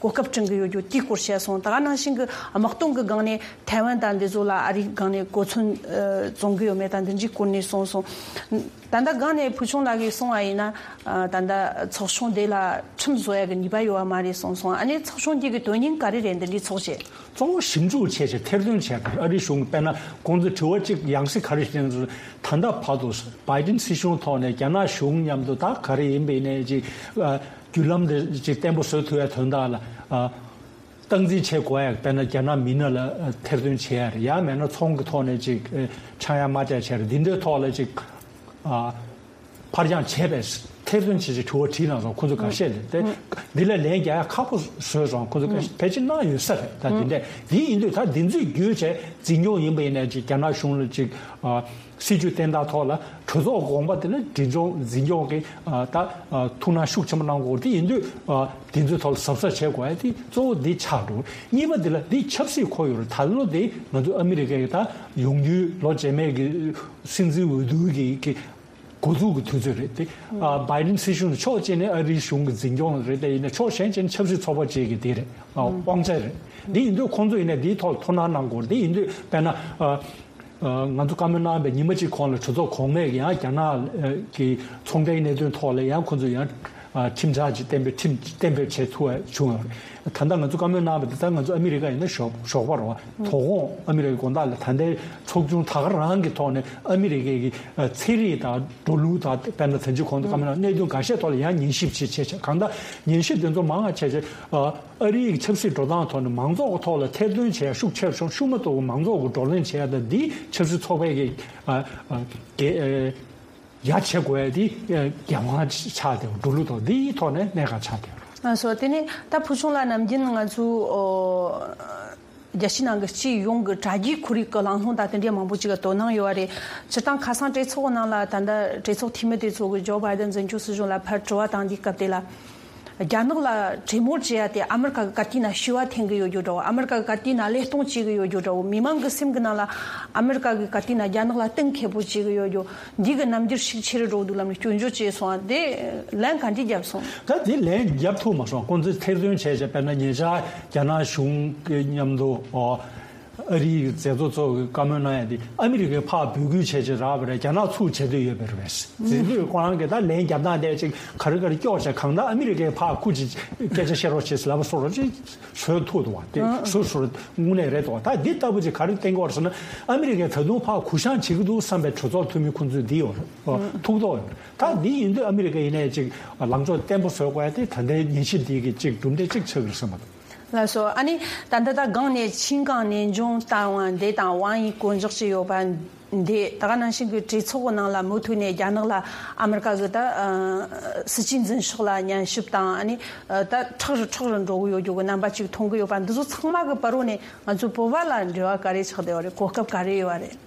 གོ་སྐབས་བསྐྲུན་གྱི་ཡོད་རྒྱུ་དེའི་སྐོར་བཤད་སོང་། ད་ག་ནང་བཞིན་གྱི་དམག་དོན་གྱི་སྒང་ནས་ཐའེ་ཝན་དང་འདི་ཚོ་ལ་ཨ་རིའི་སྒང་ནས་གོ་མཚོན་ཨ་བཙོང་གི་ཡོད་མེད་དང་འདི་འདྲའི་སྐོར་ནས་གསུངས་སོང་། ད་ལྟ་སྒང་ནས་ཕུལ་བྱུང་ལགས་ཀྱིས་གསུངས་པ་ཡིན་ན། ཨ་ད་ལྟ་ཚོགས་ཆུང་དེ་ལ་ཁྲིམས་བཟོ་ཡ་གི་ནུས་པ་ཡོད་པ་མ་རེད་གསུངས་སོང་། ཨ་ནི་ཚོགས་ཆུང་དེ་གི་དོན་སྙིང་ག་རེ་རེད། འདི་འདྲའི་ཚོགས་བྱེད། གཙོ་བོ་ཞིབ་འཇུག་བྱས་བྱས་ཐེར་འདོན་བྱས་པ་རེད། ཨ་རིའི་གཞུང་གིས་དཔེར་ན་ཁོང་ཚོས་དྲི་བ་གཅིག་ཡང་སྲིད་ག་རེ་བྱས་ན། ད་ལྟ་བར་དུ་བྷའི་ཏིན་སྲིད་གཞུང་ཐོག་ནས་རྒྱ་ནག་གཞུང་མཉམ་དུ་ད་ག་རེ་ཡིན་པ་ཡིན་ནའི་ཅིག་ཨ་བརྒྱུད་ལམ་དེ་ཅིག་བརྟན་པོ་བཟོ་ཐུབ་ཡ་དོན་དག་ལ་ཨ་སྟངས་འཛིན་བྱེད་དགོས་ཡ། དཔེར་ན་རྒྱ་ནག་མི་སྣ་ལ་ཨ་ཐེར་འདོན་བྱེད་ཡ་རེད། ཡང་མེད་ན་ཚོང་གི་ཐོག་ནས་ཅིག་ཨ་ཆག་ཡང་མ་ཆག་བྱས་རེད། འདི་འདྲའི་ཐོག་ལ་ཅིག་ཨ་ཕར་འགྱངས་བྱས་པས་ ཐེར་འདོན་བྱེད་ཅིག་དྲི་བ་དྲིས་གནང་སོང་། ཁོ་ཚོ་འགའ་ཤས་ལ་དེ་འདི་ལ་ལན་རྒྱག་ཡ་ཁག་པོ་བཟོས་སོང་། ཁོ་ཚོ་འགའ་ཤས་ཕལ་ཆེར་གནང་ཡོད་ས་རེད། ད་འདི་འདྲས་འདི་ཡིན་དུས་ད་འདི་ཚོའི་བརྒྱུད་བྱས་འཛིན་སྐྱོང་ཡིན་པ་ཡིན་ན་ཅིག་རྒྱ་ནག་གཞུང་ལ་ཅིག་ཨ། སྲིད་ཇུས་བསྟན་སྟངས་ཐོག་ལ་གྲོས་ཚོགས་དགོངས་པ་དེ་ལ་འཛིན་སྐྱོང་འཛིན་སྐྱོང་གི་ཨ། ད་ཨ། ཐུགས་སྣང་ཤུགས་ཆེན་པོ་གནང་དགོས། དེ་ཡིན་དུས་ཨ། དེ་ཚོའི་ཐོག་ལ་གཟབ་གཟབ་བྱེད་དགོས་ཡ་དེ་གཙོ་བོ་འདི་ཆགས་འགྲོ། གཉིས་པ་འདི་ལ་འདི་ཆབ་སྲིད་ཁོ་ཡོད་རེད། ད་ལོ་དེ་ང་ཚོ་ཨ་མི་རི་ཀའི་ད་ཡོང་རྒྱུའི་ལོ་རྗེས་མའི་གི་སྲིད་འཛིན་འོས་བསྡུ་གི་གི་འགོ་འཛུགས་ཀྱི་དུས་ཚོད་རེད་དེ། ཨ། བྷའི་ཌེན་སྲིད་གཞུང་ནི་ཕྱོགས་གཅིག་ནས་ཨ་རིའི་གཞུང་གི་འཛིན་སྐྱོང་རེད། དེ་ཡིན་ན་ཕྱོགས་གཞན་གཅིག་ནས་ཆབ་སྲིད་ཚོགས་པ་གཅིག་གི་དེ་རེད། ཨ། དབང་ཆ་རེད། དེ་ཡིན་དུས་ཁོང་ཚོ་ཡིན་ན་དེའི་ཐོག་ལ་ཐུགས་སྣང་གནང་དགོས་རེད། དེ་ཡིན་དུས་དཔེར་ན་ཨ། ཨ། ང་ཚོ་བཀའ་མོལ་གནང་བའི་ཉི་མ་གཅིག་གོང་ལ་གྲོས་ཚོགས་གོང་མས་ཡང་རྒྱ་ནག་གི་ཚོང་འབྲེལ་གནད་དོན་ཐོག་ལ་ཡང་ཁོང་ཚོ་ཡང་ཨ། ཁྲིམས་འཆར་ཅིག་གཏན་འབེབས་ཁྲིམས་གཏན་འབེབས་བྱས་ཐུབ་པ་བྱུང་ཡོད་རེད། ད་ལྟ་ང་ཚོ་བཀའ་མོལ་གནང་བ་དེ་ལྟར་ང་ཚོ་ཨ་མི་རི་ཀ་ཡིན་ན་ཞོགས་ཞོགས་པ་རེད་བ། དོ་དགོང་ཨ་མི་རི་ཀའི་དགོང་དག་ལ་ད་ལྟའི་ཚོགས་ཆུང་ད་ག་རང་གི་ཐོག་ནས་ཨ་མི་རི་ཀའི་གི་ཨ། ཚན་རིག་དང་འགྲོ་ལུགས་དང་དཔེར་ན་ད་ཅི་གོང་དུ་བཀའ་མོལ་གནང་གནད་དོན་འགའ་ཤས་ཐོག་ལ་ཡང་ཉན་ཞིབ་བྱེད་བྱེད་བྱེད། གང་ལྟར་ཉན་ཞིབ་དེ་ཚོ་མང་བ་བྱས་བྱས་ཨ། ཨ་རིའི་ཆབ་སྲིད་འགྲོ་སྟངས་ཐོག་ནས་མང་ཚོགས་ཀྱི་ཐོག་ལ་ཐེར་འདོན་བྱེད་ཡ་ཤུགས་ཆེ་རུ་སོང་། ཤུགས་མ་གཏོགས་པའི་མང་ཚོགས་ཀྱི་བགྲོ་གླེང་བྱེད་ཡ་དང་འདིས་ཆབ་སྲིད་ཚོགས་པའི་གི་ཨ། ཨ། གི་ཨ། ཡ་བྱེད་དགོས་ཡ་དེ་ཨ། འགན་དབང་ཆགས་བསྡད་པ། འགྲོ་ལུགས་ཐོག་འདིའི་ཐོག་ནས་གནད་འགག་ཆགས་བསྡད་པ། ལགས་སོ། དེ་ནས་ད་ཕུལ་བྱུང་ལགས་ནམ་རྒྱུན་ང་ཚོ་ཨོ། རྒྱལ་སྤྱིའི་ནང་གི་སྤྱི་ཡོངས་ཀྱི་དྲ་རྒྱའི་ཁོར་ཡུག་གི་གླེང་སློང་དང་དེ་འདྲའི་མང་པོ་ཅིག་ག་དོ་སྣང་ཡོད་པ་རེད། སྤྱིར་བཏང་ཁ་སང་གྲོས་ཚོགས་ནང་ལ་ད་ལྟ་གྲོས་ཚོགས་འཐུས་མི་དེ་ཚོ་གི་ཇོ་བྷའི་ཌེན་འཛིན་སྐྱོང་སྲིད་གཞུང་ལ་ཕར་དྲི་བ་བཏང་དུས་སྐབས་དེ་ལ། རྒྱ་ནག་ལ་གྲོས་མོལ་བྱེད་ཡ་དེ་ཨ་མི་རི་ཀ་གི་ཀ་དུས་ན་ཤི་བ་འཐེན་གི་ཡོད་རྒྱུ་འདྲ་བོ། ཨ་མི་རི་ཀ་གི་ཀ་དུས་ན་བློས་གཏོང་བྱེད་གི་ཡོད་རྒྱུ་འདྲ་བོ། མི་མང་གི་སེམས་གི་ནང་ལ་ཨ་མི་རི་ཀ་གི་ཀ་དུས་ན་རྒྱ་ནག་ལ་གཏིང་ཁེ་པོ་བྱེད་གི་ཡོད་རྒྱུ། འདི་གི་རྣམ་འགྱུར་ཤུགས་ཆེ་རུ་འགྲོ་འདུག་ལབ་ནས་སྐྱོན་བརྗོད་བྱས་སོང་བ་དེ་ལན་ག་འདྲས་བརྒྱབ་སོང་། ད་དེ་ལན་བརྒྱབ་ཐུབ་མ་སོང་། ཁོང་ཚོས་ཐེར་འདོན་བྱས་བྱས་དཔེར་ན་ཉེ་ཆར་རྒྱ་ནག་གཞུང་གི་མཉམ་དུ་ཨོ། ཨ་རིའི་མཛད་གཙོ་ཚོ་གི་བཀའ་མོལ་གནང་ཡ་དེ་ཨ་མི་རི་ཀས་ཕར་འབོད་སྐུལ་བྱས་བྱས་རག་པ་རེད། རྒྱ་ནག་ཚུར་བྱེད་འདོད་ཡོད་པ་རེད། དེ་དུས་ཁོ་རང་གིས་ད་ལན་བརྒྱབ་སྟངས་དེ་ཅིག་ག་རེ་ག་རེ་སྐྱོར་བྱས། གང་ལྟར་ཨ་མི་རི་ཀས་ཕར་ཁུ་ཅིག་སྐད་ཆ་བཤད་རོགས་བྱེད་ལབ་པ་སོགས་རོགས་ཅིག་བཟོས་ཐུབ་འདུག་བ། དེ་བཟོ་བཟོ་དངོས་གནས་རེད་འདུག་བ། ད་འདི་ལྟ་བུ་ཅིག་ག་རེ་བསྟན་གྱི་ཡོད་རེད་ཟེར་ན། ཨ་མི་རི་ཀས་ད་དུང་ཕར་གུ་བཤངས་བྱེད་ཀྱི་འདུག་བསམ་པའི་གྲོས་ཚོགས་འཐུས་མི་ཁོང་ཚོས་འདི་ཡོད་རེད། ཐུགས་དོགས་ཡོད་རེད། ད་འདི་ཡིན་དུས་ཨ་མི་རི་ཀ་ཡིན་ནའི་ཅིག་ལངས་ཕྱོགས་བརྟན་པོ་བཟོ་དགོས་ཡ་དེ་ད་ལྟའི་ཉན་ཞིབ་འདི་གི་ཅིག་གྲུབ་འབྲས་ཅིག་ཆགས་ཀྱི་རེད་བསམ་པ་རེད། ལགས་སོ། ཨ་ནི་ད་ལྟ་ད་སྒང་ནས་ཆིང་ཀང་ནན་ཅུང་ལྟ་བ་འདི་དང་ཝང་ཡི་གོ་འཇོག་བྱས་ཡོད་པ་འདི། ད་ག་ནང་བཞིན་གྱི་གྲོས་ཚོགས་ཀྱི་ནང་ལ་མུ་མཐུད་ནས་རྒྱ་ནག་ལ་ཨ་མི་རི་ཀ་གི་ད་ཨ་སྲིད་ཇུས་འཛིན་ཕྱོགས་ལ་ཉན་ཞིབ་དང་། ཨ་ནི་ཨ་ད་མཁྲེགས་རུ་མཁྲེགས་རུ་འགྲོ་གི་ཡོད་རྒྱུ་གི་རྣམ་པ་ཅིག་མཐོང་གི་ཡོད་པ། འདི་ཚོ་ཚང་མ་གི་བར་རུ་ནས་ང་ཚོ་བོད་པ་ལ་འབྲེལ་བ་ག་རེ་ཆགས་བསྡད་ཡོད་རེད། གོ་སྐབས་ག་རེ་ཡོད་རེད།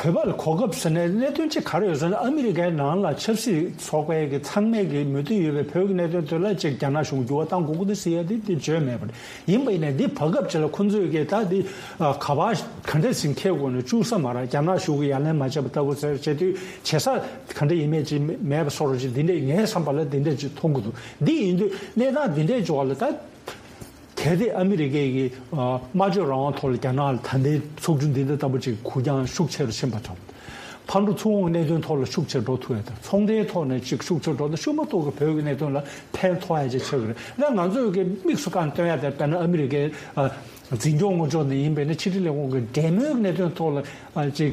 བོད་པ་ལ་གོ་སྐབས་ཟེར་ནས་གནད་དོན་གཅིག་ག་རེ་ཡོད་ཟེར་ན། ཨ་མི་རི་ཀའི་ནང་ལ་ཆབ་སྲིད་ཚོགས་པའི་གི་ཚང་མས་གི་མོས་མཐུན་ཡོད་པའི་བོད་ཀྱི་གནད་དོན་དེ་ལ་ཅིག་རྒྱ་ནག་གཞུང་འགྱུར་བ་གཏང་དགོས་ཀྱི་འདུག་ཟེར་ཡ་དེ་དེ་བརྗོད་མེད་པ་རེད། ཡིན་པ་ཡིན་ནའི་འདི་བར་སྐབས་ཅིག་ལ་ཁོང་ཚོས་གི་ད་འདི་ཨ་ག་པར་ག་འདྲས་ཟིན་འཁྱེར་དགོས་ནས་བཅུག་ས་མ་རེད། རྒྱ་ནག་གཞུང་གི་ཡ་ལན་མ་བྱས་པ་ལྟ་བུ་ཟེར་བྱེད་དུས་བྱེད་ས་ག་འདྲ་ཡིན་མེད་ཅིག་མེད་པ་སོགས་རོགས་ཅིག་འདི་འདྲས་ངའི་བསམ་པ་ལ་འདི་འདྲས་ཅིག་མཐོང་གི་འདུག་འདི་ཡིན་དུས་གནས་སྟངས་འདི་འདྲས་འབྱོར་བ་ལ་ད། གལ་ཏེ་ཨ་མི་རི་ཀའི་གི་ཨ་སྨྲ་བརྗོད་རང་དབང་ཐོག་ལ་རྒྱ་ནག་ལ་ད་ལྟའི་ཚོགས་ཆུང་འདི་འདྲ་ལྟ་བུ་ཅིག་གུ་རྒྱང་ཤུགས་ཆེ་རུ་ཕྱིན་པ་དང་། ཕར་འགྲོ་ཚུར་འོང་གི་གནད་དོན་ཐོག་ལ་ཤུགས་ཆེ་རུ་འགྲོ་ཐུབ་ཡ་དང་། ཚོང་འབྲེལ་ཐོག་ནས་ཅིག་ཤུགས་ཆེ་རུ་འགྲོ་ན་ཤུགས་མ་གཏོགས་ཀྱི་བོད་ཀྱི་གནད་དོན་ལ་ཕན་ཐོགས་ཡ་ཅིག་ཆགས་ཀྱི་རེད། ད་ང་ཚོས་ཀྱི་དམིགས་སུ་བཀར་སྟོན་ཡ་དེ་དཔེར་ན་ཨ་མི་རི་ཀའི་ཨ་འཛིན་སྐྱོང་ངོ་ཅོག་ནས་ཡིན་པས་ན་ཕྱི་དྲིལ་ལས་ཁུངས་ཀྱི་འབྲེལ་མོལ་གྱི་གནད་དོན་ཐོག་ལ་ཨ་ཅིག་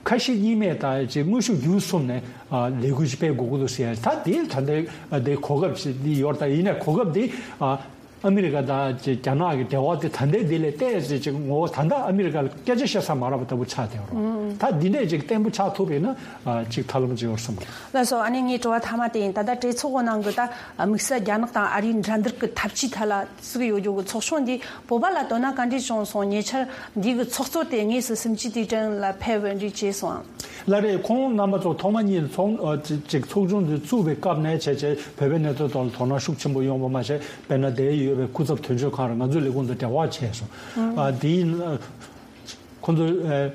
ཁ་ཞེ་གཉིས་མེད་དང་ཅིག་དངོས་ཤུགས་བརྒྱུད་གསུམ་ནས་ཨ་ལས་འགུལ་ཅིག་སྤེལ་དགོས་ཀྱི་འདུག་ཟེར་ཡ། ད་དེ་ད་ལྟའི་ཨ་དེ་གོ་སྐབས་ཤིག་འདི་ཡོད། ད་ཡིན་ནའི་གོ་སྐབས་འདི་ཨ་ཨ་མི་རི་ཀ་དང་ཅིག་རྒྱ་ནག་གི་འབྲེལ་བ་དེ་ད་ལྟའི་འདི་ལས་བལྟས་ཚེ་ཅིག་ངོ་བོ་ད་ལྟ་ཨ་མི་རི་ཀ་ལ་སྐད་ཆ་བཤད་ས་མ་རག་པ་ལྟ་བུ་ཆགས་བསྡད་ཡོད་རེད། ད་འདི་འདྲས་ཅིག་བརྟན་པོ་ཆགས་ཐུབ་པ་ཡིན་ན་ཨ་ཅིག་ཐབས་ལམ་ཅིག་ཡོད་བསམ་གི། ལགས་སོ། ཨ་ནི་ངའི་དྲི་བ་མཐའ་མ་དེ་ཡིན། ད་ལྟ་གྲོས་ཚོགས་ཀྱི་ནང་གི་ད་དམིགས་བསལ་རྒྱ་ནག་དང་ཨ་རིའི་འགྲན་བསྡུར་གྱི་འཐབ་ཇུས་ཐད་ལ་ཟུག་ཡོད་རྒྱུ་གི་ཚོགས་ཆུང་འདི་བོད་པ་ལ་དོ་སྣང་ག་འདྲས་བྱུང་སོང་། ཉེ་ཆར་འདི་གི་ཚོགས་གཙོ་དེ་དངོས་སུ་སུམ་ཅུ་དུས་དྲན་ལ་ཕེབས་པ་འདྲས་བྱས་སོང་ཨང་། ལགས་རེད། ཁོང་རྣམ་པ་ཚོ་ཐོག་མ་ཉིད་ཚོགས་ཨ་ཅིག་ཅིག་ཚོགས་ཆུང་འདི་བཙུགས་པའི་སྐབས་ནས་བྱས་བྱས་བོད་པའི་གནས་ཚུལ་ཐོག་ལ་དོ་སྣང་ཤུགས་ཆེན་པོ་ཡོང་བ་མ་ཟད། དཔེར་ན་དེ་ཡོད་པའི་སྐུ་ཚབ་དོན་གཅོད་ཁང་རེད། ང་ཚོའི་ལས་ཁུངས་དང་འབྲེལ་བ་བྱས་སོང་། ཨ་དེ་ཡིན་ཁོང་ཚོ་ཨ་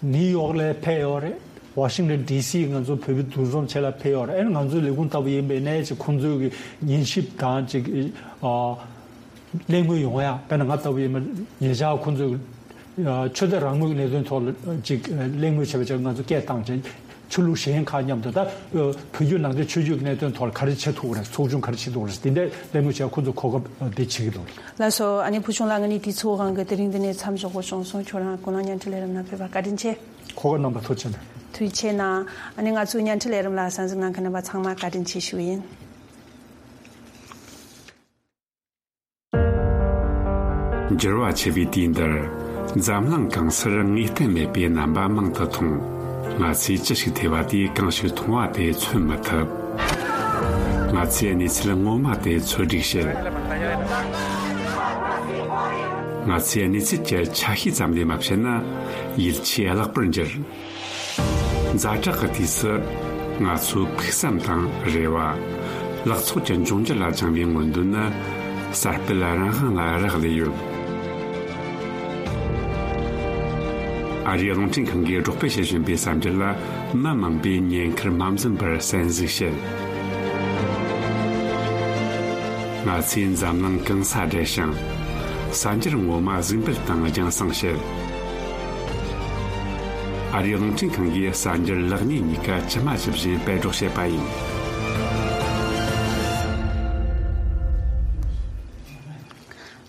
ནིའུ་ཡོག་ལ་ཕེབས་ཡོད་རེད། ཝ་ཤིང་ཏོན་ཌི་སི་ང་ཚོ་བོད་པའི་འདུ་འཛོམས་བྱེད་ལ་ཕེབས་ཡོད་རེད། ཨ་ནི་ང་ཚོའི་ལས་ཁུངས་ལྟ་བུ་ཡིན་པའི་ནས་ཅིག་ཁོང་ཚོའི་གི་ཉན་ཞིབ་དང་ཅིག་ཨ་གླེང་མོལ་ཡོང་ཡ། དཔེར་ན་ང་ལྟ་བུ་ཡིན་པ་ཉེ་ཆར་ཁོང་ཚོའི་ཨ་ཆོས་དད་རང་མོས་ཀྱི་གནད་དོན་ཐོག་ལ་ཅིག་གླེང་མོལ་བྱས་པ་བྱས། ང་ཚོ་སྐད་བཏང་བྱས་ཆོས་ལུགས་གཞན་ཁག་མཉམ་དུ་ད་བོད་བརྒྱུད་ནང་བསྟན་ཆོས་བརྒྱུད་ཀྱི་གནད་དོན་ཐོག་ལ་ག་རེ་བྱེད་ཐུབ་ཀྱི་རེད། ཚོགས་ཆུང་ག་རེ་བྱེད་ཐུབ་ཀྱི་རེད། དེ་འདྲའི་གླེང་མོལ་བྱས། ཁོ་ཚོ་གོ་སྐབས་འདི་བྱེད་ཀྱི་འདུག་ལགས་སོ། ཨ་ནི་ཕུལ་བྱུང་ལགས། ང་ནི་དུས་ཚོད་དབང་གིས་དེ་རིང་འདི་ནས་མཚམས་འཇོག་དགོས་བྱུང་སོང་། ཁྱོད་རང་ཀུན་གླེང་བརྙན་འཕྲིན་ལས་རིམ་ནང་ཕེབས་པར་བཀའ་དྲིན་ཆེ། གོ་སྐབས་གནང་བར་ཐུགས་རྗེ་ཆེ་གནང་། ཐུགས་རྗེ་ཆེ་གནང་། ཨ་ནི་ང་ཚོའི་བརྙན་འཕྲིན་ལས་རིམ་ལ་གསན་གཟིགས་གནང་མཁན་རྣམ་པ་ཚང་མ་བཀའ་དྲིན་ཆེ་ཞུ་ཡིན། འགྱུར་བ་ཆེ་བའི་དུས་འདིར། འཛམ་གླིང་གང་སར་ངེས་གཏན་མེད་པའི་རྣམ་པ་མང་དུ་མཐོང་། ང་ཚོས་ཅི་ཞིག་ཐོས་པ་དེས་གང་ཞིག་མཐོང་བ་དེ་མཚོན་མི་ཐུབ། ང་ཚོས་གནས་ཚུལ་ངོ་མ་དེ་འཚོལ་སྒྲིག་བྱེད། ང་ཚོས་གནས་ཚུལ་གྱི་ཆ་ཤས་ཙམ་ལས་མ་བཤད་ན་ཡིད་ཆེས་བརླག་པར་འགྱུར། ཛ་དྲག་གི་དུས་སུ་ང་ཚོའི་ཕུགས་བསམ་དང་རེ་བ། ལག་ཚོགས་ཀྱི་འབྱུང་འགྱུར་ལ་བཅངས་པའི་མངོན་འདོད་ནི་གསར་སྤེལ་རང་དབང་ལ་རག་ལས་ཡོད། ཨ་རིའི་རླུང་འཕྲིན་ཁང་གིས་སྒྲོག་སྤེལ་བྱེད་བཞིན་པའི་གསར་འགྱུར་ལ་མི་མང་པོས་ཉེན་ཁར་མ་འཛེམས་པར་གསན་གཟིགས་བྱེད། ང་ཚོས་འཛམ་གླིང་གང་སར་བསྒྲལ་ཞིང་། གསར་འགྱུར་ངོ་མ་གཟིགས་འབུལ་དང་རྒྱང་སྲིང་བྱེད། ཨ་རིའི་རླུང་འཕྲིན་ཁང་གིས་གསར་འགྱུར་ལེགས་ཉེས་གཉིས་ཀ་ཇི་མ་ཇི་བཞིན་སྤེལ་སྒྲོག་བྱེད་པ་ཡིན།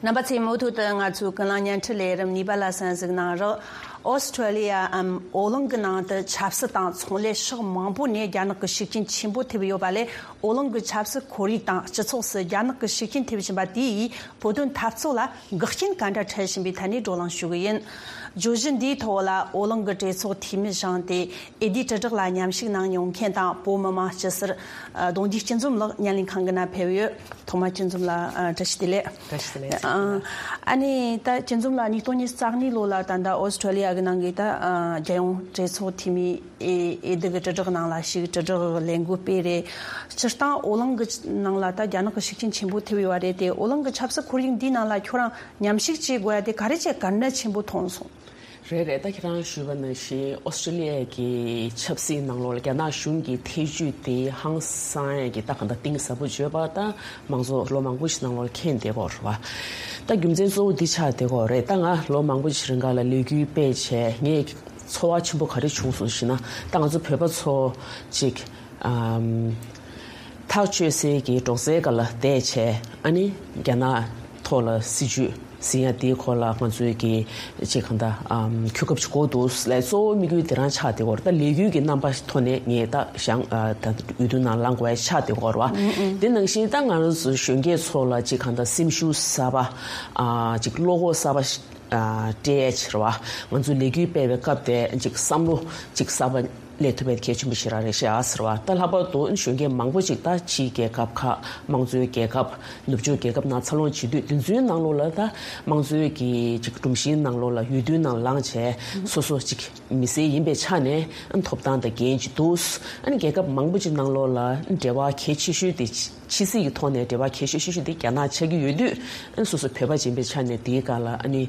རྣམ་པ་ཚོས་མུ་མཐུད་དུ་ང་ཚོའི་ཀུན་གླེང་བརྙན་འཕྲིན་ལས་རིམ་གཉིས་པ་ལ་གསན་གཟིགས་གནང་རོགས། ཨོ་སི་ཁྲུ་ལི་ཡའམ་ཨོ་གླིང་གི་ནང་དུ་ཆབ་སྲིད་དང་ཚོང་ལས་ཕྱོགས་མང་པོ་ནས་རྒྱ་ནག་གི་ཤུགས་རྐྱེན་ཆེན་པོ་ཐེབས་ཡོད་པ་ལས། ཨོ་གླིང་གི་ཆབ་སྲིད་ཁོར་ཡུག་དང་སྤྱི་ཚོགས་སུ་རྒྱ་ནག་གི་ཤུགས་རྐྱེན་ཐེབས་བཞིན་པ་དེ་ཡིས་བོད་དོན་འཐབ་རྩོད་ལ་འགག་རྐྱེན་ག་འདྲ་འཕྲད་བཞིན་པའི་ཐད་ནས་བགྲོ་གླེང་ཞུ་གི་ཡིན། བརྗོད་གཞི་འདིའི་ཐོག་ལ་ཨོ་གླིང་གི་གྲོས་ཚོགས་འཐུས་མི་བཞེངས་ཏེ་འོས་བསྡུའི་དྲིལ་བསྒྲགས་ལ་མཉམ་ཞུགས་གནང་མྱོང་མཁན་དང་བོད་མི་མང་སྤྱི་ཟུར་གདུང་རྒྱུད་སྐྱིད་འཛོམས་ལགས་བརྙན་ལེན་ཁང་གི་ནང་ཕེབས་ཡོད། ཐོག་མར་སྐྱིད་འཛོམས་ལགས་བཀྲ་ཤིས་བདེ་ལེགས། བཀྲ་ཤིས་བདེ་ལེགས། ཨ་ནི་ད་སྐྱིད་འཛོམས་ལགས་ཉིས་སྟོང་ཉི་ཤུ་རྩ་གཉིས་ལོ་ལ་ད་ལྟ་ཨོ་སི་ཁྲུ་ལི་ཡ་གི་ནང་གི་ད་རྒྱལ་ཡོངས་གྲོས་ཚོགས་འཐུས་མི་འོས་བསྡུ་གི་དྲིལ་བསྒྲགས་ནང་ལ་ཞུགས། དྲིལ་བསྒྲགས་ལས་འགུལ་སྤེལ་རེད། སྤྱིར་བཏང་ཨོ་གླིང་གི་ནང་ལ་ད་རྒྱ་ནག་གི་ཤུགས་རྐྱེན་ཆེན་པོ་ཐེབས་ཡོད་པ་རེད་དེ། ཨོ་གླིང་གི་ཆབ་སྲིད་ཁོར་ཡུག་འདིའི་ནང་ལ་ཁྱོད་རང་མཉམ་ཞུགས་བྱེད་དགོས་ཡ་དེ་ག་རེ་བྱས་གལ་གནད་ཆེན་པོ་མཐོང་སོང་། རེད་རེད། ད་ཁྱེད་རང་ཞུས་པ་ནང་བཞིན་ཨོ་སི་ཁྲུ་ལི་ཡ་གི་ཆབ་སྲིད་ནང་ལོགས་ལ་རྒྱ་ནག་གཞུང་གི་ཐེ་བྱུས་དེ་ཧང་སང་ཡ་གི་ད་གང་ལྟར་གཏིང་ཟབ་པོ་བརྗོད་པ་ད་མང་ཚོགས་ལོ་མང་པོ་ཞིག་ནང་ལོགས་ལ་མཁྱེན་བསྡད་ཡོད་རེད་བ། ད་རྒྱུ་མཚན་གཙོ་བོ་འདི་ཆགས་བསྡད་ཡོད་རེད། ད་ང་ལོ་མང་པོ་ཞིག་རིང་ག་ལ་ལས་འགུལ་སྤེལ་བྱས་ངས་ཚོར་བ་ཆེན་པོ་ག་རེ་བྱུང་སོང་ཞེ་ན། ད་ང་ཚོ་བོད་པ་ཚོ་ཅིག་ཨམ། ཐག་གཅོད་སའི་གི་སྒྲོག་ཙེའི་སྒང་ལ་བསྡད་བྱས། ཨ་ནི་རྒྱ་ནག་ཐོག་ལ་སྲིད་ཇུས་ཟིན་ཡ་དེའི་སྐོར་ལ་ང་ཚོའི་གི་ཅིག་གང་ལྟར་ཨམ། གོ་སྐབས་ཅིག་དགོས་འདུག་ལབ། གཙོ་བོ་དམིགས་ཡུལ་དེ་རང་ཆགས་བསྡད་ཡོད་རེད། ད་ལས་འགུལ་གྱི་རྣམ་པ་ཐོག་ནས་ངས་ད་བཞེངས་ཨ། ད་འོས་བསྡུ་ནང་ལངས་དགོས་ཡ་ཆགས་བསྡད་ཡོད་རེད་བ། དེ་ནང་བཞིན་ད་ང་རང་ཚོ་གཞོན་སྐྱེས་ཚོ་ལ་ཅིག་གང་ལྟར་སེམས་ཤུགས་གསར་པ། ཨ། ཅིག་བློ་ཁོག་གསར་པ་ཞིག་ཨ། སྤྲད་ཡ་ཕྱིར་བ། ང་ཚོ་ལས་འགུལ་སྤེལ་བའི་སྐབས་དེ་ཅིག་བསམ་བློ་ཅིག་གསར་པ་སླེབས་ཐུབ་པའི་གལ་ཆེན་པོ་ཞིག་རང་རེད་ཤག་ཟེར་བ། ད་ལྷག་པར་དུ་གཞོན་སྐྱེས་མང་པོ་ཅིག་ད་ཕྱིའི་རྒྱལ་ཁབ་ཁག་དམངས་གཙོའི་རྒྱལ་ཁབ་ནུབ་ཕྱོགས་རྒྱལ་ཁབ་ནང་འཚར་ལོངས་བྱེད་དུས། དེ་ཚོའི་ནང་ལོགས་ལ་ད་དམངས་གཙོའི་གི་ཅིག་སྒྲོམ་གཞིའི་ནང་ལོགས་ལ་འོས་བསྡུའི་ནང་ལངས་བྱས་སོ་སོ་ཅིག་མི་སེར་ཡིན་པའི་ཆ་ནས་ཐོབ་ཐང་དང་འགན་ཅིག་འདུག་ཨ་ནི་རྒྱལ་ཁབ་མང་པོ་ཅིག་ནང་ལོགས་ལ་འབྲེལ་བ་གལ་ཆེ་ཤོས་དེ། ཕྱི་སྲིད་ཀྱི་ཐོག་ནས་འབྲེལ་བ་གལ་ཆེ་ཤོས་ཤིག་དེ་རྒྱ་ནག་ཆགས་ཀྱི་ཡོད་དུས། ཨ་ནི་སོ་སོ་བོད་པ་ཡིན་པའི་ཆ་ནས་དེའི་སྒང་ལ་ཨ་ནི་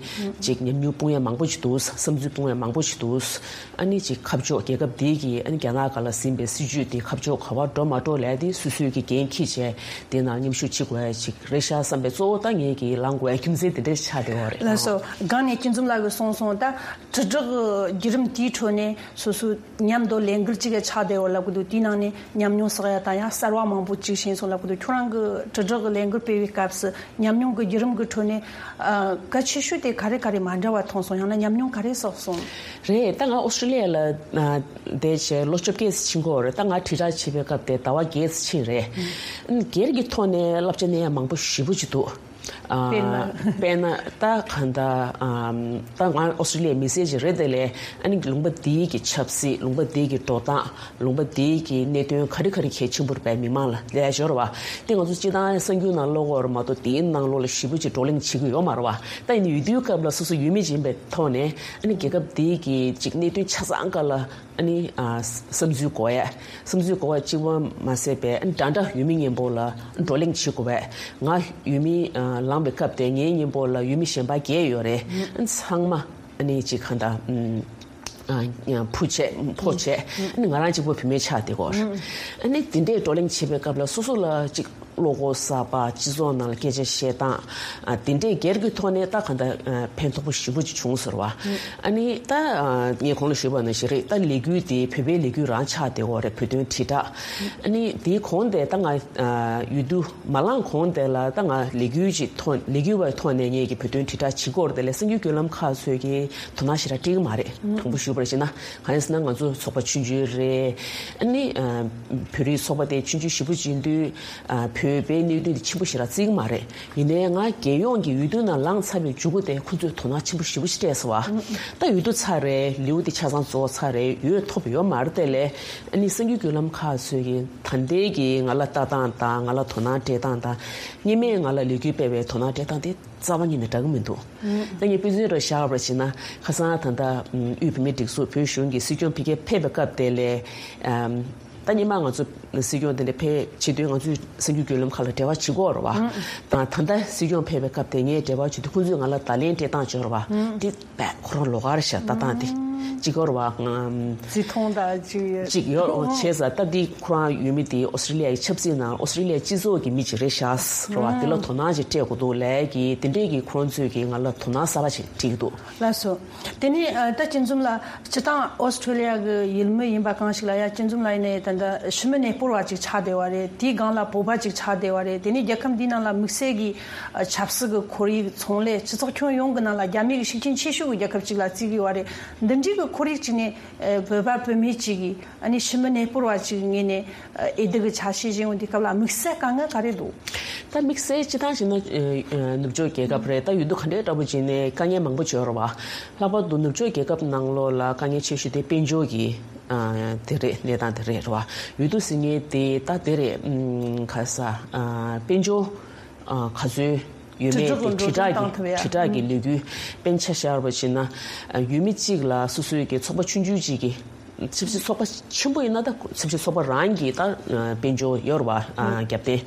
ཅིག་ཉམས་མྱོང་སྤུངས་ཡ་མང་པོ་ཞིག་འདུག་བསམ་ཚུལ་སྤུངས་ཡ་མང་པོ་ཞིག་འདུག་ཨ་ནི་ཅིག་ཁ་ཕྱོགས་རྒྱལ་ཁབ་དེའི་གི་ཨ་ནི་རྒྱ་ནག་སྒང་ལ་ཟིན་པའི་སྲིད་ཇུས་དེ་ཁ་ཕྱོགས་ག་པར་འགྲོ་མ་འགྲོ་ལབ་ཡ་དེ་སོ་སོའི་གི་འགན་འཁྱེར་བྱས་དེ་ནང་མཉམ་ཞུགས་བྱེད་དགོས་ཡ་ཅིག་རེད་ཤག་བསམ་པའི་གཙོ་བོ་ད་ངས་གི་ལངས་དགོས་ཡ་རྒྱུ་མཚན་དེ་འདྲ་ཆགས་བསྡད་ཡོད་རེད། ལགས་སོ། སྒང་ནས་སྐྱིད་འཛོམས་ལགས་ཀྱིས་གསུངས་སོང་། ད་དྲིལ་བསྒྲགས་བརྒྱུད་རིམ་དེའི་ཁྲོད་ནས་སོ་སོའི་མཉམ་དུ་ལས་འགུལ་གཅིག་གི་ཆགས་བསྡད་ཡོད་ལབ་གི་འདུག་དེའི་ནང་ནས་ཉམས་མྱོང་བསགས་ཡ་དང་ཡང་གསར་བ་མང་པོ་གཅིག་ཤེས་སོང་ལབ་གི་འདུག་ཁྱོད་རང་གི་དྲིལ་བསྒྲགས་ཀྱི་ལས་འགུལ་སྤེལ་བའི་སྐབས་སུ་ཉམས་མྱོང་གི་བརྒྱུད་རིམ་གྱི་ཁྲོད་ནས་ཨ། གལ་ཆེ་ཤོས་དེ་ག་རེ་ག་རེ་མ་འདྲ་བ་མཐོང་སོང་། ཡང་ན་ཉམས་མྱོང་ག་རེ་བསགས་སོང་། རེད། ད་ང་ཨོ་སི་ཀྲི་ལི་ཡ་ལ་ཨ། བསྡད་བྱས་ལོ་བཅོ་བརྒྱད་ཙམ་ཕྱིན་གྱི་ཡོད་རེད། ད་ང་དྲིལ་བསྒྲགས་བྱེད་པའི་སྐབས་དེ་ཟླ་བ་བརྒྱད་ཙམ་ཕྱིན་རེད། སྒེར་གྱི་ཐོག་ནས་བསླབ་བྱ་གནང་ཡ་མང་པོ་ཞེ་པོ་ཅིག་འདུག་ཨ། དཔེར་ན། དཔེར་ན་ད་གང་ལྟར་ཨམ། ད་ང་ཨོ་སི་ཀྲི་ལི་ཡའི་མི་སེར་ཅིག་རེད་དེ་ལས། ཨ་ནི་ལུང་པ་འདིའི་གི་ཆབ་སྲིད། ལུང་པ་འདིའི་གི་འགྲོ་སྟངས། ལུང་པ་འདིའི་གི་གནད་དོན་ག་རེ་ག་རེ་གལ་ཆེན་པོ་རེད་པས། མི་མང་ལ་ལས་སྦྱོར་བ་དེ་ང་ཚོ་སྤྱིར་བཏང་གསར་འགྱུར་ནང་ཀློག་གི་ཡོད་རེད་མ་གཏོགས། དེའི་ནང་ལོགས་ལ་ཞེ་པོ་ཅིག་བགྲོ་གླེང་བྱེད་ཀྱི་ཡོད་མ་རེད་བ། ད་ཡིན་ནའི་འོས་བསྡུའི་སྐབས་ལ་སོ་སོ་འོས་མི་ཅིག་ཡིན་པའི་ཐོག་ནས། ཨ་ནི་རྒྱལ་ཁབ་འདིའི་གི་ཅིག་གནད་དོན་ཆ་ཚང་སྒང་ལ་ཨ་ནི་ཨ། བསམ་ཚུལ་གོ་ཡ། བསམ་ཚུལ་གོ་བ་གཅིག་པོ་མ་ཟད་པའི་ཨ་ནི་འདྲ་འདྲ་འོས་མི་མཉམ་པོ་ལ་བགྲོ་གླེང་བྱེད་དགོས་པས། ང་འོས་མི་ཨ། ལངས་པའི་སྐབས་དེ་ངའི་མཉམ་པོ་ལ་འོས་མི་གཞན་པ་བརྒྱད་ཡོད་རེད། ཨ་ནི་ཚང་མ་ཨ་ནི་ཅིག་གང་ལྟར་ཨམ། ཨ། ཕུ་བྱས་ཕོ་བྱས། ཨ་ནི་ང་རང་གཅིག་པོ་བུད་མེད་ཆགས་བསྡད་ཀྱི་ཡོད་རེད། ཨ་ནི་དེ་འདྲའི་བགྲོ་གླེང་བྱེད་པའི་སྐབས་ལ་སོ་སོ་ལ་ཅིག་བློ་ཁོག་གསར་པ། སྤྱི་ཚོགས་ནང་ལ་སྐད་ཆ་བཤད་སྟངས། ཨ། དེ་འདྲའི་སྒེར་གྱི་ཐོག་ནས་ད་གང་ལྟར་ཨ། ཕན་ཐོགས་པོ་ཞེ་པོ་ཅིག་བྱུང་ཟེར་བ། ཨ་ནི་ད་ཨ། ངས་གོང་ལ་ཞུས་པ་ནང་བཞིན་རེད། ད་ལས་འགུལ་དེ་བོད་པའི་ལས་འགུལ་རང་ཆགས་བསྡད་ཡོད་རེད། བོད་དོན་དྲིལ་བསྒྲགས། ཨ་ནི་དེའི་གོང་དེ་ད་ང་ཨ། འོས་བསྡུ་མ་ལངས་གོང་དེ་ལ་ད་ང་ལས་འགུལ་ཅིག་ཐོག་ལས་འགུལ་བའི་ཐོག་ནས་ངས་ཀྱི་བོད་དོན་དྲིལ་བསྒྲགས་བྱེད་ཀྱི་ཡོད་རེད་དེ་ལས། གསར་འགྱུར་བརྒྱུད་ལམ་ཁག་ཚོས་ཀྱི་དོ་སྣང་ཞེ་དྲག་སྤྲད་ཀྱི་མ་རེད། དྲང་པོ་ཞུས་པར་བྱས་ན། གང་ཡིན་ཟེར་ན་ང་ཚོ་ཚོགས་པ་ཆུང་ཆུང་རེད། ཨ་ནི་ཨ། བོད་རིགས་ཚོགས་པ་དེ་ཆུང་ཆུང་ཞེ་པོ་ཅིག་ཡིན་དུས། ཨ། བོད་ བོད་པའི་གནད་དོན་དེ་ཆེན་པོ་ཞིག་ལ་བརྩི་གི་མ་རེད། ཡིན་ནའི་ང་རྒྱལ་ཡོངས་ཀྱི་འོས་བསྡུ་ནང་ལངས་ཚར་བའི་མཇུག་གུ་དེ་ཁོ་ཚོས་དོ་སྣང་ཆེན་པོ་ཞེ་པོ་ཞིག་སྤྲད་སོང་བ། ད་འོས་བསྡུ་ཚར་རེད། ལེའུ་དེ་ཆ་ཚང་རྫོགས་ཚར་རེད། འོས་ཐོབ་ཡོད་མ་རེད་དེ་ལས། ཨ་ནི་གསར་འགྱུར་བརྒྱུད་ལམ་ཁག་ཚོས་ཀྱི་ད་ལྟའི་གི་ང་ལ་ལྟ་སྟངས་དང་ང་ལ་དོ་སྣང་སྤྲད་སྟངས་དང་། སྔོན་མའི་ང་ལ་ལས་འགུལ་སྤེལ་བའི་དོ་སྣང་སྤྲད་སྟངས་དེ་རྩ་བ་ཉིད་ནས་འདྲ་གི་མི་འདུག་ད་ངས་དཔེ་མཚོན་རེ་བཞག་པར་བྱས་ན། ཁ་སང་ད་ལྟ་དབུས་བོད་མིའི་སྒྲིག་འཛུགས་བོད་གཞུང་གི་སྲིད་སྐྱོང་ཕ་གིར་ཕེབས་པའི་སྐབས་དེ་ལས། ཨམ། ད་སྔོན་མ་ང་ཚོ་སྲིད་སྐྱོང་དེ་འདྲ་ཕེབས་བྱེད་དུས་ང་ཚོས་གསར་འགྱུར་བརྒྱུད་ལམ་ཁག་ལ་འབྲེལ་བ་བྱེད་ཀྱི་ཡོད་རེད་བ། ད་ད་ལྟ་སྲིད་སྐྱོང་ཕེབས་པའི་སྐབས་དེ་ངས་འབྲེལ་བ་བྱེད་དུས་ཁོང་ཚོས་ང་ལ་བརྡ་ལན་སྤྲད་སྟངས་བྱས་རེད་བ། དེ་དཔེ་ཁོ་རང་ལོགས་ཀ་རེད་ཤག་ལྟ་སྟངས་དེ། གཅིག་ཡོད་རེད་བ། ཨམ། བརྩི་མཐོང་དང་གཅིག་ཡོད། གཅིག་ཡོད་རེད་བ། བྱས་ཙང་ད་འདི་ཁོ་རང་ཡོད་མི་དེ་ཨོ་སི་ཀྲི་ལི་ཡ་ཡི་ཆབ་སྲིད་ནང་ཨོ་སི་ཀྲི་ལི་ཡ་སྤྱི་ཚོགས་ཀྱི་མི་གཅིག་རེད་ཤག་རེད་བ། དེ་ལ་དོ་སྣང་ཅིག་སྤྲད་དགོས་འདུག་ལབ་ཀྱི་དེ་འདྲས་ཀྱི་ཁོ་རང་ཚོས་ཀྱི་ང་ལ་དོ་སྣང་གསར་པ་ཅིག་སྤྲད་ཀྱི་འདུག་ལགས་སོ། དེ་ནས་ཨ། ད་སྤྱི་འཛོམས་ལགས་སྤྱིར་བཏང་ཨོ་སི་ཀྲི་ལི་ཡ་གི་ཡུལ་མི་ཡིན་པ་གང་ཞིག་ལ་ཡ་སྤྱི་འཛོམས་ལགས་ཡིན་ནའི་ད་ལྟ་ཤི་མི་གནས་སྤོར་བ་ཅིག་ཆགས་བསྡད་པ་རེད། དེའི་སྒང་ལ་བོད་པ་ཅིག་ཆགས་བསྡད་པ་རེད། དེ་ནས་རྒྱལ་ཁབ་འདིའི་ནང་ལ་དམིགས་བསལ་གྱི་ཨ། ཆབ་སྲིད་ཀྱི་ཁོར་ཡུག་ཚོང་ལས་སྤྱི་ཚོགས་ཁྱོན་ཡོངས་ཀྱི་ནང་ལ་རྒྱ་མི་གི་ཤུགས་རྐྱེན་ཆེ་ཤོས་ཀྱི་རྒྱལ་ཁབ་ཅིག་ལ་བརྩི་གི་ཡོད་རེད། འདི་འདྲའི་གི་ཁོར་ཡུག་ཅིག་ནས་ཨ། བོད་པ་བོད་མི་གཅིག་གིས་ཨ་ནི་ཤི་མི་གནས་སྤོར་བ་ཅིག་ངོས་ནས་ཨ། འོས་བསྡུ་གི་ཆ་ཤས་བཞེས་འོང་དུས་སྐབས་ལ་དམིགས་བསལ་དཀའ་ངལ་ག་རེ་འདུག་ད་དམིགས་བསལ་སྤྱིར་བཏང་བྱས་ན་ཨ། ཨ། ནུབ་ཕྱོགས་རྒྱལ་ཁབ་རེད། ད་འོས་བསྡུ་ག་འདྲའི་འདྲ་པོ་བྱས་ནས་དཀའ་ངལ་མང་པོ་ཅིག་ཡོད་རེད་བ། ལྷག་པར་དུ་ནུབ་ཕྱོགས་རྒྱལ་ཁབ་ནང་ལོགས་ལ་དཀའ་ངལ་ཆེ་ཤོས་དེ་དཔལ་འབྱོར་གྱི་ཨ། དེ་རེད། གནས་སྟངས་དེ་རེད་རེད་བ། འོས་བསྡུ་ཟེར་མཁན་དེ་ད་དེ་རེད། ཨམ། ག་ས། ཨ། དཔལ་འབྱོར་ཨ། ག་ཚོད་ཡོད་མེད་དེ་དྲིལ་བསྒྲགས་ཀྱི་དྲིལ་བསྒྲགས་ཀྱི་ལས་འགུལ་དཔེར་ན་ཆ་བཞག་པ་བྱས་ན། ཨ། ཡུལ་མི་གཅིག་ལ་སོ་སོའི་གི་ཚོགས་པ་ཆུང་ཆུང་གཅིག་གི་ཆབ་སྲིད་ཚོགས་པ་ཆེན་པོ་ཡིན་ན་ད་ཆབ་སྲིད་ཚོགས་པ་རང་གི་ད་དཔལ་འབྱོར་ཡོད་རེད་བ། ཨ། རྒྱབ་རྟེན།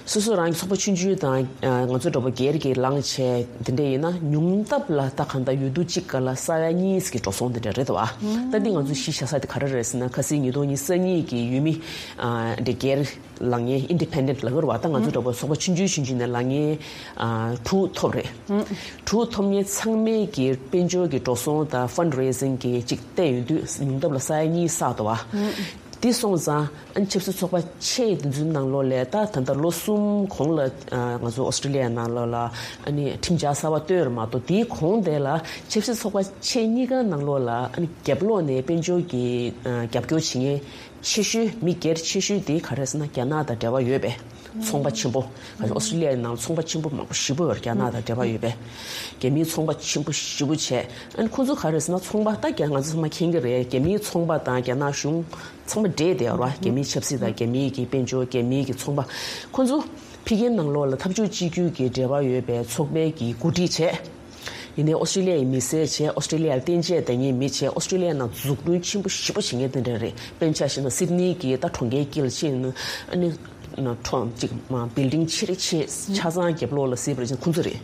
སོ་སོ་རང་གི་ཚོགས་པ་ཆུང་ཆུང་དང་ང་ཚོ་འདྲ་པོ་སྒེར་གྱི་ལངས་བྱས་དེ་འདྲ་ཡིན་ན་ཉུང་མཐའ་ལ་ད་གང་ལྟར་འོས་བསྡུ་གཅིག་སྒང་ལ་ས་ཡ་གཉིས་ཀྱི་འགྲོ་སོང་དེ་འདྲ་རེད་བ། ད་འདི་ང་ཚོས་གཞི་བཞག་ས་དེ་ག་རེ་རེད་ཟེར་ན། ཁ་སང་ཉིས་སྟོང་ཉི་ཤུ་རྩ་གཉིས་ཀྱི་ཡུལ་མི་ཨ། འདྲ་སྒེར་ལངས་མཁན། independent ལབ་ཀྱི་རེད་བ། ད་ང་ཚོ་འདྲ་པོ་ཚོགས་པ་ཆུང་ཆུང་ཆུང་ཆུང་ནས་ལངས་མཁན་ཨ། དྲུག་ཐོབ་རེད། དྲུག་ཐོབ་མཁན་ཚང་མས་ཀྱི་དཔལ་འབྱོར་གྱི་འགྲོ་སོང་དང་fundraising གྱི་ཅིག་བལྟས་ཡོང་དུས་ཉུང་མཐའ་ལ་ས་ཡ་གཉིས་བསགས་འདུག་བ། དེ་སོང་ཙང་ཨ་ནི་ཆབ་སྲིད་ཚོགས་པ་ཆེ་དེ་ཚོའི་ནང་ལོགས་ལ་ད་ད་ལྟ་ལོ་གསུམ་གོང་ལ་ཨ། ང་ཚོ་ཨོ་སི་ཀྲི་ལི་ཡ་ནང་ལོགས་ལ་ཨ་ནི་ཁྲིམས་འཆར་གསར་པ་བཏོན་རེད་མ་གཏོགས། དེའི་གོང་དེ་ལ་ཆབ་སྲིད་ཚོགས་པ་ཆེ་གཉིས་ཀ་ནང་ལོགས་ལ་ཨ་ནི་རྒྱབ་ལོགས་ནས་དཔལ་འབྱོར་གྱི་ཨ། རྒྱབ་སྐྱོར་བྱེད་མཁན་ཆེ་ཤོས། མི་སྒེར་ཆེ་ཤོས་དེ་ག་རེ་ཟེར་ན་རྒྱ་ནག་དང་འབྲེལ་བ་ཡོད་པའི་ཚོང་པ་ཆེན་པོ། ཨོ་སི་ཀྲི་ལི་ཡའི་ནང་ཚོང་པ་ཆེན་པོ་མང་པོ་ཞེ་པོ་ཡོད་རེད། རྒྱ་ནག་དང་འབྲེལ་བ་ཡོད་པའི། རྒྱ་མིའི་ཚོང་པ་ཆེན་པོ་ཞེ་པོ་བྱས། ཨ་ནི་ཁོང་ཚོ་ག་རེ་ཟེར་ན་ཚོང་པ། ད་རྒྱ་ང་ཚོ་ཚང་མ་མཁྱེན་གྱི་རེད། རྒྱ་མིའི་ཚོང་པ་དང་རྒྱ་ནག་གཞུང་ཚང་མ་འདྲེས་བསྡད་ཡོད་རེད་བ། རྒྱ་མིའི་ཆབ་སྲིད་དང་རྒྱ་མིའི་གི་དཔལ་འབྱོར། རྒྱ་མིའི་གི་ཚོང་པ། ཁོང་ཚོ་ཕ་གིའི་ནང་ལོགས་ལ་འཐབ་ཕྱོགས་གཅིག་གྱུར་གྱི་འབྲེལ་བ་ཡོད་པའི་ཚོགས་པའི་གི་འགོ་ཁྲིད་བྱས། ཡིན་ནའི་ཨོ་སི་ཀྲི་ལི་ཡའི་མི་སེར་བྱས། ཨོ་སི་ཀྲི་ལི་ཡར་གཏན་འཇགས་བསྡད་མཁན་མི་བྱས། ཨོ་སི་ཀྲི་ལི་ཡའི་ནང་འཛུགས་སྐྲུན་ཆེན་པོ་ཞེ་པོ་བྱེད་མཁན་དེ་འདྲ་རེད། དཔེར་ན་ཆ་བཞག་ན་སིད་ནི་གི་ད་གྲོང་ཁྱེར་དཀྱིལ་ཕྱིན་ན་ཨ་ནི་ཁྲོམ་གཅིག་མ་building ཆེ་རེ་ཆེ་ཆ་ཚང་རྒྱབ་ལོགས་ལ་གཟིགས་པར་བྱས་ན་ཁོང་ཚོ་རེད།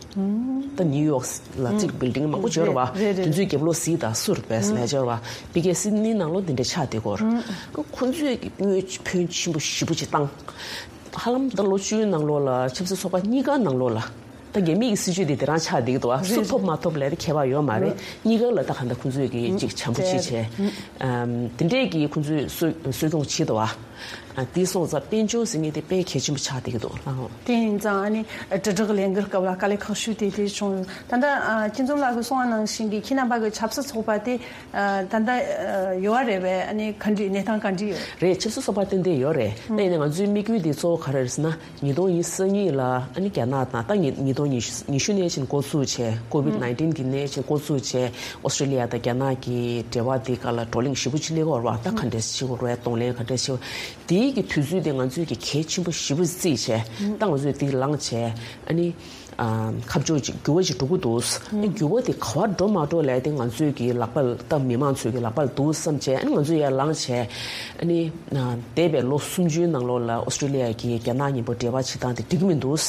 ད་ནིའུ་ཡོག་ལ་གཅིག་building མང་པོ་ཅིག་ཡོད་རེད་བ། རེད་རེད། དེ་ཚོའི་རྒྱབ་ལོགས་གཟིགས་དང་། སུ་རེད་པས་ལས་ཅིག་ཡོད་རེད་བ། ཕ་གིའི་སིད་ནི་ནང་ལོགས་འདི་འདྲ་ཆགས་བསྡད་ཀྱི་ཡོད་རེད། ཁོང་ཚོས་ཀྱི་དངུལ་ཕོན་ཆེན་པོ་ཞེ་པོ་ཅིག་བཏང་། ཧ་ལམ་ད་ལོ་བཅུའི་ནང་ལོགས་ལ་ཆབ་སྲིད་ཚོགས་པ་གཉིས་ཀ་ནང་ལོགས་ལ། ད་རྒྱ་མིའི་གི་སྲིད་ཇུས་དེ་དེ་རང་ཆགས་བསྡད་ཀྱི་འདུག་བ། སུ་ཐོབ་མ་ཐོབ་ལབ་དེ་ཁྱད་པར་ཡོད་མ་རེད། གཉིས་ཀ་ལ་ད་གང་ལྟར་ཁོང་ཚོས་ཀྱི་ཅིག་བྱམས་པོ་ཅིག་བྱས། ཨམ། དེ་འདྲས་ཀྱི་ཁོང་ཚོས་གསོ་གསོ་སྐྱོང་བྱེད་འདུག་བ། ཨ། དེ་སོང་ཙང་དཔལ་འབྱོར་ཟེར་མཁན་དེ་དཔེ་གལ་ཆེན་པོ་ཆགས་བསྡད་ཀྱི་འདུག་ལགས། དེ་ཡིན་ཙང་ཨ་ནི་དྲིལ་བསྒྲགས་ལས་འགུལ་སྐབས་ལ་དཀའ་ལས་ཁག་ཤོས་དེ་དེ་བྱུང་ཡོད། ད་ལྟ་ཨ། སྤྱི་འཛོམས་ལགས་ཀྱིས་གསུངས་པ་ནང་བཞིན་གྱི་ཁྱེད་རྣམ་པ་གི་ཆབ་སྲིད་ཚོགས་པ་དེ་ཨ། ད་ལྟ་ཨ། ཡོད་རེད་པས། ཨ་ནི་ག་འདྲ་ནས་སྟངས་ག་འདྲ་ཡོད་རེད། ཆབ་སྲིད་ཚོགས་པ་ཏན་ཏན་ཡོད་རེད། ད་ཡིན་ནའི་ང་ཚོའི་དམིགས་ཡུལ་དེ་གཙོ་བོ་ག་རེ་རེད་ཟེར་ན། ཉིས་སྟོང་ཉི་ཤུ་རྩ་གཉིས་ལ་ཨ་ནི་རྒྱ་ནག་དང་། ད་ཉི་ཉིས་སྟོང་ཉི་ཤུ་ནས་ཕྱིན་འགོ་བཙུགས་བྱས། ཀོ་ཝིད་ནའིན་ཊིན་གྱི་ནས་ཕྱིན་འགོ་བཙུགས་བྱས། ཨོ་སི་ཀྲི་ལི་ཡ་དང་རྒྱ་ནག་གི་འབྲེལ་བ་དེ་སྒང་ལ་བགྲོ་གླེང་ཞེ་པོ་ཅིག་སླེབས་ཀྱི་ཡོད་རེད་བ། ད་ག་འདྲས་བྱེད་དགོས་རེད། གདོང་ལེན་ག་འདྲས་བྱེད་དགོས། དེའི་གི་དུས་ཚོད་དེ་ང་ཚོས་ཀྱི་གལ་ཆེན་པོ་ཞེ་པོ་བརྩིས་བྱས། ད་ང་ཚོས་དེ་ལངས་བྱས། ཨ་ནི། ཨ། ཁ་ཕྱོགས་ཅིག་འགྱུར་བ་ཅིག་འགྲོ་གི་འདུག་ཨ་ནི་འགྱུར་བ་དེ་ག་པར་འགྲོ་མ་འགྲོ་ལབ་དེ་ང་ཚོས་ཀྱི་ལག་པ་ལ། ད་མི་མང་ཚོས་ཀྱི་ལག་པ་ལ་འདུག་བསམ་བྱས། ཨ་ནི་ང་ཚོས་ཡར་ལངས་བྱས། ཨ་ནི། ཨ། འདས་པའི་ལོ་སུམ་ཅུའི་ནང་ལོགས་ལ་ཨོ་སི་ཀྲི་ལི་ཡ་གིས་རྒྱ་ནག་མཉམ་པོ་འབྲེལ་བ་བྱེད་སྟངས་དེ་འགྲིག་གི་མི་འདུག་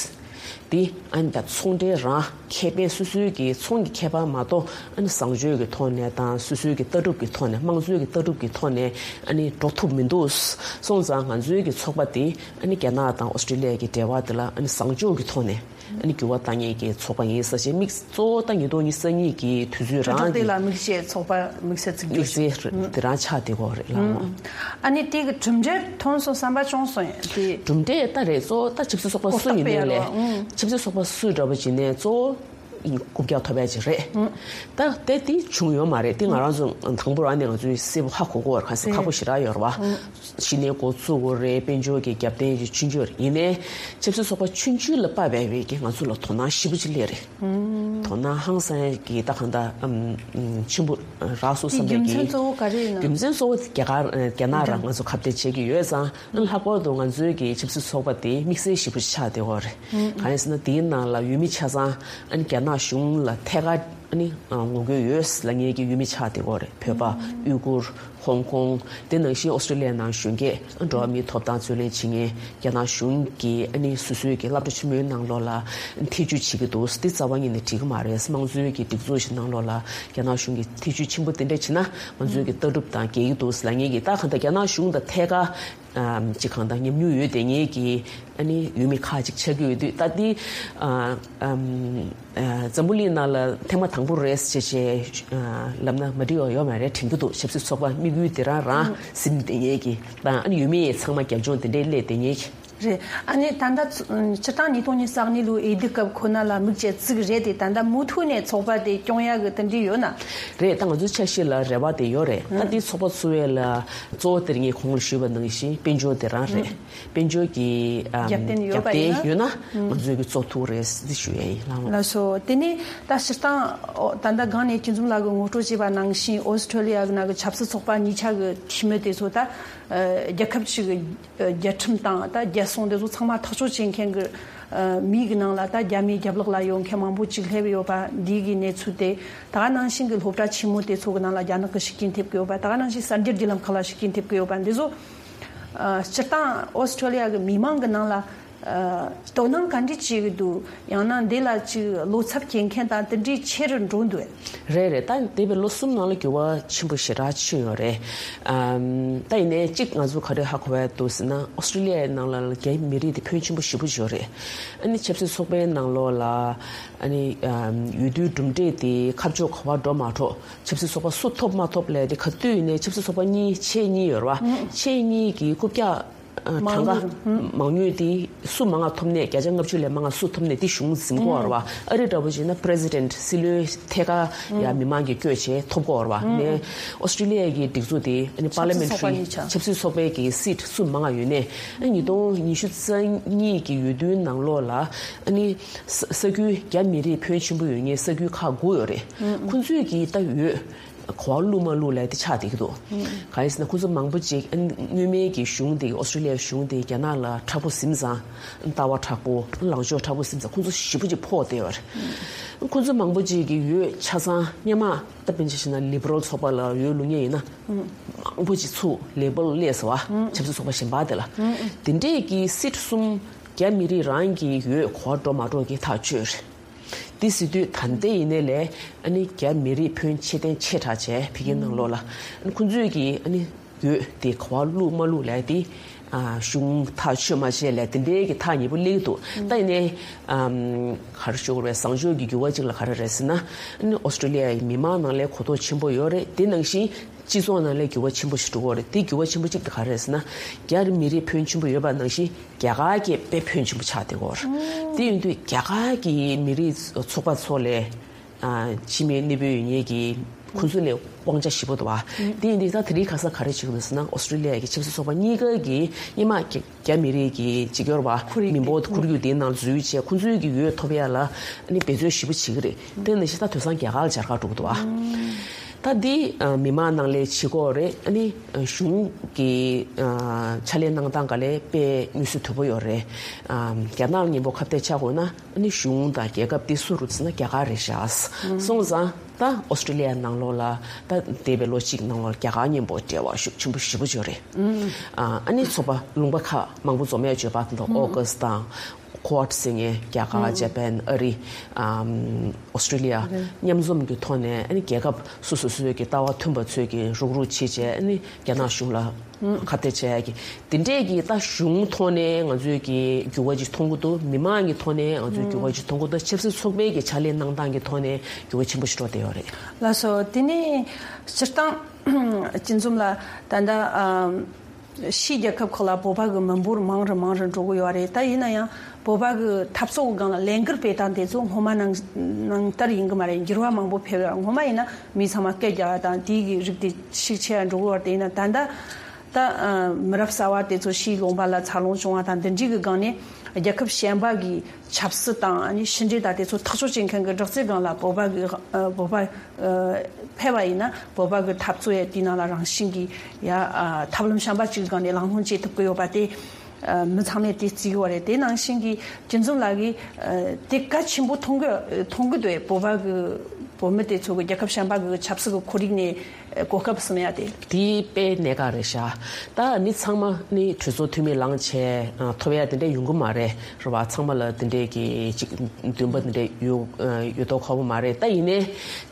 དེ་ཨ་ནི་ད་ཚོང་འབྲེལ་རང་ཁེ་ཕན། སོ་སོའི་གི་ཚོང་གི་ཁེ་ཕན་མ་གཏོགས། ཨ་ནི་བཟང་སྤྱོད་ཀྱི་ཐོག་ནས་དང་། སོ་སོའི་གི་ལྟ་གྲུབ་ཀྱི་ཐོག་ནས། དམངས་གཙོའི་གི་ལྟ་གྲུབ་ཀྱི་ཐོག་ནས་ཨ་ནི་འགྲོ་ཐུབ་མི་འདུག་སོང་ཙང་ང་ཚོའི་གི་ཚོགས་པ་དེ་ཨ་ནི་རྒྱ་ནག་དང་ཨོ་སི་ཀྲི་ལི་ཡ་གི་འབྲེལ་བ་དེ་ལ་ཨ་ནི་བཟང་སྤྱོད་ཀྱི་ཐོག་ནས་ཨ་ནི་འགྱུར་བ་གཏང་མཁན་གྱི་ཚོགས་པ་ཡིན་ཟེར་བྱས། དམིགས། གཙོ་བོ་ད་ཉིས་སྟོང་ཉི་ཤུ་རྩ་གཉིས་ཀྱི་དུས་ཚོད་དྲིལ་བསྒྲགས་རང་དེ་གི་ལ་དམིགས་བྱས་ཚོགས་པ་དམིགས་བསལ་བཙུགས་རྒྱུ་དམིགས་བསལ་དེ་རང་ཆགས་བསྡད་ཀྱི་ཡོད་རེད་ལགས། ཨ་ནི་དེ་གི་གྲུབ་འབྲས་ཐོན་སོང་བསམ་པ་བྱུང་སོང་། དེ་གྲུབ་འབྲས་ད་རེད། གཙོ་བོ་ད་ཆབ་སྲིད་ཚོགས་པ་སུ་ཡིན་ནའི་ལས། ཨང་། ཆབ་སྲིད་ཚོགས་པ་སུ་འདྲ་པོ་ཅིག་ནས་གཙོ་བོ། རྐུབ་བཀྱག་ཐོབ་ཡ་ཅིག་རེད། ད་དེ་དེ་བྱུང་ཡོད་མ་རེད། དེ་ང་རང་ཚོ་དང་པོ་རང་ནས་ང་ཚོས་གསལ་པོ་ཧ་གོ་གོ་བར་ག་ཚོད་ཁག་པོ་ཞེ་དྲག་ཡོད་རེད་བ། གཞི་ནས་འགོ་བཙུགས་དགོས་རེད། དཔལ་འབྱོར་གྱི་རྒྱབ་རྟེན་གྱི་ཆུང་ཆུང་རེད། ཡིན་ནའི་ཆབ་སྲིད་ཚོགས་པ་ཆུང་ཆུང་ལ་དཔག་པའི་གི་ང་ཚོ་ལ་དོ་སྣང་ཞེ་པོ་ཅིག་སླེབས་རེད། དོ་སྣང་ཧང་སང་གི་ད་གང་ལྟར་ཨམ་ཆེན་པོ་རག་སོང་བསམ་པའི་གི་རྒྱུ་མཚན་གཙོ་བོ་ག་རེ་ཡིན་ན། རྒྱུ་མཚན་གཙོ་བོ་རྒྱ་གར་རྒྱ་ནག་རང་ང་ཚོ་ཁ་གཏད་བྱེད་ཀྱི་ཡོད་ཙང་། ལྷག་པར་དུ་ང་ཚོའི་གི་ཆབ་སྲིད་ཚོགས་པ་དེ་དམིགས་བསལ་ཞེ་པོ་ཆགས་བསྡད་ཡོད་རེད། གང་ཡིན་ཟེར་ན་དེའི་ནང་ལ་འོས་མི་ཆ་ཚང་ཨ་ནི་རྒྱ་ནག་གཞུང་ལ་ཐད་ཀར་ཨ་ནི་ངོ་རྒོལ་ཡོད་ལབ་མཁན་གྱི་འོས་མི་ཆགས་བསྡད་ཡོད་རེད། བོད་པ། ཨུ་ཀུར། ཧོང་ཀོང་། དེ་ནང་བཞིན་ཨོ་སི་ཀྲི་ལི་ཡ་ནང་གཞོན་སྐྱེས་འགྲོ་བ་མིའི་ཐོབ་ཐང་རྩོད་ལེན་བྱེད་མཁན་རྒྱ་ནག་གཞུང་གིས་ཨ་ནི་སོ་སོའི་གི་སློབ་གྲྭ་ཆེན་མོའི་ནང་ལོགས་ལ་ཐེ་བྱུས་བྱེད་ཀྱི་འདུག་འདི་རྩ་བ་ཉིད་ནས་འགྲིག་གི་མ་རེད། དམངས་གཙོའི་གི་སྒྲིག་འཛུགས་ཤིག་ནང་ལོགས་ལ་རྒྱ་ནག་གཞུང་གིས་ཐེ་བྱུས་ཆེན་པོ་དེ་འདྲ་བྱེད་ན་ང་ཚོའི་གི་ལྟ་གྲུབ་དང་འགལ་གྱི་འདུག་ལབ་མཁན་གྱི། ད་གང་ལྟར་རྒྱ་ནག་གཞུང་དང་ཐད་ཀར་ཨམ་ཅིག་གང་ལྟར་ཉམས་མྱོང་ཡོད་བསྡད་མཁན་གྱི་ཨ་ནི་འོས་མི་ཁག་ཅིག་ཆགས་ཀྱི་ཡོད་དུས། ད་འདི་ཨ་ཨམ་ཨ་འཛམ་བུ་གླིང་ནང་ལ་ཐེངས་མ་དང་པོ་རེད་ཟེར་བྱས་ཨ་ལབ་ན་མ་འགྲིག་པ་ཡོད་མ་རེད་དྲན་གྱི་འདུག་ཆབ་སྲིད་ཚོགས་པ་དམིགས་ཡུལ་དེ་རང་རང་ཟིན་བསྡད་མཁན་གྱི་དང་། ཨ་ནི་འོས་མི་ཡང་ཚང་མ་རྒྱབ་ལྗོངས་དེ་འདྲའི་སླེབས་བསྡད་མཁན་གྱི། རེད། ཨ་ནི་ད་ལྟ་ཚོ་སྤྱིར་བཏང་ཉིས་སྟོང་ཉི་ཤུ་རྩ་གཉིས་ལོའི་འོས་བསྡུ་སྐབས་ཁོ་ན་ལ་དམིགས་བྱས་བཙུགས་རེད་དེ། ད་ལྟ་མུ་མཐུད་ནས་ཚོགས་པ་དེ་སྐྱོང་ཡག་གི་དེ་འདྲ་ཡོད་ན། རེད། ད་ང་ཚོའི་ཆ་ཤས་ལ་རེ་བ་དེ་ཡོད་རེད། ད་འདི་ཚོགས་པ་ཚུགས་ཡས་ལ་གཙོ་བོ་དེ་ངས་གོང་ལ་ཞུས་པ་ནང་བཞིན་དཔལ་འབྱོར་དེ་རང་རེད། དཔལ་འབྱོར་གྱི་ཨམ་རྒྱབ་རྟེན་ཡོད་པ་རྒྱབ་རྟེན་ཡིན་ན་ཡོད་ན་ང་ཚོའི་གི་གཙོ་ཐུག་རེད་འདི་ཞུ་ཡས་ཡིན། ལགས་ལགས་སོ། དེ་ནས་ད་སྤྱིར་བཏང་ཨོ་ད་ལྟ་སྒང་ནས་སྐྱིད་འཛོམས་ལགས་ཀྱིས་ངོ་སྤྲོད་བྱས་པ་ནང་བཞིན་ཨོ་སི་ཁྲོ་ལི་ཡ་གི་ནང་གི་ཆབ་སྲིད་ཚོགས་པ་གཉིས་ཆ་གི་འཐུས་མི་དེ་ཚོ་ད་ཨ་རྒྱལ་ཁབ་ཅིག་གི་རྒྱལ་ཁྲིམས་དང་ད་རྒྱལ་སྲུང་དེ་ཚོ་ཚང་མ་ཐག་གཅོད་བྱེད་མཁན་གྱི་ཨ་མི་གི་ནང་ལ་ད་རྒྱ་མིའི་རྒྱབ་ལོགས་ལ་ཡོད་མཁན་མང་པོ་ཅིག་སླེབས་ཡོད་པ་འདི་གི་གནས་ཚུལ་དེ། ད་ག་ནང་བཞིན་གྱི་སློབ་གྲྭ་ཆེན་མོ་དེ་ཚོ་གི་ནང་ལ་རྒྱ་ནག་གི་ཤུགས་རྐྱེན་ཐེབས་ཀྱི་ཡོད་པ། ད་ག་ནང་བཞིན་གསར་འགྱུར་བརྒྱུད་ལམ་ཁག་ལ་ཤུགས་རྐྱེན་ཐེབས་ཀྱི་ཡོད་པ་འདི་ཚོ་ཨ་སྤྱིར་བཏང་ཨོ་སི་ཁྲོ་ལི་ཡ་གི་མི་མང་གི་ནང་ལ་ཨ་དོ་སྣང་ག་འདྲ་བྱེད་ཀྱི་འདུག་ཡང་ན་འདི་ལ་ཅིག་བློ་འཚབ་སྐྱེ་མཁན་དང་དེ་འདྲའི་ཆེ་རུ་འགྲོ་འདུག་རེད་རེད། ད་འདས་པའི་ལོ་གསུམ་ནང་ལ་འགྱུར་བ་ཆེན་པོ་ཞེ་དྲག་ཕྱིན་ཡོད་རེད། ཨམ་ད་ཡིན་ནའི་གཅིག་ང་ཚོ་ག་རེ་ཧ་གོ་བ་འདུག་ཟེར་ན། ཨོ་སི་ཀྲི་ལི་ཡའི་ནང་ལ་རྒྱ་མི་རིགས་དེ་ཕོན་ཆེན་པོ་ཞེ་པོ་ཅིག་ཡོད་རེད། ཨ་ནི་ཆབ་སྲིད་ཚོགས་པའི་ནང་ལོགས་ལ་ཨ་ནི་ཨམ་འོས་བསྡུའི་གྲུབ་འབྲས་དེ་ཁ་ཕྱོགས་ག་པར་འགྲོ་མ་འགྲོ། ཆབ་སྲིད་ཚོགས་པ་སུ་ཐོབ་མ་ཐོབ་ལབ་དེ་ག་དུས་ཡིན་ནའི་ཆབ་སྲིད་ཚོགས་པ་གཉིས་ཆེ་གཉིས་ཡོད་རེད་བ། ཆེ་གཉིས་ཀྱི་རྐུབ་བཀྱག་ཨ་གྲངས་ཀ་མང་ཉུང་དེ་སུ་མང་ང་ཐོབ་ནས་བརྒྱ་ཆ་ལྔ་བཅུ་ལས་མང་ང་སུ་ཐོབ་ནས་དེ་གཞུང་འཛིན་གོ་བ་རེད་བ། ཨ་རི་འདྲ་པོ་བྱས་ན་པི་རེ་སི་ཌེན་ཊི་སྲིད་བློན་ཐད་ཀར་ཡ་མི་མང་གིས་བསྐོས་བྱས་ཐོབ་གོ་བ་རེད་བ། ནས་ཨོ་སི་ཀྲི་ལི་ཡ་གི་སྒྲིག་འཛུགས་དེ་ཨ་ནི་པར་ལི་མེན་ཊ་རི་ཆབ་སྲིད་ཚོགས་པའི་གི་སིཊ་སུ་མང་ང་ཡོད་ནས། ཨ་ཉིས་སྟོང་ཉི་ཤུ་རྩ་གཉིས་ཀྱི་འོས་བསྡུའི་ནང་ལོགས་ལ་ཨ་ནི་ས་ས་ཁུལ་རྒྱ་མི་རིགས་ཕོན་ཆེན་པོ་ཡོད་མཁན་ས་ཁུལ་ཁག་དགུ་ཡོད་རེད། ཁོང་ཚོས་ཀྱི་ད་འོས་གོ་བ་བླུགས་མ་བླུགས་ལབ་དེ་ཆགས་བསྡད་ཀྱི་འདུག་གང་ཡིན་ཟེར་ན་ཁོང་ཚོ་མང་པོ་ཅིག་ཨ་ནི་སྔོན་མའི་གི་གཞུང་དེ་ཨོ་སི་ཀྲི་ལི་ཡའི་གཞུང་དེ་རྒྱ་ནག་ལ་མཁྲེགས་པོ་ཟིན་ཙང་། ལྟ་བ་མཁྲེགས་པོ། ལངས་ཕྱོགས་མཁྲེགས་པོ་ཟིན་ཙང་ཁོང་ཚོ་ཞེ་པོ་ཅིག་ཕོག་བསྡད་ཡོད་རེད། ཁོང་ཚོ་མང་པོ་ཅིག་གི་འོས་ཆ་ཚང་སྔོན་མ་ད་དཔེར་ན་ཆ་བཞག་ན་ལི་བྷ་རལ་ཚོགས་པ་ལ་འོས་བླུགས་མཁན་ཡིན་ན་མང་པོ་ཅིག་ཚུར་ལེ་བྷལ་སླེབས་སོང་བ། ཆབ་སྲིད་ཚོགས་པ་གཞན་པ་དེ་ལ། དེ་འདྲས་ཀྱི་སིཊ་གསུམ་རྒྱ་མི་རིགས་རང་གི་འོས་གོ་བ་འགྲོ་མ་འགྲོ་གི་ཐག་ཆོད་རེད། དེ་ཟེར་དུས་ད་ལྟ་ཡིན་ནའི་ལས་ཨ་ནི་རྒྱ་མི་རིགས་ཕོན་ཆེ་ལྡན་ཆེ་དྲགས་བྱས་ཕ་གིའི་ནང་ལོགས་ལ་ཨ་ནི་ཁོང་ཚོས་ཀྱི་ཨ་ནི་འོས་དེ་ག་པར་བླུགས་མ་བླུགས་ལབ་དེ་ཨ་གཞུང་ཐག་ཆོད་མ་བྱས་ལས་དེ་འདྲའི་གི་ཐག་ཉེ་པོ་སླེབས་ཀྱི་འདུག་ད་ཡིན་ནའི་ཨམ་ག་རེ་ཞུ་དགོས་རེད། བཟང་ཕྱོགས་ཀྱི་འགྱུར་བ་ཅིག་ལ་ག་རེ་རེད་ཟེར་ན། ཨ་ནི་ཨོ་སི་ཀྲི་ལི་ཡའི་མི་མང་ནང་ལ་གོ་རྟོགས་ཆེན་པོ་ཡོད་རེད། དེ་ནང་བཞིན་སྤྱི་ཚོགས་ནང་ལ་འགྱུར་བ་ཆེན་པོ་ཞིག་འགྲོ་གི་ཡོད་རེད། དེ་འགྱུར་བ་ཆེན་པོ་གཅིག་དེ་ག་རེ་རེད་ཟེར་ན། རྒྱ་མི་རིགས་ཕོན་ཆེན་པོ་ཡོད་པ་ནང་བཞིན་རྒྱ་གར་གྱི་དཔེ་ཕོན་ཆེན་པོ་ཆགས་བསྡད་ཀྱི་ཡོད་རེད། དེ་ཡིན་དུས་རྒྱ་གར་གྱི་མི་རིགས་ཚོགས་པ་ཚོ་ལས་ཨ་ཕྱི་མི་གནས་སྤོས་ཡོད་མཁན་གྱི་ཁོང་ཚོ་ལས་དབང་ཆ་ཞེ་པོ་འདུག་བ། དེ་ཡིན་དུས་ད་དེ་རིང་ཁ་སང་ག་རེ་བྱེད་ཀྱི་འདུག་ཟེར་ན། ཨོ་སི་ཀྲི་ལི་ཡ་གི་ཆབ་སྲིད་ཚོགས་པ་གཉིས་ཀ་གིས་སྔོན་མ་རྒྱ་རྒྱ་མི་རིགས་ཀྱི་འཇིགས་སྐྱོར་བ་ཁོར་ཡུག་མི་འབོར་དེ་ཁོར་ཡུག་དེའི་ནང་འཛུལ་བྱས་ཁོང་ཚོའི་གི་འོས་ཐོབ་ཡ་ལ་ཨ་ནི་འབད་རྩོལ་ཞེ་པོ་བྱེད་ཀྱི་རེད། དེ་ནང་བཞིན་ད་དེང་སང་རྒྱ་གར་ལ་མཇལ་ཁ་འགྲོ་གི་འདུག་བ། ད་འདི་ཨ་མི་མང་ནང་ལས་བྱེད་སྒོ་རེད། ཨ་ནི་ཨ་གཞུང་གི་ཨ་ཕྱག་ལས་གནང་སྟངས་ག་ལས་དཔེ་མངོན་གསལ་དོད་པོ་ཡོད་རེད། ཨ་རྒྱ་ནག་མཉམ་པོ་ཁ་གཏད་བཅག་དགོས་ན་ཨ་ནི་གཞུང་དང་རྒྱལ་ཁབ་དེ་སུ་རེད་ཟེར་ན་རྒྱ་གར་རེད་ཤག་སོང་ཙང་ད་ཨོ་སི་ཀྲི་ལི་ཡ་ནང་ལོགས་ལ་ད་འདས་པའི་ལོ་གཅིག་ནང་ལོགས་རྒྱ་གར་མཉམ་པོ་འབྲེལ་བ་ཤུགས་ཆེན་པོ་ཞེ་པོ་ཅིག་ཡོད་རེད། ཨ་ཨ་ནི་ཚོགས་པ་ལུང་པ་ཁག་མང་པོ་འཛོམས་ཡ་བརྗོད་པ་དང་ཨོ་ཀ་སི་དང་། ཀོཌ་ཟེར་མཁན་རྒྱ་གར། ཇ་པན། ཨ་རི། ཨམ་ཨོ་སི་ཀྲི་ལི་ཡ་མཉམ་འཛོམས་ཀྱི་ཐོག་ནས་ཨ་ནི་རྒྱལ་ཁབ་སོ་སོ་སོའི་གི་ལྟ་བ་མཐུན་པ་ཚོས་ཀྱི་རུག་རུག་བྱེད་བྱས་ཨ་ནི་རྒྱ་ནག་གཞུང་ལ་ཁ་གཏད་བྱས་ཀྱི་དེ་འདྲས་ཀྱི་ད་གཞུང་ཐོག་ནས་ང་ཚོས་ཀྱི་འགྱུར་བ་ཅིག་མཐོང་གི་འདུག་མི་མང་གི་ཐོག་ནས་ང་ཚོས་འགྱུར་བ་ཅིག་མཐོང་གི་འདུག་ཆབ་སྲིད་ཚོགས་པའི་གི་ཕྱག་ལས་གནང་སྟངས་ཀྱི་ཐོག་ནས་འགྱུར་བ་ཆེན་པོ་ཞིག་འགྲོ་བསྡད་ཡོད་རེད། ལགས་སོ། དེ་ནས་སྤྱིར་བཏང་སྐྱིད་འཛོམས་ལགས་ད་ལྟ་ཨམ། ཕྱིའི་རྒྱལ་ཁབ་ཁག་ལ་བོད་པ་གི་མི་འབོར་མང་རུ་མང་རུ་འགྲོ་གི་ཡོད་རེད། ད་ཡིན་ན་ཡང་བོད་པ་གི་འཐབ་རྩོད་གི་སྒང་ལ་ལས་འགུལ་སྤེལ་སྟངས་དེ་ཚོ་སྔོན་མ་ནང་ནང་ལྟར་ཡིན་གི་མ་རེད། འགྱུར་བ་མང་པོ་ཕེབས་ཡོད། སྔོན་མ་ཡིན་ན་མི་ཚང་མ་སྐད་རྒྱག་ཡ་དང་དེའི་གི་རིགས་དེ་ཤུགས་ཆེ་ཡ་འགྲོ་གི་ཡོད་རེད། དེ་ཡིན་ན་ད་ལྟ་ད་མི་རབས་གསར་བ་དེ་ཚོ་ཕྱིའི་ལུང་པ་ལ་འཚར་ལོངས་བྱུང་བ་དང་འདི་འདྲའི་གི་སྒང་ནས་རྒྱལ་ཁབ་གཞན་པ་གི་ཆབ་སྲིད་དང་ཨ་ནི་ཕྱི་འབྲེལ་དང་དེ་ཚོ་ཐག་གཅོད་བྱེད་མཁན་གྱི་དྲག་རྩལ་སྒང་ལ་བོད་པ་གི་ཨ་བོད་པ་ཨ་ཕེབས་པ་ཡིན་ན་བོད་པ་གི་འཐབ་རྩོད་ཡ་དེའི་ནང་ལ་རང་བཞིན་གྱིས་ཡ་ཨ་ཐབས་ལམ་གཞན་པ་གཅིག་སྒང་ནས་ལམ་ལྷོང་བྱེད་ཐུབ་ཀྱི་ཡོད་པ་དེ་ཨ་མི་ཚང་མས་དེ་བརྩི་གི་ཡོད་རེད། དེ་ནང་བཞིན་གྱི་སྤྱི་འཛོམས་ལགས་ཀྱིས་ཨ་དེ་གལ་ཆེན་པོ་མཐོང་གི་མཐོང་གི་འདུག་བོད་པ་གི་བོད་མི་དེ་ཚོ་གི་རྒྱལ་ཁབ་གཞན་པ་གི་ཆབ་སྲིད་ཀྱི་ཁོར་ཡུག་ནས་གོ་སྐབས་ཟིན་ཡ་དེ། དེ་དཔེ་གནད་འགག་རེད་ཤག་ད་ནི་ཚང་མ་ནི་གྲོས་ཚོགས་འཐུས་མི་ལངས་བྱས་ཨ་ཐོབ་ཡ་དེ་འདྲ་ཡོང་གི་མ་རེད། རེད་བ། ཚང་མ་ལ་དེ་འདྲའི་གི་ཅིག་འདུན་པ་དེ་འདྲ་ཡོད་ཡོད་མདོག་ཁ་པོ་མ་རེད། ད་ཡིན་ནའི་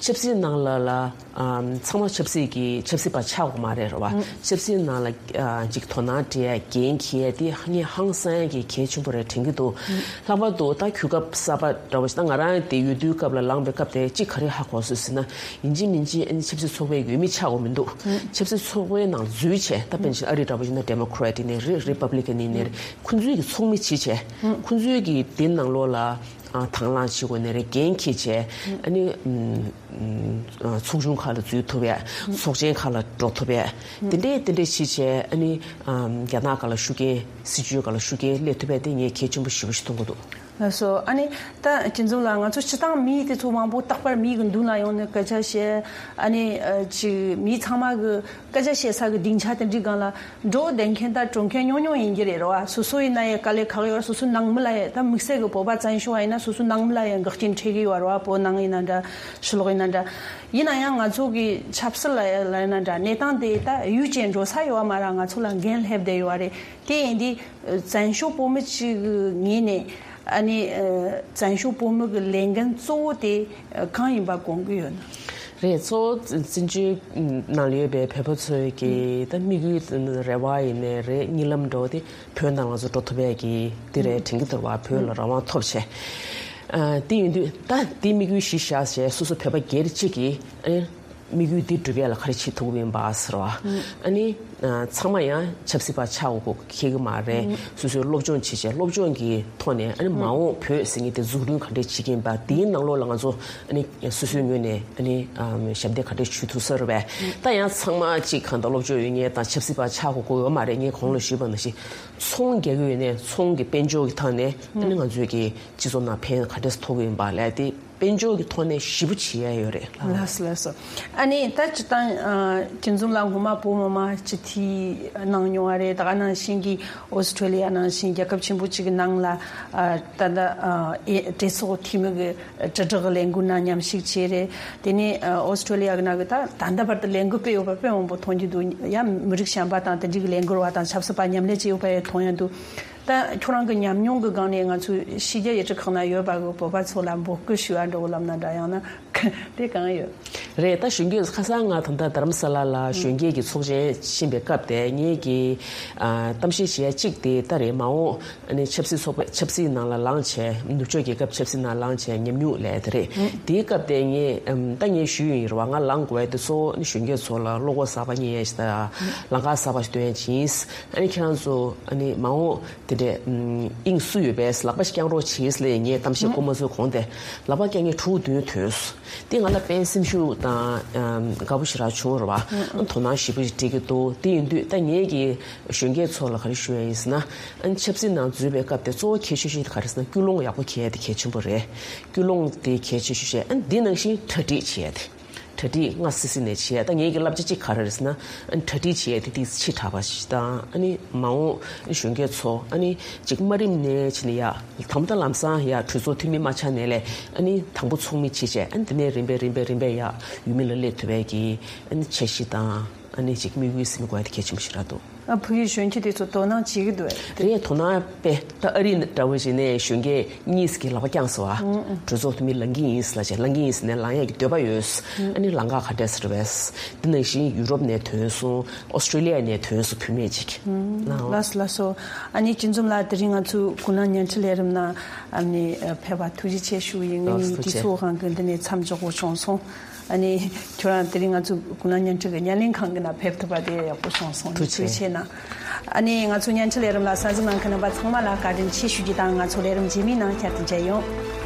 ཆབ་སྲིད་ནང་ལ་ལ་ཨམ་ཚང་མ་ཆབ་སྲིད་ཀྱི་ཆབ་སྲིད་པ་ཆགས་དགོས་མ་རེད། རེད་བ། ཆབ་སྲིད་ནང་ལ་ཨ་ཅིག་དོ་སྣང་སྤྲད་ཡ་འགན་འཁྱེར་ཡ་དེ་ངས་ཧང་སང་ཡ་གི་གལ་ཆེན་པོ་རེད་དྲན་གྱི་འདུག་ལྷག་པར་དུ་ད་གོ་སྐབས་གསར་པ་འདྲ་བོ་ཞིག་ད་ང་རང་དེ་འོས་བསྡུའི་སྐབས་ལ་ལངས་པའི་སྐབས་དེ་གཅིག་ག་རེ་ཧ་གོ་སོང་ཟེར་ན། ཡིན་གཅིག་མིན་གཅིག་ཨ་ནི་ཆབ་སྲིད་ཚོགས་པའི་འོས་མི་ཆགས་དགོས་མི་འདུག་ཆབ་སྲིད་ཚོགས་པའི་ནང་འཛུལ་བྱས། ད་དཔེར་ན་ཨ་རི་འདྲ་བོ་ཞིག་ན་ཌེ་མོ་ཀེ་རེ་ཊི་ཡིན་ནའི་རེད། རི་པབ་ལི་ཀན་ཡིན་ནའི་རེད། ཁོང་ཚོའི་གི་ཚོགས་མི་བྱེད་བྱས། ཁོང་ཚོའི་གི་དེ་ནང་ལོགས་ལ་ཨ་དང་བླངས་བྱེད་དགོས་ནའི་རེད། འགན་འཁྱེར་བྱས། ཨ་ནི་ཨམ་ཨམ་ཚོགས་ཆུང་ཁག་ལ་འཛུལ་ཐུབ་ཡ། ཚོགས་ཆེན་ཁག་ལ་འགྲོ་ཐུབ་ཡ། དེ་འདྲས་དེ་འདྲས་བྱེད་བྱས། ཨ་ནི་ཨམ་རྒྱ་ནག་སྒང་ལ་ཤུགས་རྐྱེན། སྲིད་བྱུས་སྒང་ལ་ཤུགས་རྐྱེན་སླེབས་ཐུབ་ཡ་དེ་ངས་གལ་ཆེན་པོ་ཞེ་པོ་ཞིག་མཐོང་གི་འདུག་ལགས་སོ། ཨ་ནི་ད་སྤྱི་འཛོམས་ལགས། ང་ཚོ་སྤྱི་བཏང་མི་དེ་ཚོ་མང་པོ་རྟག་པར་མིའི་གི་མདུན་ལ་ཡོང་ནས་སྐད་ཆ་བཤད། ཨ་ནི་ཨ་ཅིག་མི་ཚང་མ་གི་སྐད་ཆ་བཤད་ས་གི་སྡིངས་ཆ་དེ་འདྲའི་སྒང་ལ་འགྲོ་བསྡད་མཁན་དང་འགྲོ་མཁན་ཉུང་ཉུང་ཡིན་གྱི་རེད། རེད་བ། སོ་སོ་ཡིན་ན་ཡང་དཀའ་ལས་ཁག་ཡོད། སོ་སོ་ནང་མི་ལ་ཡང་ད་དམིགས་བསལ་གི་བོད་པ་བཙན་བྱོལ་བ་ཡིན་ན་སོ་སོ་ནང་མི་ལ་ཡང་འགག་རྐྱེན་འཕྲད་ཀྱི་ཡོད་རེད་བ། བོད་ནང་ཡིན་ན་འདྲ། ཕྱི་ལོགས་ཡིན་ན་འདྲ། ཡིན་ན་ཡང་ང་ཚོ་གི་ཆབ་སྲིད་ལ་ཡང་ལ་ཡིན་ན་འདྲ། གནས་སྟངས་དེ་ད་ཡུལ་ཅན་འགྲོ་ས་ཡོད་བ་མ་རེད། ང་ཚོ་ལ་འགན་སླེབས་བསྡད་ཡོད་བ་རེད། དེ་ཡིན་དུས་བཙན་བྱོལ་བོད་མི་གཅིག་གི་ངོས་ནས་ཨ་ནི་ཨ་བཙན་བྱོལ་བོད་མི་གི་ལས་འགན་གཙོ་བོ་དེ་ཨ་གང་ཡིན་པ་དགོངས་ཀྱི་ཡོད་ན། རེད། གཙོ་བོ་བཙན་བྱོལ་ནང་ལ་ཡོད་པའི་བོད་པ་ཚོའི་གི་ད་དམིགས་ཡུལ་རེ་བ་ཡིན་ནའི་རེད། གཉིད་ལམ་འགྲོ་དེ་བོད་ནང་ང་ཚོ་འགྲོ་ཐུབ་ཡས་ཀྱི་དེ་རེད་དྲན་གྱི་འདུག་བ། བོད་ལ་རང་དབང་ཐོབ་བྱས། ཨ་དེ་ཡིན་དུས་ད་དེ་དམིགས་ཡུལ་གཞི་བཞག་བྱས་སོ་སོ་བོད་པ་སྒེར་གཅིག་གིས་ཨ་དམིགས་ཡུལ་འདི་འགྲུབ་ཡ་ལ་ག་རེ་བྱེད་ཐུབ་ཀྱི་ཡིན་པ་ཟེར་བ། ཨ་ནི་ཨ་ཚང་མ་ཡང་ཆབ་སྲིད་པ་ཆགས་དགོས་ཁེལ་གི་མ་རེད། སོ་སོའི་སློབ་སྦྱོང་བྱེད་བྱས་སློབ་སྦྱོང་གི་ཐོག་ནས་ཨ་ནི་མ་འོངས་བོད་ཟེར་མཁན་དེ་འཛུགས་སྐྲུན་ག་འདྲས་བྱེད་ཀྱི་ཡིན་པ། དེའི་ནང་ལོགས་ལ་ང་ཚོ་ཨ་ནི་སོ་སོའི་ངོས་ནས་ཨ་ནི་ཨམ་ཞབས་འདེགས་ག་འདྲས་ཞུ་ཐུབ་ས་རེད་པས། ད་ཡང་ཚང་མ་གཅིག་གང་ལྟར་སློབ་སྦྱོང་ཡོད་མཁན་དང་ཆབ་སྲིད་པ་ཆགས་དགོས་ཀྱི་ཡོད་མ་རེད། ངས་གོང་ལ་ཞུས་པ་ནང་བཞིན་ཚོང་རྒྱག་གི་ཡོད་ནའི་ཚོང་གི་དཔལ་འབྱོར་གྱི་ཐོག་ནས་ཨ་ནི་ང་ཚོས་ཀྱི་སྤྱི་ཚོགས་ནང་ཕན་ག་འདྲས་ཐོགས་ཀྱི་ཡིན་པ་ལས་དེ། དཔལ་འབྱོར་གྱི་ཐོག་ནས་ཞེ་པོ་བྱེད་ཡ་ཡོད་རེད། ལགས་སོ། ལགས་སོ། ཨ་ནི་ད་སྤྱིར་བཏང་ཨ་སྤྱི་འཛོམས་ལགས་སྔོན་མ་བོད་མི་མང་སྤྱི་འཐུས་གནང་མྱོང་བ་རེད། ད་ག་ནང་བཞིན་གྱི་ཨོ་སི་ཀྲོ་ལི་ཡ་ནང་བཞིན་རྒྱལ་ཁབ་ཆེན་པོ་གཅིག་གི་ནང་ལ་ཨ་ད་ལྟ་ཨ་ཨེ་གྲོས་ཚོགས་འཐུས་མི་གི་དྲིལ་བསྒྲགས་ལས་འགུལ་ནང་མཉམ་ཞུགས་བྱས་རེད། དེ་ནས་ཨ་ཨོ་སི་ཀྲོ་ལི་ཡ་གི་ནང་གི་ད་ད་ལྟ་བར་དུ་ལས་འགུལ་སྤེལ་ཡོད་པ་དཔེ་མང་པོ་མཐོང་རྒྱུ་འདུག་ཡང་མི་རིགས་གཞན་པ་དང་དེ་འདྲའི་གི་ལས་འགུལ་བ་དང་ཆབ་སྲིད་པ་མཉམ་ལས་བྱས་ཡོད་པ་ཡང་མཐོང་ཡ་འདུག་ད་ཁྱོད་རང་གི་ཉམས་མྱོང་གི་སྒང་ནས་ང་ཚོས་ཕྱི་རྒྱལ་ཡུལ་གྲུ་ཁག་ན་ཡོད་པ་གི་བོད་པ་ཚོ་ལ་འབོད་སྐུལ་ཞུ་བ་འདྲ་བོ་ལབ་ན་འདྲ། ཡང་ན་དེ་གང་ཡོད། རེད། ད་གཞོན་སྐྱེས་ཁ་སང་ང་ད་ལྟ་རྡ་རམ་ས་ལ་ལ་གཞོན་སྐྱེས་ཀྱི་ཚོགས་ཆེན་ཕྱིན་པའི་སྐབས་དེ་ངེད་ཀྱི་ཨ་གཏམ་བཤད་བྱེད་ཡ་གཅིག་དེ་ད་རེད། མ་འོངས་ཨ་ནི་ཆབ་སྲིད་ཚོགས་པ་ཆབ་སྲིད་ནང་ལ་ལངས་བྱས་ནུབ་ཕྱོགས་རྒྱལ་ཁབ་ཆབ་སྲིད་ནང་ལངས་བྱས་ཉམས་མྱོང་ལས་དེ་རེད། དེའི་སྐབས་དེ་ངས་ཨམ་ད་ངས་ཞུས་ཡིན་རེད་བ། ང་ལངས་དགོས་ཡ་དེ་གཙོ་བོ་ཨ་ནི་གཞོན་སྐྱེས་ཚོ་ལ་བློ་ཁོག་གསར་པ་རྙེད་ཡ་ཞིག་དང་ལམ་ཁ་གསར་པ་ཞིག་སྟོན་ཡ་ཅིག་ཡིན། ཨ་ནི་ཁྱེད་རང་ཚོ་ཨ་ནི་མ་འོངས་དེ་འདྲས་ཨམ་དབྱིངས་སུ་ཡོད་པས་ལག་པ་ཞིག་བརྐྱང་རོགས་བྱེད་ཟེར་ངས་གཏམ་བཤད་སྐོར་མ་ཚོའི་གོང་དེ་ལག་པ་བརྐྱང་མཁན་ཕྲུ་གུ་བདུན་ཐོན་སོང་། དེ་ང་ལ་དཔེ་སེམས་ཤུགས་དང་ཨམ་དགའ་པོ་ཞེ་དྲག་བྱུང་རེད་བ། དོ་སྣང་ཞེ་པོ་ཞིག་སྤྲད་ཀྱི་འདུག་དེ་ཡིན་དུས་ད་ངེད་ཀྱིས་གཞོན་སྐྱེས་ཚོ་ལ་ག་རེ་ཞུ་ཡ་ཡིན་ཟེར་ན། ཨ་ནི་ཆབ་སྲིད་ནང་འཛུལ་བའི་སྐབས་དེ་གཙོ་བོ་གལ་ཆེ་ཤོས་ཤིག་ག་རེ་ཟེར་ན་ཀུན་སློང་ཡག་པོ་འཁྱེར་ཡ་དེ་གལ་ཆེན་པོ་རེད། ཀུན་སློང་དེ་གལ་ཆེ་ཤོས་བཤད། ཨ་ནི་འདི་ནང་བཞིན་གྲ་སྒྲིག་བྱེད་ཡ་དེ། གྲ་སྒྲིག་སྔ་སེ་སེ་ནས་བྱེད་ཡ། ད་ངེད་ཀྱི་བསླབ་བྱ་གཅིག་ག་རེ་རེད་ཟེར་ན། ཨ་ནི་གྲ་སྒྲིག་བྱེད་ཡ་དེ་ཏིག་ཙམ་ཕྱི་དྲགས་པ་ཞིག་དང་། ཨ་ནི་མ་འོངས་གཞོན་སྐྱེས་ཚོ་ཨ་ནི་གཅིག་དམའ་རིམ་ནས་ཕྱིན་ནས་ཡ་དང་པོ་ད་ལམ་སང་ཡ་གྲོས་ཚོགས་འཐུས་མི་མ་ཆགས་ནས་ལས་ཨ་ནི་དང་པོ་ཚོགས་མི་བྱེད་བྱས། ཨ་ནི་དེ་ནས་རིམ་པས་རིམ་པས་རིམ་པས་ཡ་འོས་མི་ལ་སླེབས་ཐུབ་པའི་གི་ཨ་ནི་འཆར་གཞི་དང་། ཨ་ནི་གཅིག་དམིགས་ཡུལ་ཟིན་དགོས་ཡ་དེ་གལ་ཆེན་པོ་ཞིག་རེད་འདུག་ཨ་བོད་ཀྱི་གཞོན་སྐྱེས་དེ་ཚོ་དོ་སྣང་བྱེད་ཀྱི་འདུག་གས། རེད། དོ་སྣང་དཔེ་ད་ཨ་རི་འདྲ་བོ་ཞིག་ནས་གཞོན་སྐྱེས་གཉིས་ཀྱིས་ལག་པ་བརྐྱངས་སོང་བ། གྲོས་ཚོགས་འཐུས་མི་ལངས་ཀྱི་ཡིན་ལབ་བྱས། ལངས་ཀྱི་ཡིན་ཟེར་ནས་ལངས་ཡས་ཀྱི་འདོད་པ་ཡོད། ཨ་ནི་ལམ་ཁ་ག་འདྲས་ཟེར་བས། འདི་ནང་བཞིན་ཡུ་རོབ་ནས་ཐོན་སོང་། ཨོ་སི་ཀྲོ་ལི་ཡ་ནས་ཐོན་སོང་བུད་མེད་ཅིག་ལགས་སོ། ལགས་སོ། ཨ་ནི་སྤྱི་འཛོམས་ལགས་དེ་རིང་ང་ཚོའི་ཀུན་གླེང་བརྙན་འཕྲིན་ལས་རིམ་ནང་ཨ་ནི་ཕེབས་པ་ཐུགས་རྗེ་ཆེ་ཞུ་ཡིན། ངེད་གཉིས་དུས་ཚོད་དབང་གིས་འདི་ནས་མཚམས་འཇོག་དགོས་བྱུང་སོང་། ཨ་ནི་ཁྱོད་རང་དེ་རིང་ང་ཚོ་ཀུན་གླེང་བརྙན་འཕྲིན་གྱི་བརྙན་ལེན་ཁང་གི་ནང་ཕེབས་ཐུབ་པ་དེ་ཡག་པོ་བྱུང་སོང་། ཐུགས་རྗེ་ཆེ་གནང་། ཨ་ནི་ང་ཚོ་བརྙན་འཕྲིན་ལས་རིམ་ལ་གསན་གཟིགས་གནང་མཁན་རྣམ་པ་ཚང་མ་ལ་བཀའ་དྲིན་ཆེ་ཞུ་རྒྱུ་དང་། ང་ཚོ་ལས་རིམ་རྗེས་མའི་ནང་བསྐྱར་དུ་མཇལ་ཡོང་།